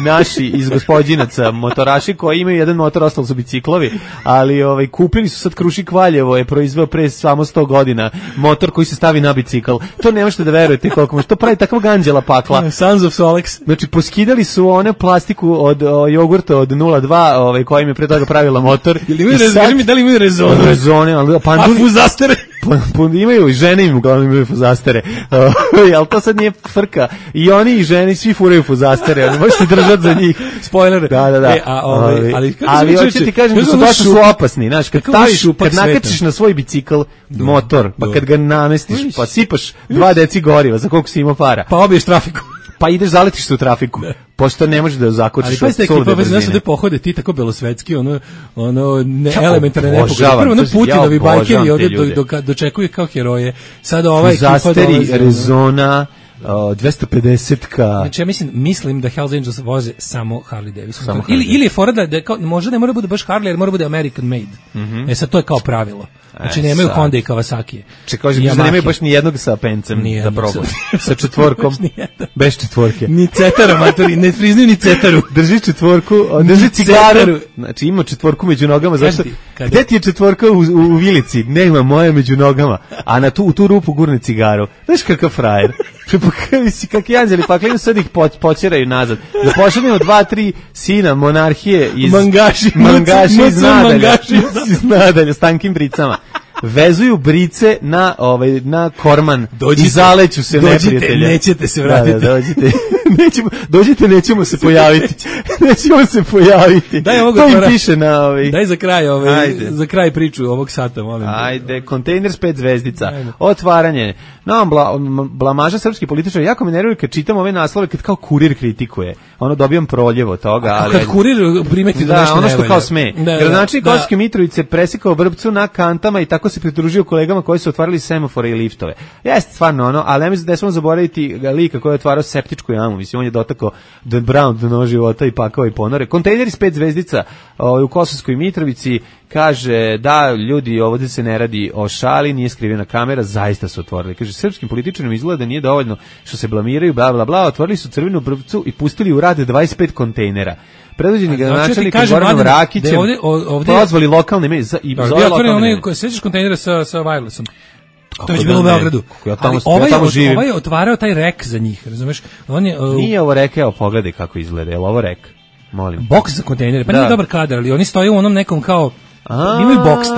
naši iz Gospođinaca, motoraši koji imaju jedan motor, ostalo su biciklovi, ali kupili su sad Krušik Valjevo, je proizveo pre samo 100 godina motor koji se stavi na bicikl. To ne možete da verujete koliko može. To pravi takvog anđela pakla. Sons of Solex. Znači, poskidali su one plastiku od jogurta od 0,2, koja im je pre toga pravila motor. Da li imaju rezone? Rezone, ali fuzastere. Imaju i žene im uglavnom imaju fuzastere. Ali to sad nije frka. I oni i žene svi furaju fuzastere. Oni možete držati za njih. Spoiler. Da. Ali hoću ti kažem da su baš opasni. Znaš, kad nakačiš na svoj bicikl motor, pa kad ga namestiš, pa sipaš 2 deci goriva, za koliko si imao para. Pa obiješ trafiku. Pa ideš, zaletiš se u trafiku. Pošto ne možeš da zakočiš od sulde brzine. Ali pa pohode ti tako belosvetski, elementarne nepogode. Prvo Putinovi bajkeri ovdje dočekuju kao heroje. Sada ova ekipa dolazi. Fuzasteri, Rezona, 250-ka. Znači ja mislim da Hells Angels voze samo Harley Davidson. Ili je fora da možda ne mora bude baš Harley, jer mora bude American made. Sad to je kao pravilo. Znači nemaju Honda i Kawasaki. Čekaj, da nemaju baš ni jednog sa pencem da probaju. Sa četvorkom, bez četvorke. Ni cetara, matori, ne priznaju ni cetaru. Drži četvorku, drži cigaru. Znači ima četvorku među nogama. Zašto? Gde ti je četvorka u vilici? Nema, moja među nogama. A u tu rupu gurne cigaru. Znaš kakav frajer. Kakvi anđeli, pa klinu sad ih počeraju nazad. Da pošaljemo 2-3 sina monarhije iz mangaši iz nadalja, s tankim bricama. Vezuju brice na korman i zaleću se neprijatelja. Nećete se vratiti. Dođite, nećemo se pojaviti. Daj to im piše na Daj za kraj priču ovog sata, molim. Ajde, kontejner s 5 zvezdica. Otvaranje. Blamaža srpski političar. Jako me nervira kad čitam ove naslove, kad kao Kurir kritikuje. Dobijam proljevo toga. Kad Kurir primeti da nešto ne valja. Ono što kao sme. Gradonačelnik Kosovske Mitrovice presekao Vrbcu na kantama i tako se pridružio kolegama koji su otvarali semafore i liftove. Jeste stvarno ali ne mislim da smo zaboraviti lika koji je otvarao septičku jamu. Mislim, on je dotakao Dan Brown do nož života i pakao i ponore. Kontejneri s 5 zvezdica u Kosovskoj Mitrovici, kaže da ljudi, ovdje se ne radi o šali, nije skrivena kamera, zaista su otvorili. Kaže, srpskim političarima izgleda da nije dovoljno što se blamiraju, bla bla bla, otvorili su Crvenu Vrbcu i pustili u rad 25 kontejnera. Predvođeni gradonačelnikom Goranom Rakićem pozvali lokalne medije i zove lokalne medije. Sećaš kontejnera sa wirelessom? To je bilo u Beogradu. Ovaj je otvarao taj rek za njih, razumeš? Nije ovo rek, evo pogledaj kako izgleda, je li ovo rek? Molim. Boks za kontejnere, pa nije dobar kadar, ali oni stoje u onom nekom kao imaju boks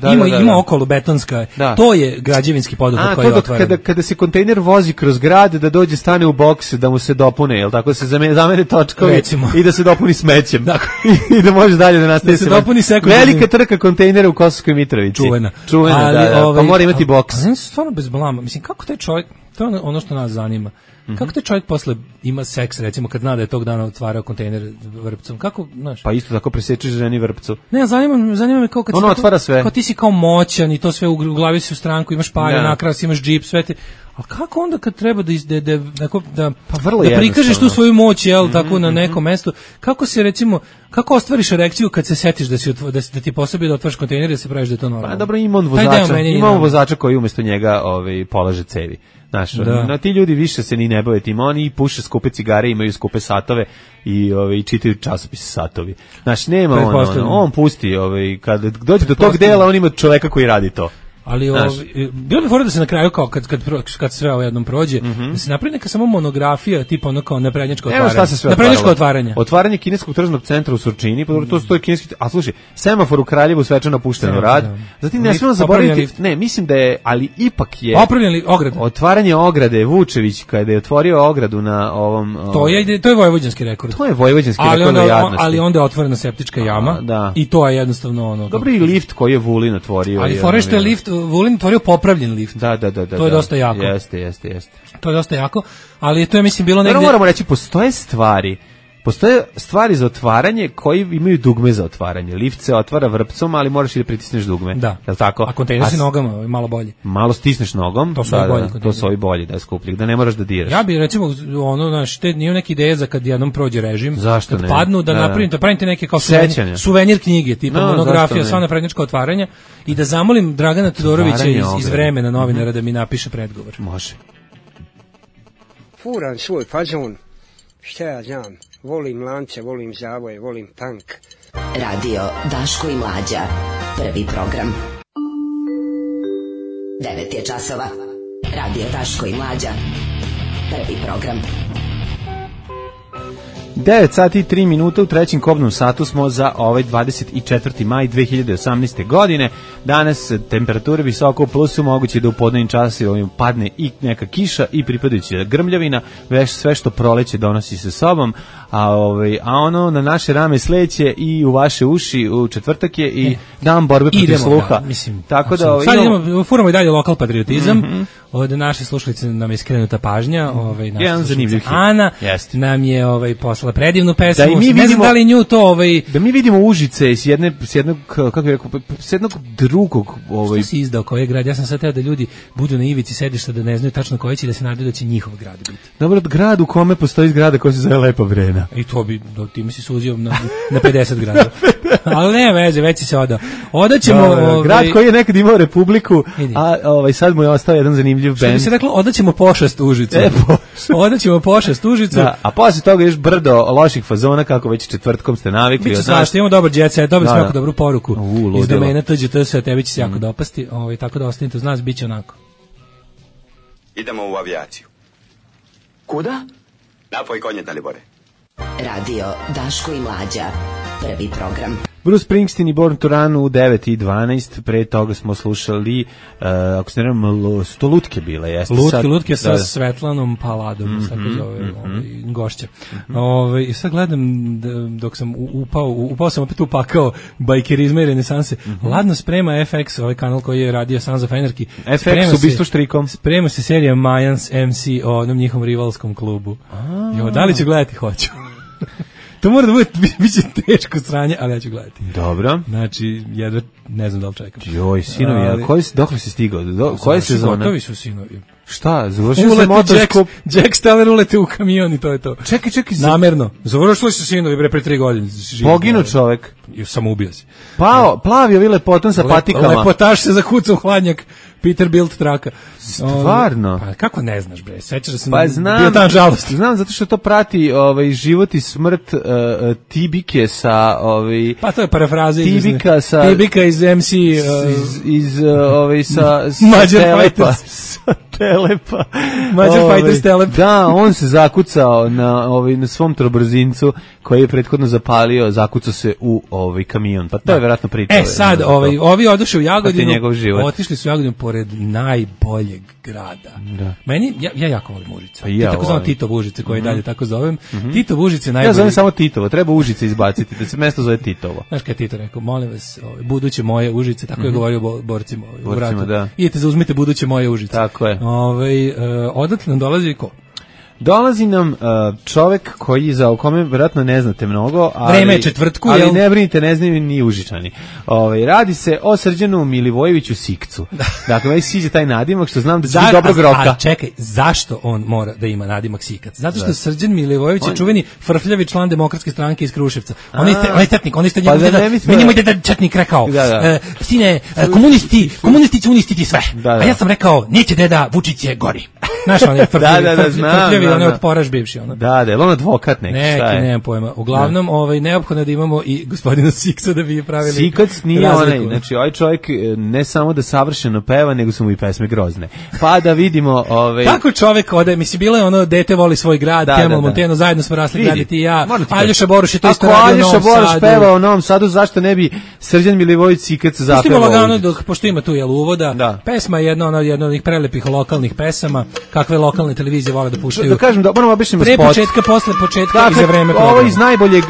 taj, ima okolo betonska, to je građevinski poduhvat koji je otvoren. Kada se kontejner vozi kroz grad, da dođe stane u boks, da mu se dopune, jel tako, se zamene točkovi i da se dopuni smećem. I da može dalje da nastaje se. Velika trka kontejnera u Kosovskoj Mitrovici. Čuvena, da, pa mora imati boks. Ali stvarno bez blama, mislim, kako taj čovjek, to je ono što nas zanima. Kako taj čovjek posle ima seks, recimo, kad zna da je tog dana otvarao kontejner Vrpcom? Kako, znaš? Pa isto tako presečeš ženi Vrpcu. Ne, zanima me kao kad ono otvara sve. Kao ti si kao moćan i to sve u glavi si u stranku, imaš pare, nakras, imaš džip, sve ti. A kako onda kad treba da prikažeš tu svoju moć, jel, tako na nekom mestu, kako se recimo, kako ostvariš erekciju kad se setiš da ti posebi da otvoriš kontejner i da se praviš da je to normalno? Pa dobro, ima on vozača koji umjesto njega polaže cevi. Znaš, ti ljudi više se ni ne bave tim, oni puše skupe cigare, imaju skupe satove i čitaju časopise satovi. Znaš, nema on pusti, kada dođe do tog dela, on ima čoveka koji radi to. Ali bilo bi fora da se na kraju kao kad sve ovo jednom prođe, da se napravi neka samo monografija tipa ono kao naprednjačko otvaranje. Otvaranje kineskog tržnog centra u Surčini, pa to stoji kineski, a slušaj, semafor u Kraljevu svečano pušten u rad. Zatim ne smemo zaboraviti, ne, mislim da je, ali ipak je popravljeni ograde. Otvaranje ograde Vučević kada je otvorio ogradu na ovom to je vojvođanski rekord. To je vojvođanski rekord jadnosti. Ali onda je otvorena septička jama i to je jednostavno ono. Dobro i lift koji je Vulin otvorio. Ali fore što je lift Vulin otvorio popravljen lift. Da. To je dosta jako. Jeste. To je dosta jako, ali to je mislim bilo negde. Moramo reći postoje stvari za otvaranje koji imaju dugme za otvaranje. Lift se otvara vrpcom, ali moraš i da pritisneš dugme. Da. Je li tako? A kontejner se nogama, malo bolje. Malo stisneš nogom. To su bolji. To su ovi bolji, da je skuplji, da ne moraš da diraš. Ja bih recimo nije neka ideja za kad jednom prođe režim. Zašto kad padnu da napravite neke kao suvenir knjige, tipa monografija, sva naprednjačka otvaranja i da zamolim Dragana Todorovića iz Vremena novinara da mi napiše predgovor. Može. Furan svoj fazon. Šta ja znam, volim lance, volim zavoje, volim punk. Radio Daško i Mlađa, prvi program. 9 je časova. Radio Daško i Mlađa, prvi program. 9 sati i 3 minuta u trećem kobnom satu smo za ovaj 24. maj 2018. godine. Danas temperature visoko u plusu, moguće da u podnevnim časovima padne i neka kiša i pripadajuća grmljavina, sve što proleće donosi sa sobom, a ono na naše rame sleće i u vaše uši u četvrtak je i dan borbe protiv sluha. Tako da sad idemo, furamo i dalje lokal patriotizam. Od naše slušalice nam je skrenuta pažnja, naša slušalica Ana nam je poslala predivnu pesmu. Ne znam da li nju to da mi vidimo Užice s jednog kako bih rekao, s jednog drugog što si izdao koji je grad. Ja sam sad teo da ljudi budu na ivici sedišta, da ne znaju tačno koji će, da se nadaju da će njihov grad biti. Dobro, grad u kome postoji zgrada koja se zove Lepa Vrena. I to bi, ti mi si suzio na 50 grada. Ali ne veze, već si se odao. Odaćemo grad koji je nekad imao republiku, a sad mu je ostao jedan zanimljiv bend. Što bi se reklo, odaćemo pošast Užicu. Odaćemo pošast Užicu. A posle toga još brdo loših fazona, kako već četvrtkom ste navikli. Biće svašta, imamo dobar jet set, dobili smo jako dobru poruku iz domena TGTS, a tebi će se jako dopasti, tako da ostanite uz nas, bit će onako. Idemo u avijaciju. Kuda? Napoj konje, Dalibore. Radio Daško i Mlađa, prvi program. Bruce Springsteen i Born to Run u 9:12, pre toga smo slušali, ako se ne znam, Stolutke bile, jeste. Lutke sa Svetlanom Paladom, tako zove gošća. I sad gledam, dok sam upao sam opet upakao bajkerizma i renesanse, ladno sprema FX, ovaj kanal koji je radio Sons of Anarchy. FX ubistvo štrikom. Sprema se serija Mayans MC o onom njihovom rivalskom klubu. Da li ću gledati? Hoću. To mora da bude, bit će teško sranje, ali ja ću gledati. Dobro. Znači, jedva ne znam da li čekam. Joj, sinovi, dokle si stigao? Koje sezone? Gotovi su sinovi. Šta? Završio se motoskup? Jack Steller ulete u kamion i to je to. Čekaj. Namerno. Završili su sinovi pre 3 godine. Poginuo čovek. Samo ubio si. Plavio vile potom sa patikama. Lepotaš se zakucao u hladnjak. Peterbilt traka. Stvarno? Pa kako ne znaš, bre? Sećaš da sam bio tam žalost. Znam, zato što to prati život i smrt Tibike sa... Pa to je parafraza. Tibika iz MC... sa Mađar Fighters. Telepa. Mađar Fighters Telep. Da, on se zakucao na svom trobrzincu koji je prethodno zapalio, zakucao se u kamion. Pa to je vjerojatno priča. Sad, ovi odoše u Jagodinu, otišli su u Jagodinu pored najboljeg grada. Da. Meni, ja jako volim Užice. Ja tako znam Titov Užice, koje dalje tako zovem. Titov Užice najbolji. Ja zovem samo Titovo, treba Užice izbaciti, da se mesto zove Titovo. Znaš kada je Tito rekao, molim vas, buduće moje Užice, tako je govorio borcima u vratu. Idete, zauzmite buduće moje Užice. Tako je. Odatle nam dolazi ko? Dolazi nam čovek o kome vjerojatno ne znate mnogo, vreme je četvrtku, ali ne brinite, ne znaju ni Užičani. Radi se o Srđanu Milivojeviću Sikcu. Dakle, meni sviđa taj nadimak, što znam da će biti dobrog roka. A čekaj, zašto on mora da ima nadimak Sikac? Zato što Srđan Milivojević je čuveni frfljavi član Demokratske stranke iz Kruševca. On je tetnik, on je meni moj deda četnik rekao, sine, komunisti ti sve. A ja sam rekao, neće deda, Vučić je gori. Znaš, on je frfljavi, on je otporaš bivši. Da, je on advokat neki, šta je? Nemam pojma. Uglavnom, neophodno da imamo i gospodina Siksa da bi pravili Sikac nije onaj, znači ovaj čovjek ne samo da savršeno peva, nego su mu i pesme grozne. Pa da vidimo... Kako čovjek ode, mislim, bilo je ono, dete voli svoj grad, Kemal Monteno, zajedno smo rasli grad i ti i ja, Aljoša Boruš je to isto radio u Novom Sadu. Ako Aljoša Boruš peva u Novom Sadu, zašto ne bi Srđan Milivojević Sikac zapevao? Pustimo lagano, pošto ima tu uvoda, pesma je jedna od onih prelepih lokalnih pesama, kakve lokalne televizije vole da puštaju. Da kažem, da moramo običnimo spot. Pre početka, posle početka i za vreme programa. Ovo iz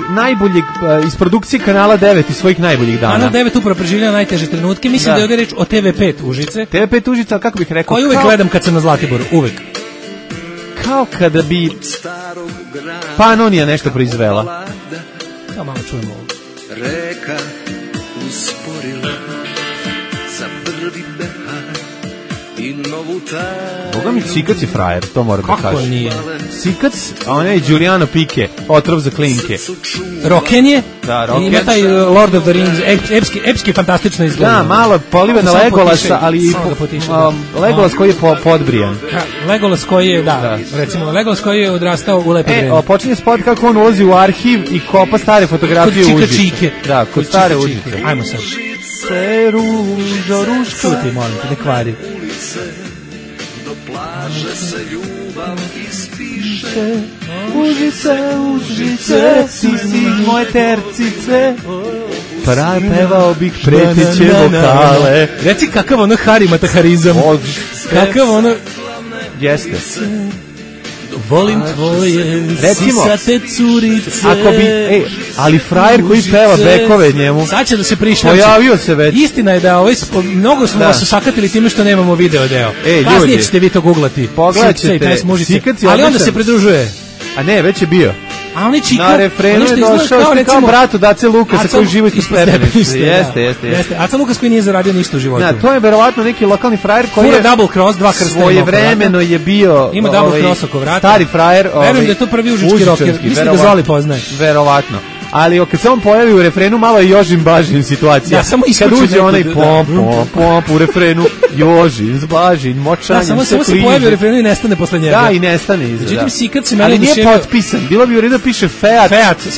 najboljeg, iz produkcije Kanala 9 i svojih najboljih dana. Kanal 9 upravo preživljava najteže trenutke, mislim da je ovdje reč o TV5 Užice. TV5 Užice, kako bih rekao? Koji uvek gledam kad sam na Zlatiboru, uvek. Kao kada bi Panonija nešto proizvela. Kao malo čujemo ovo. Reka usporila za prvi behar i novu taj. Boga mi Sikac je frajer, to moram da kažem. Kako nije? Sikac, a on je Giuliano Pike, otrov za klinke. Roken je? Da, Roken. Ima taj Lord of the Rings, epski fantastično izgleda. Da, malo polive na Legolasa, ali Legolas koji je podbrijan. Legolas koji je, recimo, Legolas koji je odrastao u lepo vreme. Počinje spot kako on ulazi u arhiv i kopa stare fotografije Užice. Kod Čike. Da, kod stare Užice. Ajmo sad. Se ružo, ruško. Čuti, molim te, ne kvari. Do plaže se ljubav ispiše. Užice, ti si moje tercice. Pevao bih preteće vokale. Reci kakav ono harimataharizam. Kakav ono... Jeste. Volim tvoje sisate curice. Ako bi, ali frajer koji peva bekove njemu. Sad će da se prišljači. Pojavio se već. Istina je da mnogo smo vas osakatili time što nemamo video deo. Kasnije ćete vi to googlati. Pogledat ćete. Ali onda se pridružuje. A ne, već je bio. A on je Čika. Na refrenu je došao kao brat od Ace Lukasa koji živi ispod stepeništa. Jeste. Aca Lukas koji nije zaradio ništa u životu. To je verovatno neki lokalni frajer koji je double cross, dva krsta. Svojevremeno je bio ima double cross oko vrata. Stari frajer. Verujem da je to prvi užički rocker. Mislim da Zoli poznaje. Verovatno. Ali kad se on pojavi u refrenu, malo je Jožin Bažin situacija. Ja samo kad uđe onaj pomp u refrenu, Jožin, Bažin, močanjem, samo se pojavi u refrenu i nestane posle njega. Da, i nestane iza. Međutim, Sikac se meni ali nije potpisan. Bilo bi u redu da piše Feat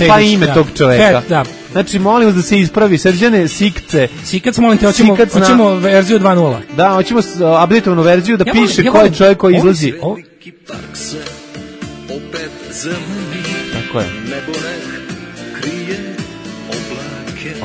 pa ime tog čoveka. Da. Znači, molim vas da se ispravi. Srđane, Sikce. Sikac, molim te, hoćemo verziju 2.0. Da, hoćemo updateovanu verziju da piše ko je čovjek koji izlazi. Tako je.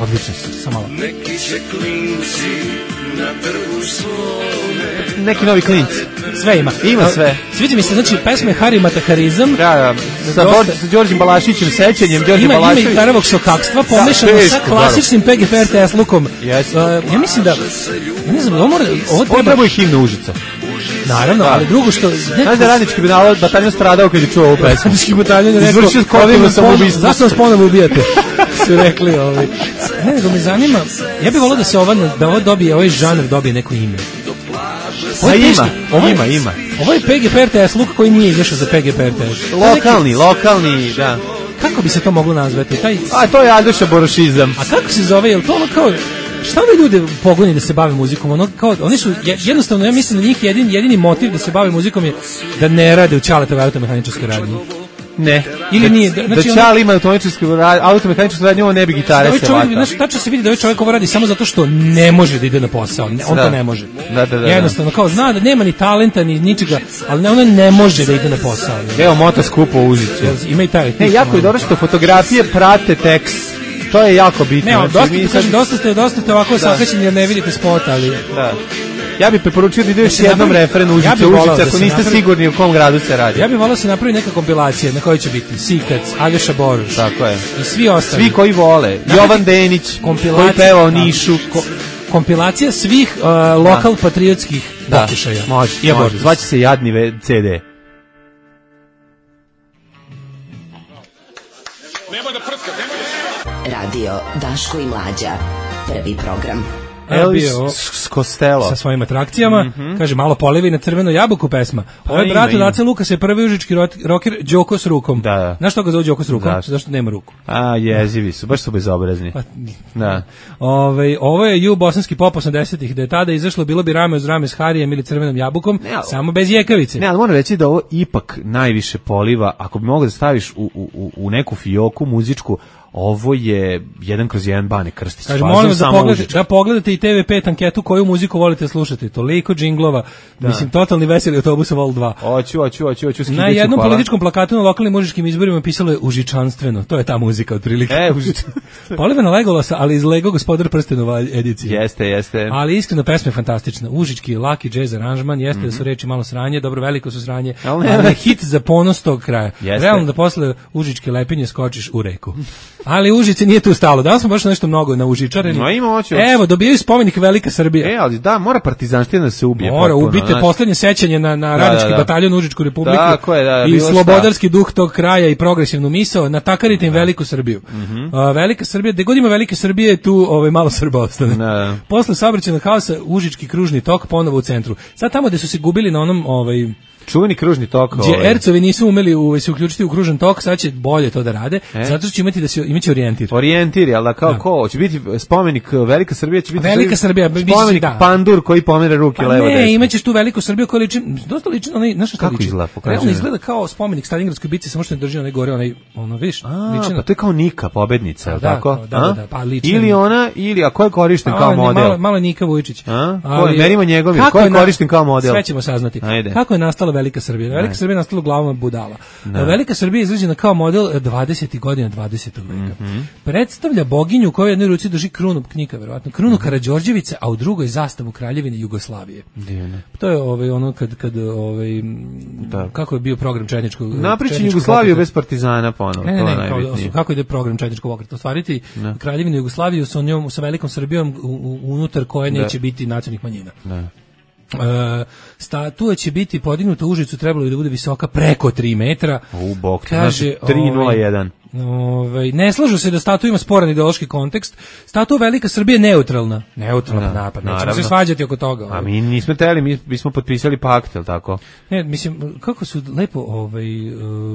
Odlično si, samo malo. Neki će klinci na trgu svome. Neki novi klinci. Sve ima. Ima sve. Sviđa mi se, znači, pesme Harimataharizam. Da. Sa Đorđem Balašićem, sećanjem Đorđe Balašević. Ima gitarovog sokakstva, pomešano sa klasičnim PGP RTS lukom. Ja mislim da, ne znam, ovo treba i himna Užica. Naravno, ali drugo što... Znaš da radnički bataljon stradao kad je čuo ovu pesmu. Radnički bataljon je rekao, izvršio skotivno samoubistvo. Zašto nas ponovno ubijate? Su rekli ovi. Ne, nego me zanima, ja bih volao da se ovo dobije, ovaj žanr dobije neko ime. Ima. Ovo je PGP RTS luk koji nije izašao za PGP RTS. Lokalni, da. Kako bi se to moglo nazvati? A to je Aljoša Borušizam. A kako se zove, je li to ono kao... Šta ove ljude pogoni da se bave muzikom? Ono kao, oni su, jednostavno, ja mislim da njih jedini motiv da se bave muzikom je da ne rade u Ćaletove automehaničarskoj radnji. Ne. Ili nije. Da Ćale ima automehaničarskoj radnji, ovo ne bi gitare se vata. Znači, tačno se vidi da ovaj čovjek ovo radi samo zato što ne može da ide na posao. On to ne može. Jednostavno, kao zna da nema ni talenta, ni ničega, ali ono ne može da ide na posao. Evo, motoskup u Užicu. Ima i taj. Jako je dobro što fotografije prate tekst. To je jako bitno. Ne, dosta ste ovako sakaćeni jer ne vidite spot, ali... Da. Ja bih preporučio da ide još jednom refren Užice, ako niste sigurni u kom gradu se radi. Ja bih volao se napravi neka kompilacija na kojoj će biti Sikac, Aljoša Boruš. Tako je. I svi ostali. Svi koji vole. Jovan Denić, koji peva o Nišu. Kompilacija svih lokal patriotskih pokušaja. Može. Zvaće se Jadni CD. Radio Daško i Mlađa. Prvi program. Elvis Costello sa svojim atrakcijama, kaže malo polevi na crvenu jabuku pesma. Ovo je brat od Ace Lukasa je prvi užički roker Đoko s rukom. Da. Znaš što ga zove Đoko s rukom? Zašto nema ruku? Jezivi su, baš su bezobrazni. Da. Ovo je bosanski pop 80-ih, da je tada izašlo bilo bi rame uz rame s Harijem ili crvenom jabukom, samo bez jekavice. Ne, ali moram reći da ovo ipak najviše poliva, ako bi mogao da staviš u neku fioku muzičku, ovo je 1/1 Bane Krstić. Kaže, molim vas da pogledate i TV5 anketu koju muziku volite slušati. Toliko džinglova, mislim, totalni veseli autobusa Vol 2. Hoću. Na jednom političkom plakatu na lokalnim mužičkim izborima pisalo je užičanstveno. To je ta muzika otprilike. Polivena Legolasa, ali iz Lego Gospodar prstenova edicije. Jeste. Ali iskreno, pesma je fantastična. Užički, laki džez aranžman, jeste da su reči malo sranje, dobro, veliko su sranje, ali hit za ponos tog kraja. Realno da posle užičke lepinje skočiš u reku. Ali Užice nije tu stalo. Danas smo baš nešto mnogo na užičareni. Evo, dobijaju spomenik Velika Srbija. Ali da, mora partizanština da se ubije. Mora, ubite poslednje sećanje na radnički bataljon Užičku republiku. I slobodarski duh tog kraja i progresivnu misao. Natakarite im Veliku Srbiju. Velika Srbija, gde god ima Velike Srbije, tu malo Srba ostane. Posle saobraćajnog haosa, Užički kružni tok ponovo u centru. Sad tamo gde su se gubili na onom čuveni kružni tok. Gdje Ercovi nisu umeli se uključiti u kružan tok, sad će bolje to da rade, zato što će imaće orijentir. Orijentir, ali ko? Će biti spomenik Velika Srbija, će biti Velika Srbija, spomenik Pandur koji pomere ruke levo desno. Ne, imaćeš tu Veliku Srbiju koja dosta liči, znaš šta liči? Realno izgleda kao spomenik Stalingradskoj bitci, samo što ne drži onaj gore, viš, liči na... Pa to je kao Nika, pobednica, tako? Da, pa liči. Ili ona, a ko je korišten kao model? Malo Nika Vujčić. Merimo njegovim, ko je korišten kao model? Sve ćemo saznati. Kako je nastala Velika Srbija? Velika Srbija je nastala glavom budala. Velika Srbija je izrađena kao model 20. godina 20. veka. Predstavlja boginju koja u jednoj ruci drži krunu knjika, verovatno, krunu Karađorđevice, a u drugoj zastavu Kraljevine Jugoslavije. To je ono kad kako je bio program četničkog napričan Jugoslaviju bez partizana ponovo. Ne, kako ide program četničkog pokreta? Ostvariti Kraljevinu Jugoslaviju sa Velikom Srbijom unutar koje neće biti nacionalnih manjina. Statua će biti podignuta u Užicu, trebalo je da bude visoka preko 3 metra. Kaže 301. Ne slažu se da statua ima sporan ideološki kontekst. Statua Velika Srbija je neutralna napad. Nećemo se svađati oko toga. A mi nismo teli, mi smo potpisali pakt, je li tako? Ne, mislim, kako su lepo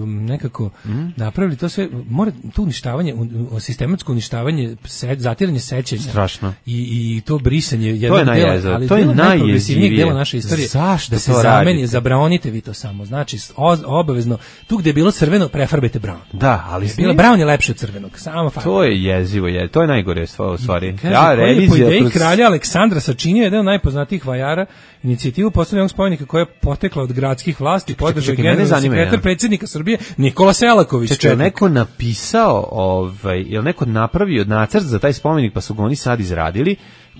nekako napravili to sve, mora to uništavanje, sistematsko uništavanje, zatiranje sećanja. Strašno. I to brisanje jednog dela, ali to je najjezivije dela naše istorije. Zašto da se zameni, zabranite vi to samo. Znači, obavezno, tu gde je bilo crveno, prefarbajte brown. Da, ali brown je lepše od crvenog, samo farba. To je jezivo, to je najgore stvari. Koji je po ideji kralja Aleksandra sačinio jedan od najpoznatijih vajara inicijativu postavljanja spomenika koja je potekla od gradskih vlasti, podržao generalni sekretar predsjednika Srbije Nikola Selaković. Je neko napisao, je neko napravio nacrt za taj spomenik pa su ga oni sad izradili?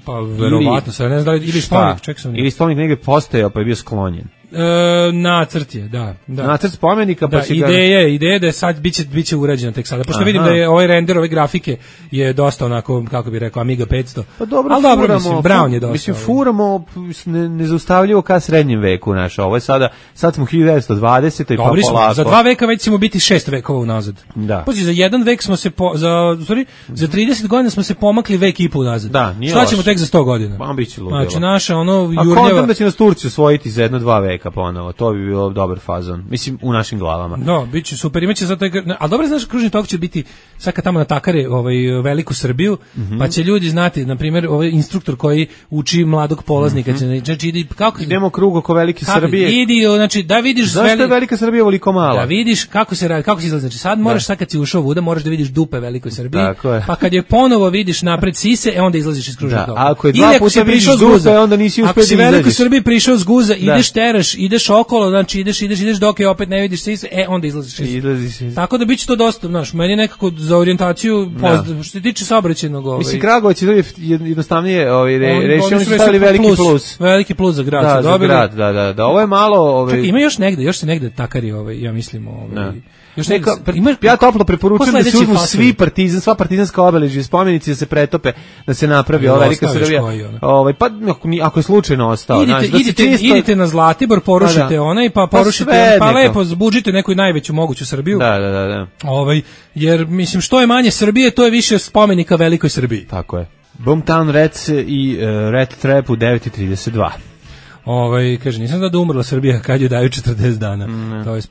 Pa verovatno, sad ne znam da ili spomenik, ili spomenik negdje postojao pa je bio sklonjen. Nacrt je, da. Nacrt spomenika, pa će ideja da je sad biće urađeno tek sada. Pošto vidim da je ovaj render, ove grafike je dosta onako, kako bih rekao, Amiga 500. Pa dobro, mislim, Brown je dosta. Mislim, furamo nezaustavljivo ka srednjem veku naša. Ovo je sad smo 1920. i pa polako. Za 2 veka već ćemo biti 6 vekova unazad. Da. Pođi, za 1 vek smo se, za 30 godina smo se pomakli vek i pol unazad. Da, nije šta ćemo tek za 100 godina? Pa biće ludilo. Znači, naša jurljava... A kontam da će nas Turci osvojiti za 1-2 veka ponovo, to bi bilo dobar fazon. Mislim, u našim glavama. No, bit će super, imaće zato... Ali dobro, znaš, kružni tok će biti, sad kad tamo natakare Veliku Srbiju, pa će ljudi znati, na primjer, ovaj instruktor koji uči mladog polaznika, znači, idemo krug oko Velike Srbije. Znači, da vidiš... Zašto je Velika Srbija ovoliko mala? Da vidiš kako se radi, kako se izlazi. Znači, sad moraš, sad kad si ušao vuda, moraš da vidiš dupe Velikoj Srbiji, pa kad je ponovo vidiš napred sise, onda izlaziš iz kružnog toka. Ako je 2 puta vidiš dupe, onda nisi uspio da izađeš. Ako si Velikoj Srbiji prišao s guza, ideš teraš, ideš okolo, znači ideš dok je opet ne vidiš sise, onda izlaziš iz. Tako da biće to dosta, znaš, meni je nekako za orijentaciju što se tiče saobraćajnog. Mislim, Kragujevac je jednostavnije rešio, oni su stavili veliki plus. Veliki plus za grad. Da, za grad, da. Ovo je malo... Čekaj, ima još se negde takari, ja mislim, još ja toplo preporučujem da se uzmu sva partizanska obeležja i spomenici da se pretope, da se napravi ova Velika Srbija. Pa ako je slučajno ostao, idite na Zlatibor, porušite onaj, pa porušite, pa lepo zbuđite neku najveću moguću Srbiju. Da. Jer mislim, što je manje Srbije, to je više spomenika Velikoj Srbiji. Tako je. Boomtown Rats i Rat Trap u 9:32. Kaže, nisam da umrla Srbija kad ju daju 40 dana. To je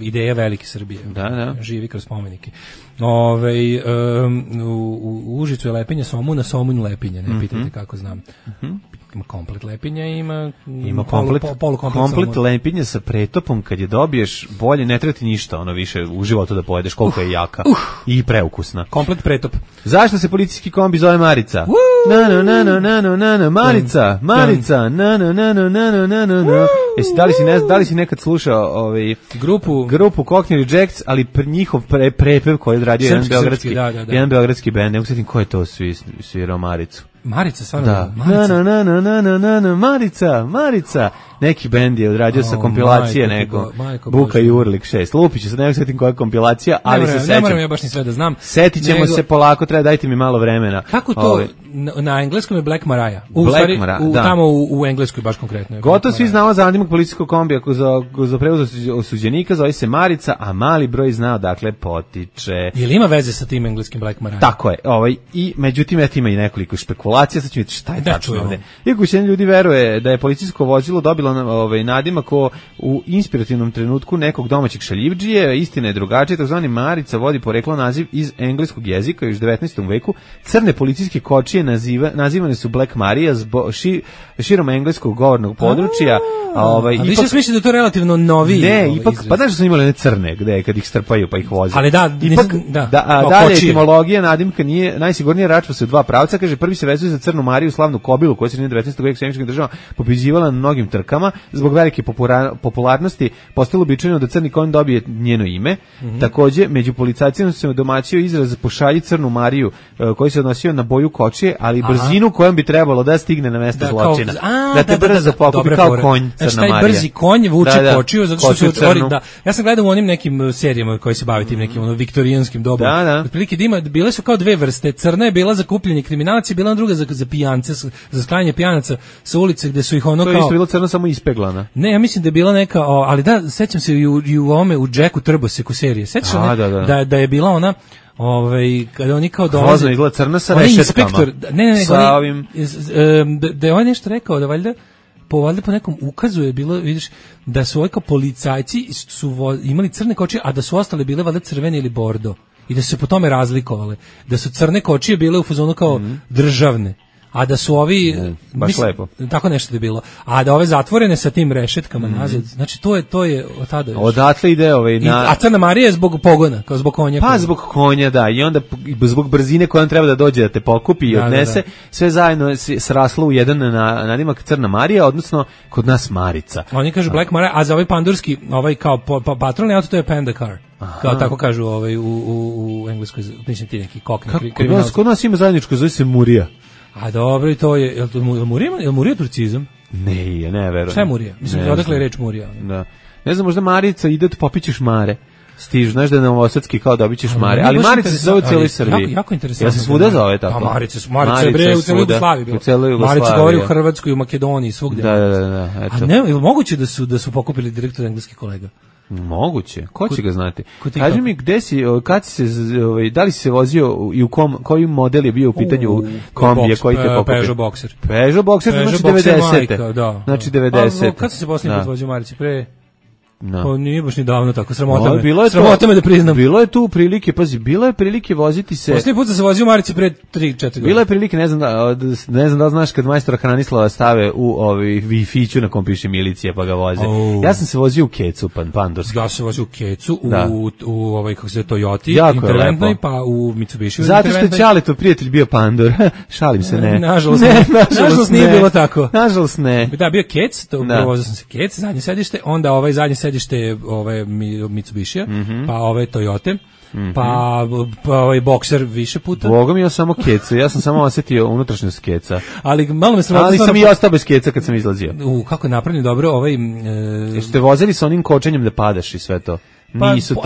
ideja velike Srbije. Da. Živi kroz spomenike. U Užicu je lepinje Somu, na Somunju lepinje, ne pitajte kako znam. Ima komplet lepinja, ima komplet lepinja sa pretopom, kad je dobiješ bolje, ne treba ti ništa više u životu da pojedeš, koliko je jaka i preukusna. Komplet pretop. Zašto se policijski kombi zove Marica? Marica, da li si nekad slušao grupu Cockney Rejects, ali njihov prepev koji je odradio jedan beogradski bend, ne usjetim ko je to svirao Maricu. Marica, stvarno? Da. Marica. Neki bend je odradio sa kompilacije neko. Buka i Urlik 6. Lupiću se, ne sjetim koja je kompilacija, ali se sećam. Ne moram ja baš ni sve da znam. Setit ćemo se polako, dajte mi malo vremena. Kako to? Na engleskom je Black Mariah. Tamo u Engleskoj baš konkretno. Gotovo svi znamo za nadimak policijskog kombija za prevoz osuđenika, zove se Marica, a mali broj zna dakle potiče. Je li ima veze sa tim engleskim Black Mariah? Tako je. I međutim ima i nekoliko špekulacija, sad ću vidjeti šta je tačno ovde. Iako većina ljudi veruje da je policijsko vozilo dobilo nadimak u inspirativnom trenutku nekog domaćeg šaljivdžije, istina je drugačija, takozvani Marica vodi poreklo naziv iz engleskog jezika još 19. veku. Crne policijske kočije nazivane su Black Maria širom engleskog govornog područja. A više smisli da je to relativno novi. Ne, ipak, pa znaš da su imali one crne, gde kad ih strpaju pa ih voze. Ali dalje etimologija nadimka nije najsigurnije, račva se u dva pravca, kaže prvi se vezuje za Crnu Mariju, slavnu kobilu koja se nije 19. veku semičkih država pobeđivala na mnogim trkama, zbog velike popularnosti postalo uobičajeno da crni konj dobije njeno ime. Takođe, među policajcima se domaćio izraz pošalji Crnu Mariju, koji se odnosio na boju kočije, ali brzinu kojom bi trebalo da stigne na mesto zločina. Da te brzo pokupi kao konj Crna Marija. Taj brzi konj vuče kočiju, zato što se otvori. Ja sam gledao u onim nekim serijama koji se bave tim nekim viktorijanskim dobom. Otprilike bile su kao dve vrste. Crna je bila za kupljenje kriminalaca, bila druga za pijance, za sklanjanje pijanaca sa ulice gde su ih ono kao... To je isto bilo crno samo ispeglana. Ne, ja mislim da je bila neka, ali da, sećam se i u ovome, u Jacku Trboseku serije. Sećaš da je bila ona... kada oni kao dolaze... Hrozno izgleda crna sa rešetkama. Da je on nešto rekao, da valjda po nekom ukazu je bilo, vidiš, da su kao policajci su imali crne kočije, a da su ostale bile valjda crvene ili bordo. I da su se po tome razlikovale. Da su crne kočije bile u fazonu kao državne. A da su ovi... baš lepo. Tako nešto je bilo. A da ove zatvorene sa tim rešetkama nazad, znači to je od tada još. Odatle ide A Crna Marija je zbog pogona, kao zbog konja. Pa zbog konja, da. I onda zbog brzine kojom treba da dođe da te pokupi i odnese, sve zajedno sraslo u jedan nadimak Crna Marija, odnosno kod nas Marica. Oni kažu Black Maria, a za ovaj pandurski, kao patrolni auto, to je Panda Car. Kao tako kažu u engleskoj, mislim ti neki kokni kriminalci. Kod nas ima zajedničko, zove se Murija. A dobro, i to je, je li Murija turcizam? Ne, ja ne verujem. Šta je Murija? Mislim, odakle je reč Murija? Da. Ne znam, možda Marica ide da popićeš mare. Stižu, znaš da je novosadski kao dobićeš mare. Ali Marica se zove u cijeloj Srbiji. Jako interesantno. Ja se svuda zove tako. Pa Marica je bre u cijeloj Jugoslaviji bilo. Marica govori u Hrvatskoj, u Makedoniji, svugdje. Da. A ne, ili moguće da su pokupili direktor engleskih kolega? Moguće. Ko će ga znati? Kaži mi gde si, kad si se, da li si se vozio i u koji model je bio u pitanju kombije koji te pokupio? Peugeot Boxer. Peugeot Boxer, znači 90. Znači 90. Kad si se posljednji put vozio Marici? Pa nije baš ni davno tako, sramota me da priznam. Bilo je tu prilike, pazi, bilo je prilike voziti se... Posljednji put sam se vozio u Marici pre 3-4 godine. Bilo je prilike, ne znam da znaš kad majstora Hranislava stave u Wi-Fi-ću na kom piše milicija pa ga voze. Ja sam se vozio u Kecu, pandurski. Ja sam se vozio u Kecu, u kako se Toyoti, interventnoj, pa u Mitsubishi. Zato što je Ćaletov prijatelj bio pandur. Šalim se, ne. Nažalost nije bilo tako. Nažalost ne. Da, bio Kec, vozio sam se Kec, zadnje sedište, onda zadnje sedište Mitsubishija, pa Toyote, pa Boxer više puta. Boga mi ja samo keca, ja sam samo osjetio unutrašnjost keca. Ali malo me sramota. Ali sam i ostao bez keca kad sam izlazio. Kako je napravljeno dobro Jeste vozili sa onim kočenjem da padaš i sve to? Nisu to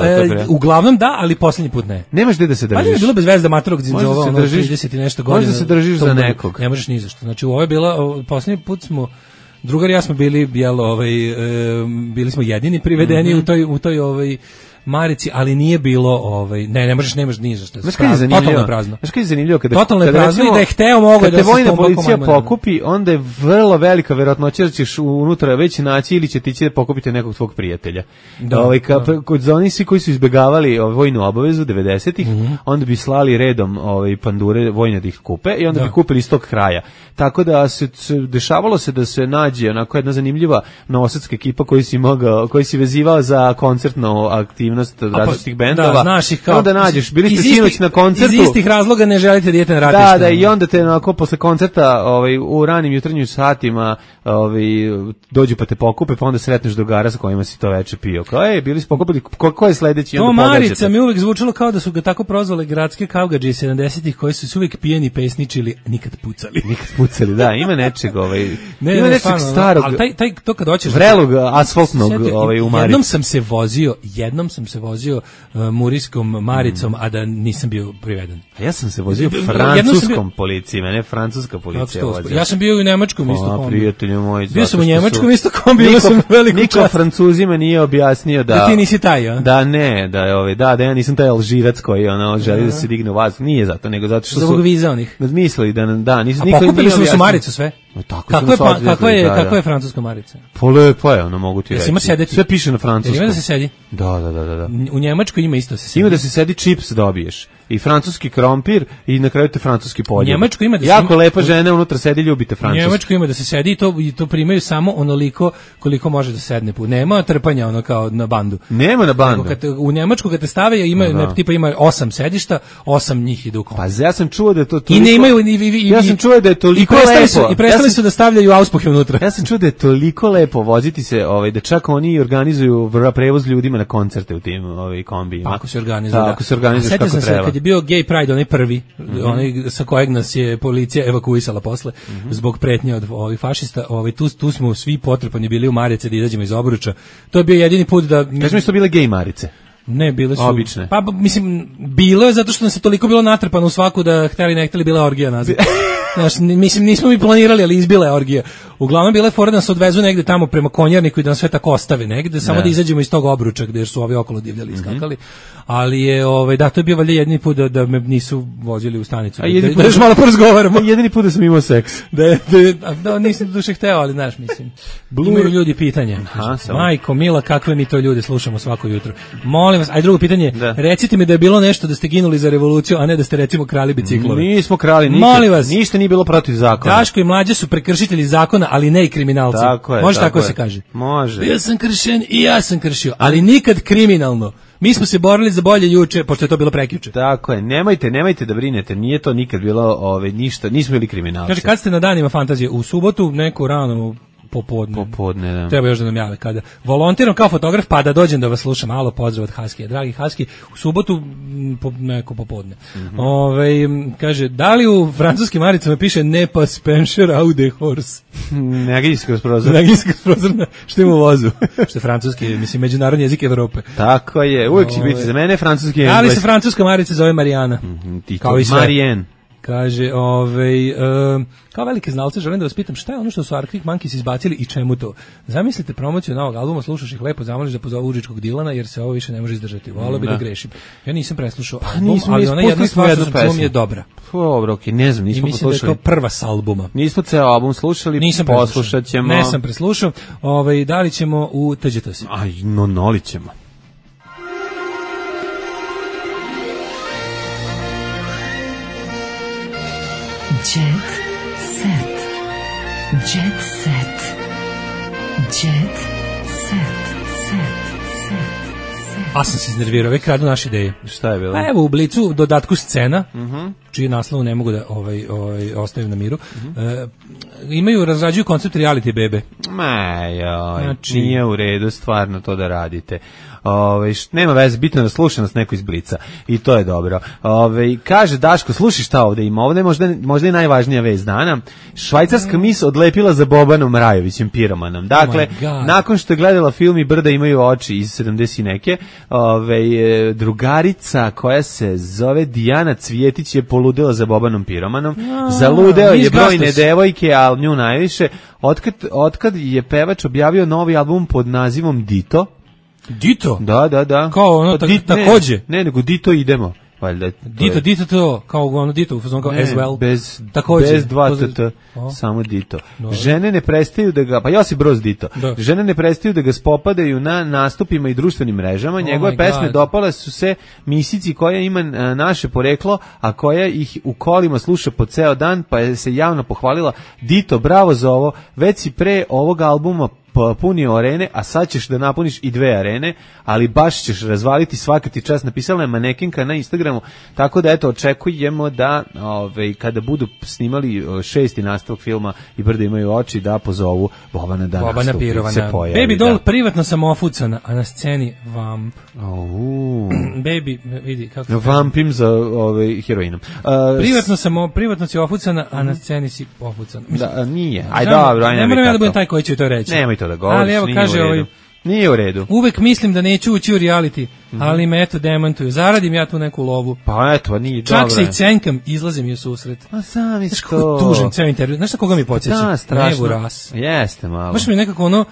uglavnom da, ali posljednji put ne. Nemaš gde da se držiš. Pa je bilo bez veze da matorog zinzova 30 i nešto godina. Možda se držiš za nekog. Ne možeš ni za što. Znači ovo je bila, posljednji put smo Drugar i ja smo bili, bili smo jedini privedeni u toj marici, ali nije bilo nemaš ni za što. Totalno prazno. Znaš kaj je zanimljivo totalno je prazno i da je hteo mogo da se vojna policija pokupi, onda je vrlo velika verovatnoća da ćeš unutra već naći ili će ti će pokupiti nekog tvog prijatelja. Kod oni svi koji su izbegavali vojnu obavezu 90-ih, onda bi slali redom pandure vojne da ih kupe i onda bi kupili iz tog kraja. Tako da se dešavalo se da se nađe onako jedna zanimljiva novosadska ekipa koji si vezivao za koncertnu aktivnost različitih bendova. Da, znaš ih kao. Onda nađeš, bili ste sinoć na koncertu. Iz istih razloga ne želite da idete na ratište. Da, i onda te onako posle koncerta u ranim jutarnjim satima dođu pa te pokupe, pa onda sretneš drugara sa kojima si to veče pio. Kao, bili smo pokupili, ko je sledeći? To Marica mi uvek zvučalo kao da su ga tako prozvale gradske kaugadže 70-ih koji su uvek pijeni pesničili, nikad pucali. Da, ima nečeg ima nečeg starog. Ali to kad hoćeš vrelog asfaltnog u Marici. Jednom sam se vozio muriskom Maricom, a da nisam bio priveden. A ja sam se vozio francuskom policijom, ne francuska policija vozila. Ja sam bio i u nemačkom isto kombi. Prijatelju moj. Bio sam u njemačkom isto kombi, bio sam veliku čast. Niko Francuzima nije objasnio da ti nisi taj, a? Da ne, da ja nisam taj Alžirac koji želi da se digne u vazduh. Nije zato, nego zato što su zbog viza onih. Mislili da nisu niko nije objasnio. Su Maricu sve. Kakva je francuska Marica? Lepo je, mogu ti reći. Sve piše na francuskom. Ima da se sedi? Da. U Njemačkoj ima isto se sedi. Ima da se sedi, čips dobiješ. I francuski krompir i na kraju te francuski poljub. Njemačko ima da jako lepa žena unutra sedi, ljubite francuski. Njemačko ima da se sedi i to primaju samo onoliko koliko može da sedne. Nema trpanja kao na bandu. Nema na bandu. U Njemačku kad te stave ima 8 sedišta, 8 njih idu u kombi. Pa ja sam čuo da je to toliko. I ne imaju ja sam čuo da je toliko lepo. I prestali su da stavljaju auspuhe unutra. Ja sam čuo da je toliko lepo voziti se, da čak oni organizuju prevoz ljudima na koncerte u tim kombijima. Ako se organizuju. Ako se organizuješ kako treba. Kad je bio Gay Pride, onaj prvi, onaj sa kojeg nas je policija evakuisala posle, zbog pretnje od ovih fašista, tu smo svi potrpani bili u marice da izađemo iz obruča. To je bio jedini put da... Kaži mi su bile gej marice? Ne, bile su... Obične. Pa, mislim, bilo je zato što nam se toliko bilo natrpano u svaku da hteli ne hteli bila orgija nazad. Znaš, mislim, nismo mi planirali, ali izbila je orgija. Uglavnom bila je fora da nas odvezu negde tamo prema Konjarniku i da nas sve tako ostave negde, samo da izađemo iz tog obruča gde su ovi okolo divljali i skakali. Ali je, to je bio valjda jedini put da me nisu vozili u stanicu. Da još malo porazgovaramo. Jedini put da sam imao seks. Da, nisam duše hteo, ali znaš, mislim. Imaju ljudi pitanje. Majko, mila, kakve mi to ljude slušamo svako jutro. Molim vas, drugo pitanje. Recite mi da je bilo nešto da ste ginuli za revoluciju, a ne da ste recimo krali biciklove. Nismo krali nikad. Molim vas. Ništa nije bilo protiv zakona. Daško i Mlađa su prekršitelji zakona, ali ne i kriminalci. Tako je. Može tako se kaže. Može. Bio sam kršen i ja sam kršio, ali nikad kriminalno. Mi smo se borili za bolje juče, pošto je to bilo prekjuče. Tako je. Nemojte da brinete. Nije to nikad bilo ništa. Nismo bili kriminalci. Kaže, kad ste na danima fantazije? U subotu, neku ranu popodne, da. Treba još da nam jave kada. Volontiram kao fotograf, pa da dođem da vas slušam. Malo pozdrav od Haskija. Dragi Haski, u subotu neko popodne. Kaže, da li u francuskim maricama piše ne pas pencher au de horse? Negdje kroz prozor. Što ima u vozu. Što je francuski, mislim, međunarodni jezik Evrope. Tako je, uvijek će biti za mene francuski engleski. Ali se francuska marica zove Marijana. Kao i Marijen. Kaže, kao velike znalce želim da vas pitam šta je ono što su Arctic Monkeys izbacili i čemu to? Zamislite promociju novog albuma, slušaš ih lepo, zamoliš da pozovu Užičkog Dilana jer se ovo više ne može izdržati. Voleo bi da grešim. Ja nisam preslušao album, ali ona jedna stvar što sam čuo mi je dobra. Dobro, okej, ne znam, nismo poslušali. I mislim da je to prva s albuma. Nismo ceo album slušali, poslušat ćemo. Nisam preslušao. Da li ćemo u TGTS? Aj, noli ćemo. Jet set. Jet set. Jet set. A sam se iznervirao, već kradu naše ideje. Šta je bilo? Pa evo u Blicu dodatku scena, čiji naslov ne mogu da ostavim na miru. Razrađuju koncept reality bebe. Nije u redu stvarno to da radite. Nema veze, bitno da slušanost neko iz Blica i to je dobro. Kaže Daško, slušaj šta ovde ima, ovde je možda i najvažnija vest dana. Švajcarska mis odlepila za Bobanom Rajovićem piromanom. Dakle, nakon što je gledala film I brda imaju oči iz 70 neke, drugarica koja se zove Dijana Cvjetić je poludela za Bobanom piromanom. Zaludeo je brojne devojke, ali nju najviše. Otkad je pevač objavio novi album pod nazivom Dito, Dito? Da. Kao ono, takođe? Ne, nego Dito idemo. Valjda, Dito to, kao ono Dito, u fazonu kao as well. Bez dva tt, samo Dito. No. Žene ne prestaju da ga, pa Josip Broz Dito, žene ne prestaju da ga spopadaju na nastupima i društvenim mrežama. Njegove pesme dopale su se misici koja ima naše poreklo, a koja ih u kolima sluša po ceo dan, pa je se javno pohvalila. Dito, bravo za ovo, već si pre ovog albuma punio arene, a sad ćeš da napuniš i 2 arene, ali baš ćeš razvaliti svaka ti čast. Napisala je manekinka na Instagramu, tako da eto, očekujemo da kada budu snimali 6. nastavak filma I brda imaju oči, da pozovu Bobana da nastupi, se pojavi. Baby doll, privatno sam ofucana, a na sceni vamp. Baby, vidi kako... Vampim za heroinom. Privatno si ofucana, a na sceni si ofucana. Da, nije. Aj dobro, ne moram ja da budem taj koji će to reći. Nemoj to da govoriš, ali evo, kaže, nije u redu. Uvek mislim da neću ući u reality, ali me eto demantuju. Zaradim ja tu neku lovu. Pa eto, nije dobro. Čak se i cenkam, izlazim je susret. A sami što. Znaš kako tužim ceo intervju. Znaš koga mi podsjeća? Da, strašno. Nevu Ras. Jeste malo. Baš mi nekako ono...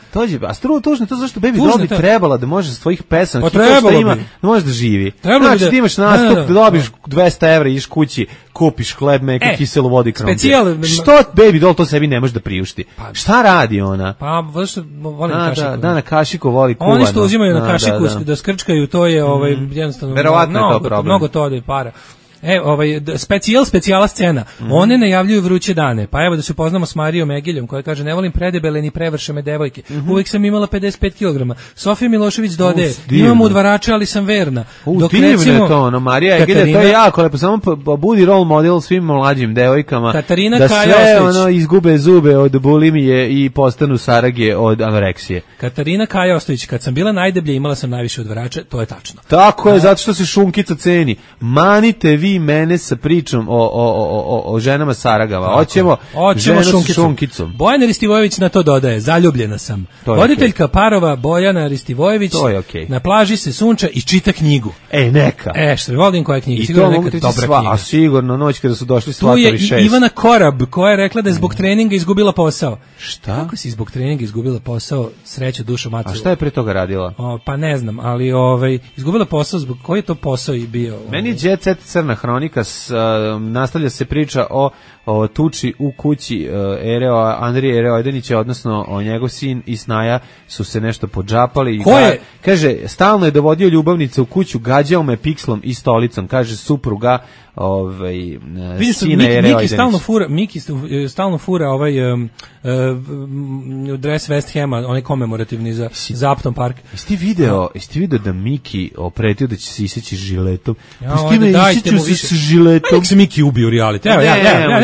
A struo tužno, to zašto Baby Doll bi trebala da može s tvojih pesama, pa trebalo ima, da može da živi. Znači da ti imaš nastup, da dobiš 200 evra, iš kući, kupiš hleb, meku, kiselu vodi, krompir. Što Baby Doll to sebi ne može da priušti? Šta radi ona? Pa, zašto volim kašiku. Da, na kašiku voli kuvano. Oni što uzimaju na kašiku da skrčkaju, to je jednostavno mnogo to ode para. Specijala scena. One najavljuju vruće dane. Pa evo da se upoznamo s Marijom Egeljom koja kaže ne volim predebele ni prevršene devojke. Uvijek sam imala 55 kg. Sofija Milošević dodaje imam udvarače, ali sam verna. Dok recimo to, Marija Egelja, to je jako lepo. Samo budi role model svim mlađim devojkama. Katarina da Kaja sve Ostojić izgube zube od bulimije i postanu sarage od anoreksije. Katarina Kaja Ostojić, kad sam bila najdeblja imala sam najviše udvarača, to je tačno. Tako je, zato što se šunkica ceni. Manite vi mene sa pričom o ženama saragava. Hoćemo ženu sa šunkicom. Bojana Ristivojević na to dodaje, zaljubljena sam. Voditeljka parova Bojana Ristivojević na plaži se sunča i čita knjigu. Neka. Što volim koja knjiga. I to mogu tići sva, a sigurno noć kada su došli Svatovi 6. Tu je Ivana Korab koja je rekla da je zbog treninga izgubila posao. Šta? Kako si zbog treninga izgubila posao, sreću dušu macu? A šta je pre toga radila? Pa ne znam, ali izgubila posao, zbog koji je to posao i bio? Meni je Jet Set Crna hronika, nastavlja se priča o tuči u kući Andrije Ereojdanića, odnosno o njegov sin i snaja su se nešto podžapali. Kaže, stalno je dovodio ljubavnice u kuću, gađao me pikslom i stolicom, kaže supruga sina Ereojdanića. Miki stalno fura dres West Hama, onaj komemorativni za Upton Park. Jesi ti video da Miki opretio da će se iseći žiletom? Dajte mu više žiletom. Nek se Miki ubije u reality.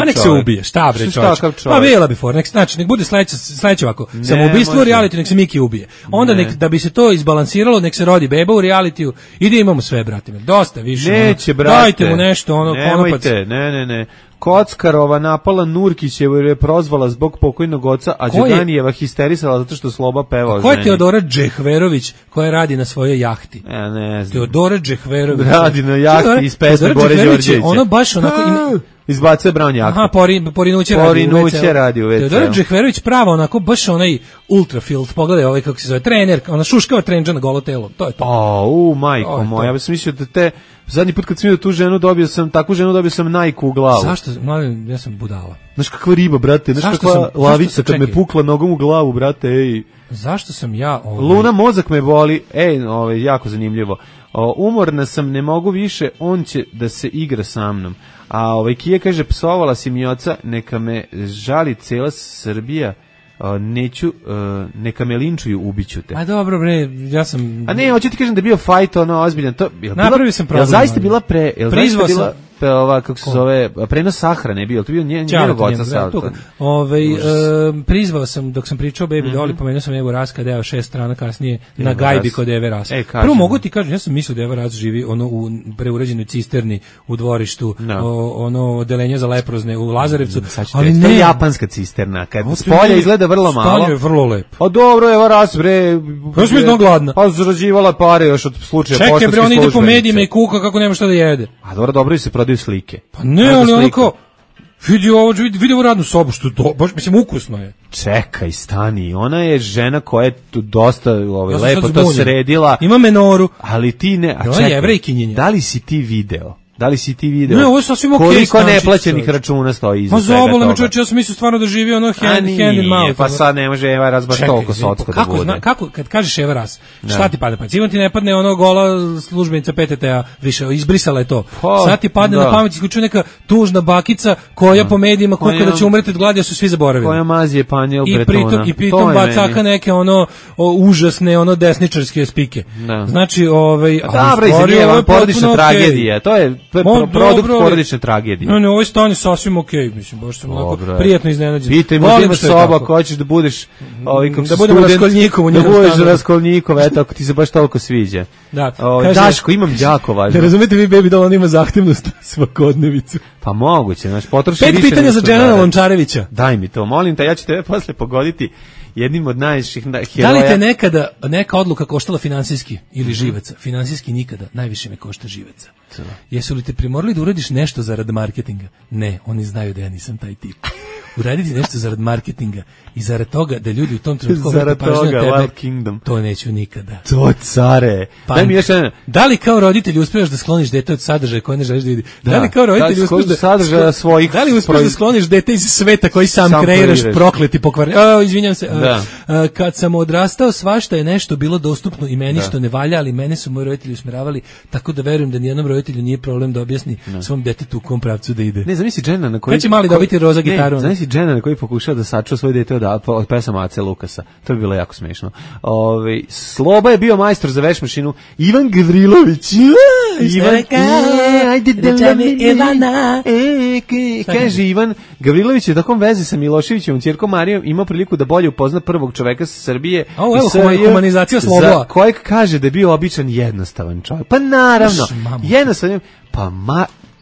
Nek se ubije. Šta bre čovječ? Pa bila bi for. Nek bude sledeće ovako. Samoubistvo u reality, nek se Miki ubije. Onda da bi se to izbalansiralo, nek se rodi beba u realitiju i da imamo sve, brate. Dosta više. Neće, brate. Dajte mu nešto, konopac. Ne. Kockarova napala Nurkićevu jer je prozvala zbog pokojnog oca, a Đuganijeva histerisala zato što Sloba peva o ženi. Ko je Teodora Džehverović koja radi na svojoj jahti? Ja ne znam. Teodora Džehverović. Radi na jahti iz pesme Bore Đorđevića. Ono baš onako... Izbacuje Brown jahtu. Aha, Porinuće radi u WC. Teodora Džehverović prava onako baš onaj ultrafield. Pogledaj kako se zove, trener, ona šuškava trenđa na golo telo. To je to. Majko moja, ja sam mislio da zadnji put kad sam vidio tu ženu, takvu ženu dobio sam Nike u glavu. Zašto? Ja sam budala. Znaš kakva riba, brate, znaš kakva lavica kad me pukla nogom u glavu, brate, ej. Zašto sam ja... Luna, mozak me boli, jako zanimljivo. Umorna sam, ne mogu više, on će da se igra sa mnom. A Kija kaže, psovala si mi oca, neka me žali cela Srbija, neka me linčuju, ubiću te. A dobro bre, ja sam... A ne, hoću ti kažem da je bio fajt, ozbiljan. Napravio sam problem. Zaista bila prizvao sam... kako se zove, prenos sahrane je bio, to je bio njenog oca Salta. Prizvao sam, dok sam pričao Baby Doll, pomenuo sam Evo Ras kada je 6 strana kasnije na gajbi kod Eve Ras. Prvo mogu ti kažem, ja sam mislio da Eva Ras živi u preurađenoj cisterni u dvorištu, odelenje za leprozne u Lazarevcu, ali ne. To je japanska cisterna, kad spolja izgleda vrlo malo. Stanje je vrlo lepo. A dobro, Eva Ras, bre. Pa smo izno gladna. Pa zarađivala pare još od slučaja poštanskih službenica. Čekaj, bre, on ide po medijima i kuka kako nema šta da jede. A dobro i se prodaju slike. Pa ne, ali onako vidi ovu radnu sobu, što to, baš, mislim, ukusno je. Čekaj, stani, ona je žena koja je tu dosta lepo to sredila. Ima menoru. Ali ti ne, a čekaj, da li si ti video? Ne, ovo je sasvim okej. Koliko neplaćenih računa stoji iza svega toga? Ma zabole me čovječe, ja sam mislio stvarno da živi ono hand in mouth. Pa sad ne može Eva Ras baš toliko socko da bude. Kako, kad kažeš Eva Ras, šta ti pada? Pa sigurno ti ne padne ono gola službenica PTT-a, više, izbrisala je to. Sad ti padne na pamet, isključuje neka tužna bakica koja po medijima kuka da će umreti od gladi, a su svi zaboravili. Koja mazije panjel Bretona. I pritom bacaka neke ono užasne, ono desničarske spike. Znači, dobra, izvinjavam, porodična tragedija, to je produkt porodične tragedije. Ne, ovo je stanje sasvim okej, mislim, baš sam onako prijatno iznenađen. Pitaj, možda imaš soba, ako hoćeš da budeš da budemo Raskolnjikov u njemu stanu. Da budeš Raskolnjikov, eto, ako ti se baš toliko sviđa. Daško, imam jako važno. Da razumete vi, Baby Doll, on ima zahtevnost svakodnevicu. Pa moguće, znaš, potroši više. 5 pitanja za Dženana Lončarevića. Daj mi to, molim te, ja ću tebe posle pogoditi jednim od najviših heroja. Da li te nekada neka odluka koštala finansijski ili živaca? Finansijski nikada, najviše me košta živaca. Jesu li te primorali da uradiš nešto zarad marketinga? Ne, oni znaju da ja nisam taj tip. Uraditi nešto zarad marketinga i zarad toga da ljudi u tom trenutku zarad toga, Wild Kingdom. To neću nikada. To care. Daj mi još jedan. Da li kao roditelj uspeš da skloniš dete od sadržaja koji ne želiš da vidi? Da li kao roditelj uspeš da sadržaja svojih? Da li uspeš da skloniš dete iz sveta koji sam kreiraš, prokleti, pokvareni? Izvinjam se. Kad sam odrastao, svašta je nešto bilo dostupno i meni što ne valja, ali mene su moji roditelji usmeravali, tako da verujem da nijednom roditelju nije problem da objasni svom detetu u kom pravcu da ide. Ne, zamisli Džena na koji će mali dobiti roza gitaru. Zamisli Džena na koji pokušava da sačuva svoje dete od pesama Ace Lukasa. To bi bilo jako smešno. Sloba je bio majstor za veš mašinu. Ivan Gavrilović. Kaže Ivan Gavrilović je u takvom vezi sa Miloševićem, ćerkom Marijom, imao priliku da bolje upozna prvog čoveka sa Srbije. Humanizacija Slobova. Kojeg kaže da je bio običan jednostavan čovjek. Pa naravno, jednostavan.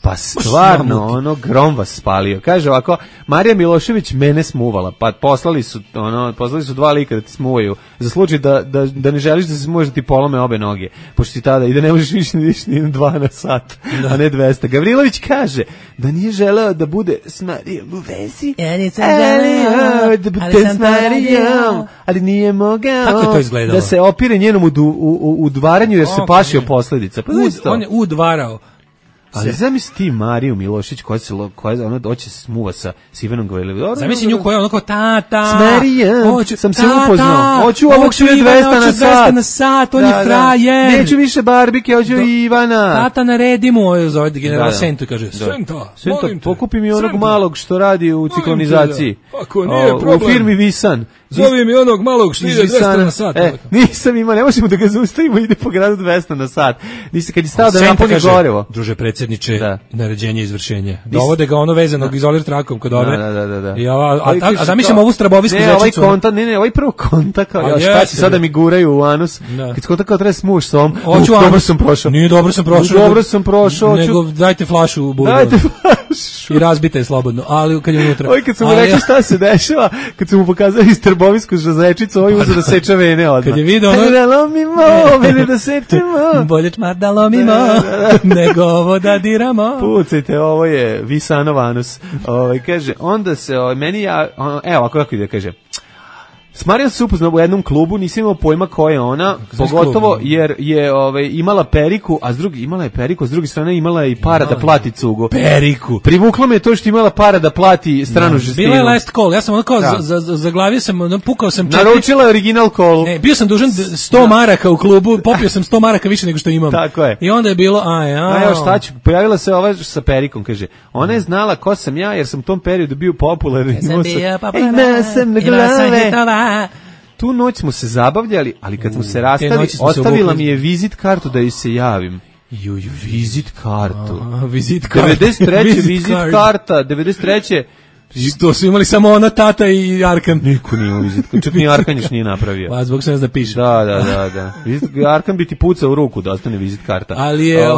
Pa stvarno, ono, grom vas spalio. Kaže ovako, Marija Milošević mene smuvala, pa poslali su 2 lika da ti smuvaju, za slučaj da ne želiš da se smuvaš da ti polome obe noge, pošto ti tada i da ne možeš više ni 2 na sat, a ne 200. Gavrilović kaže da nije želeo da bude s Marijom u vezi. Ja nisam želeo, da bude s Marijom, ali nije mogao. Kako je to izgledalo? Da se opire njenom udvaranju jer se plašio posledica. Pa on je udvarao. Ali zamisli ti Mariju Milošić koja ona doće smuva sa Ivanom Gavrilovićem. Zamisli nju koja je onako tata. S Marijom sam se upoznao. Hoću ovog 200 na sat. On je frajer. Neću više barbike, hoću Ivana. Tata naredi mu, zove general Sentu i kaže, Senta, pokupi mi onog malog što radi u ciklonizaciji. Ako nije problem. U firmi Visan. Zove mi onog malog što ide 200 na sat. Nisam imao, ne možemo da ga zaustavimo, ide po gradu 200 na sat. Kad je stao da napuni gorivo. Druže predsjedniče, naređenje izvršenja. Dovode ga ono vezanog izolir trakom kod ove. Da. A zamišljam ovu strabovisku zečicu. Ovaj prvo kontakt, šta će sada mi guraju u anus. Kad kontakt kao treba smuš s ovom, dobro sam prošao. Nije dobro sam prošao. Nego dajte flašu u budu. I razbite je slobodno, ali kad je unutra. Kad sam mu rekao šta se dešava, kad sam mu pokazao istrbovisku zečicu, ovaj uzeo da seče vene odmah. Kad je vidio ono... Da lomimo, vene da sečemo. Bolje čmar da lomimo, nego ovo da diramo. Pucajte, ovo je Visanov anus. Kaže, onda se, meni ja, evo, kako ide, kaže, s Marijom se upoznao u jednom klubu, nisam imao pojma ko je ona, pogotovo jer je imala periku, a imala je periku, a s druge strane imala je i para da plati cugu. Periku. Privuklo me to što imala para da plati stranu žestinu. Bila je last call, ja sam ono kao zaglavio sam, pukao sam naručila je original call. Ne, bio sam dužan 100 maraka u klubu, popio sam 100 maraka više nego što imam. Tako je. I onda je bilo, evo šta ću, pojavila se ova sa perikom, kaže, ona je znala ko sam ja jer sam u tom periodu bio popularan. Tu noć smo se zabavljali, ali kad smo se rastali, ostavila mi je vizit kartu da joj se javim. Vizit kartu. 93. vizit karta, 93. To su imali samo ona, tata i Arkan. Niko nije imao vizitku, čak ni Arkan još nije napravio. Pa zbog se ne zna piše. Da. Arkan bi ti pucao u ruku da ostane vizit karta. Ali je,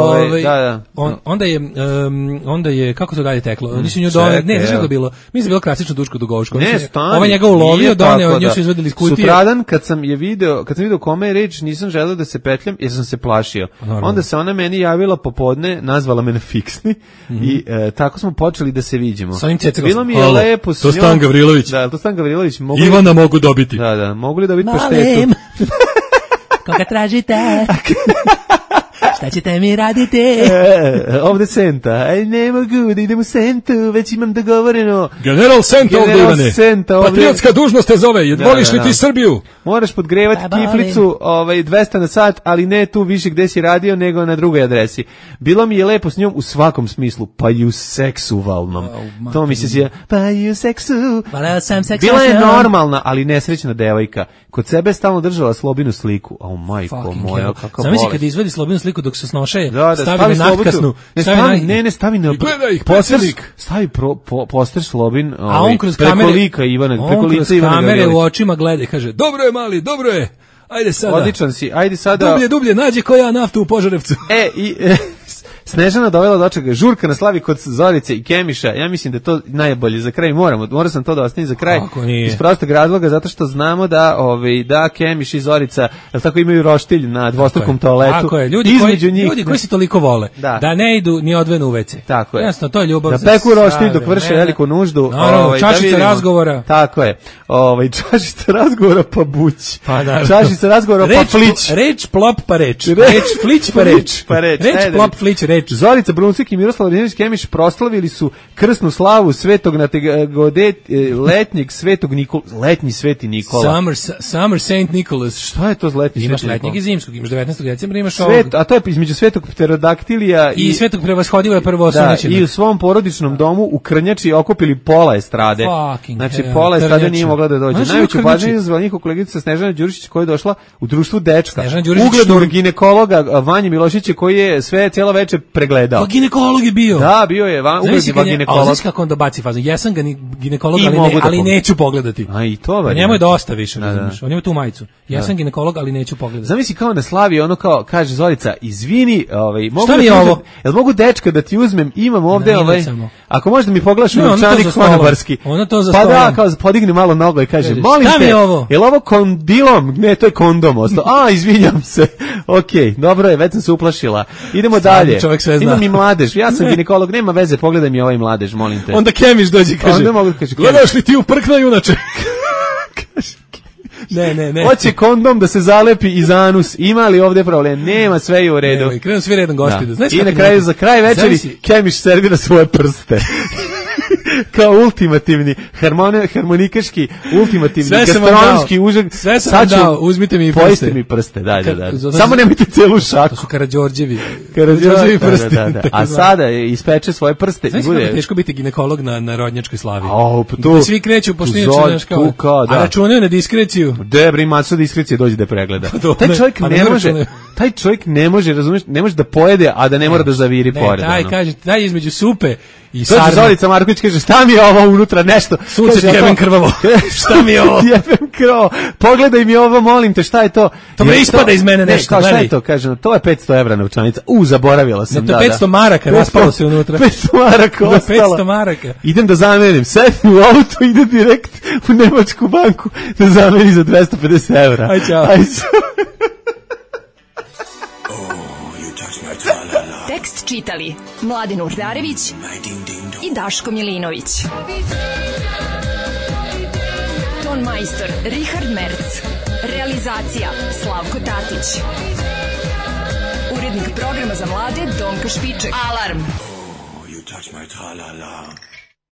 onda je, kako to dalje teklo? Nisu nju doneli, ne, znaš kako bilo? Mi je bilo klasično Duško Dugovško. Ne, stani. Ovaj njega ulovio, doneo, nju su izvodili iz kutije. Sutradan, kad sam vidio kome je reč, nisam želeo da se petljam, jer sam se plašio. Onda se ona meni javila popodne, nazvala me na fiksni i tako smo počeli da se viđemo. Bilo mi je lepo s njom. To Stan Gavrilović. Da, to Stan Gavrilović. Ivana mogu dobiti. Da, mogu li dobiti paštetu? Koga tražite? Šta ćete mi raditi? Ovde Senta. Aj, ne mogu da idem u Sentu, već imam dogovoreno. General Senta ovde, Ivane. Patriotska dužnost te zove. Voliš li ti Srbiju? Moraš podgrevati kiflicu 200 na sat, ali ne tu više gde si radio, nego na drugoj adresi. Bilo mi je lepo s njom u svakom smislu, pa i u seksualnom. To mi se zove, pa i u seksu. Bila je normalna, ali nesrećna devojka. Kod sebe stalno držala Slobinu sliku. Au, majko moja, kakav bolest. Zamisli kad izvadi Slobinu sliku dok se snoše, stavi na natkasnu. Ne, stavi na posterik. Stavi poster Slobin, a on kroz preko lika Ivana, preko lica Ivana. On kroz kamere u očima gleda i kaže, dobro je mali, dobro je. Ajde sada. Odličan si, ajde sada. Dublje, nađi koja naftu u Požarevcu. Snežana dovela dočeka, žurka na slavi kod Zorice i Kemiša, ja mislim da je to najbolje za kraj, morao sam to da ostavim za kraj, iz prostog razloga, zato što znamo da Kemiš i Zorica, jel tako, imaju roštilj na dvostrukom toaletu. Tako je, ljudi koji se toliko vole, da ne idu ni odvenu u WC. Tako je. Jasno, to je ljubav. Da peku roštilj dok vrše veliku nuždu. Čašica razgovora. Tako je. Čašica razgovora pa buć. Čašica razgovora pa flić. Reč plop pa reč. Reč flić pa reč. Reč plop flić reč. Zorica Bruncik i Miroslav Ladinović Kemiš proslavili su krsnu slavu Svetog letnjeg Svetog Nikola, letnji Sveti Nikola. Summer Saint Nicholas. Šta je to z letnji Sveti Nikola? Imaš letnjeg i zimskog, imaš 19. decembra, imaš ovog. A to je između Svetog Pterodaktilija i Svetog Prevashodila je prvo osvećeno. I u svom porodičnom domu u Krnjači okupili pola estrade. Znači pola estrade nije mogla da dođe. Najveću pažnju izazvala njihova kolegica Snežana Đurišić koja je došla u društvu dečka. Uglednog ginekologa Vanje Milošića koji je sve cijelo veče pregledao. Pa ginekolog je bio. Da, bio je ugledni ginekolog. Znaš kako on dobaci fazu? Jesam ga ginekolog, ali neću pogledati. A i to valjda. Njemu je dosta više, razumiješ. On ima tu majicu. Jesam ginekolog, ali neću pogledati. Zamisli kao na slavi, ono kao, kaže Zorica, izvini, šta mi je ovo? Jel mogu dečka da ti uzmem? Imam ovde, ako možda mi pogledaš novčanik konobarski. Ono to za stolom. Pa da, kao podigne malo nogo i kaže, molim te, jel ovo kondilom? Ne, to je kondom ostao. A, izvinjam se. Okej, dobro je, već sam se uplašila. Idemo dalje. Imam i mladež. Ja sam ginekolog, nema veze, pogledaj mi ovaj mladež, molim te. Onda Kemiš dođe i kaže, gledaš li ti u prkna junače? Ne. Hoće kondom da se zalepi iz anus. Ima li ovdje problem? Nema, sve je u redu. Krenu svi redom gospodu. I na kraju, za kraj večeri, Kemiš servira svoje prste. Kao ultimativni, harmonikaški, ultimativni, gastronomski užak. Sve sam dao, uzmite mi prste. Pojiste mi prste, da. Samo nemojte celu šaku. To su Karađorđevi prsti. Da. A sada ispeče svoje prste. Znaš kako je teško biti ginekolog na rodnjački slavi? Svi kreću, pošto inače, a računaju na diskreciju. Debri, maso diskrecije dođe da pregleda. Taj čovjek ne može, razumiješ, ne može da pojede, a da ne mora da zaviri pored. Taj između supe i sarme. Zorica Marković kaže, šta mi je ovo unutra, nešto? Sunce ti jebem krvavo. Šta mi je ovo? Jebem krvavo. Pogledaj mi ovo, molim te, šta je to? To me ispada iz mene nešto. Šta je to? Kažem, to je 500 evra novčanica. Zaboravila sam. To je 500 maraka, raspalo se unutra. 500 maraka ostalo. 500 maraka. Idem da zamenim. Sedim u auto, idem direkt u nemačku banku da zamenim za 250 evra. Aj, čao. Tekst čitali Mladen Urdarević i Daško Milinović. Ton majstor Richard Merc. Realizacija Slavko Tatić. Urednik programa za mlade Donka Špiček. Alarm! You touch my tra-la-la.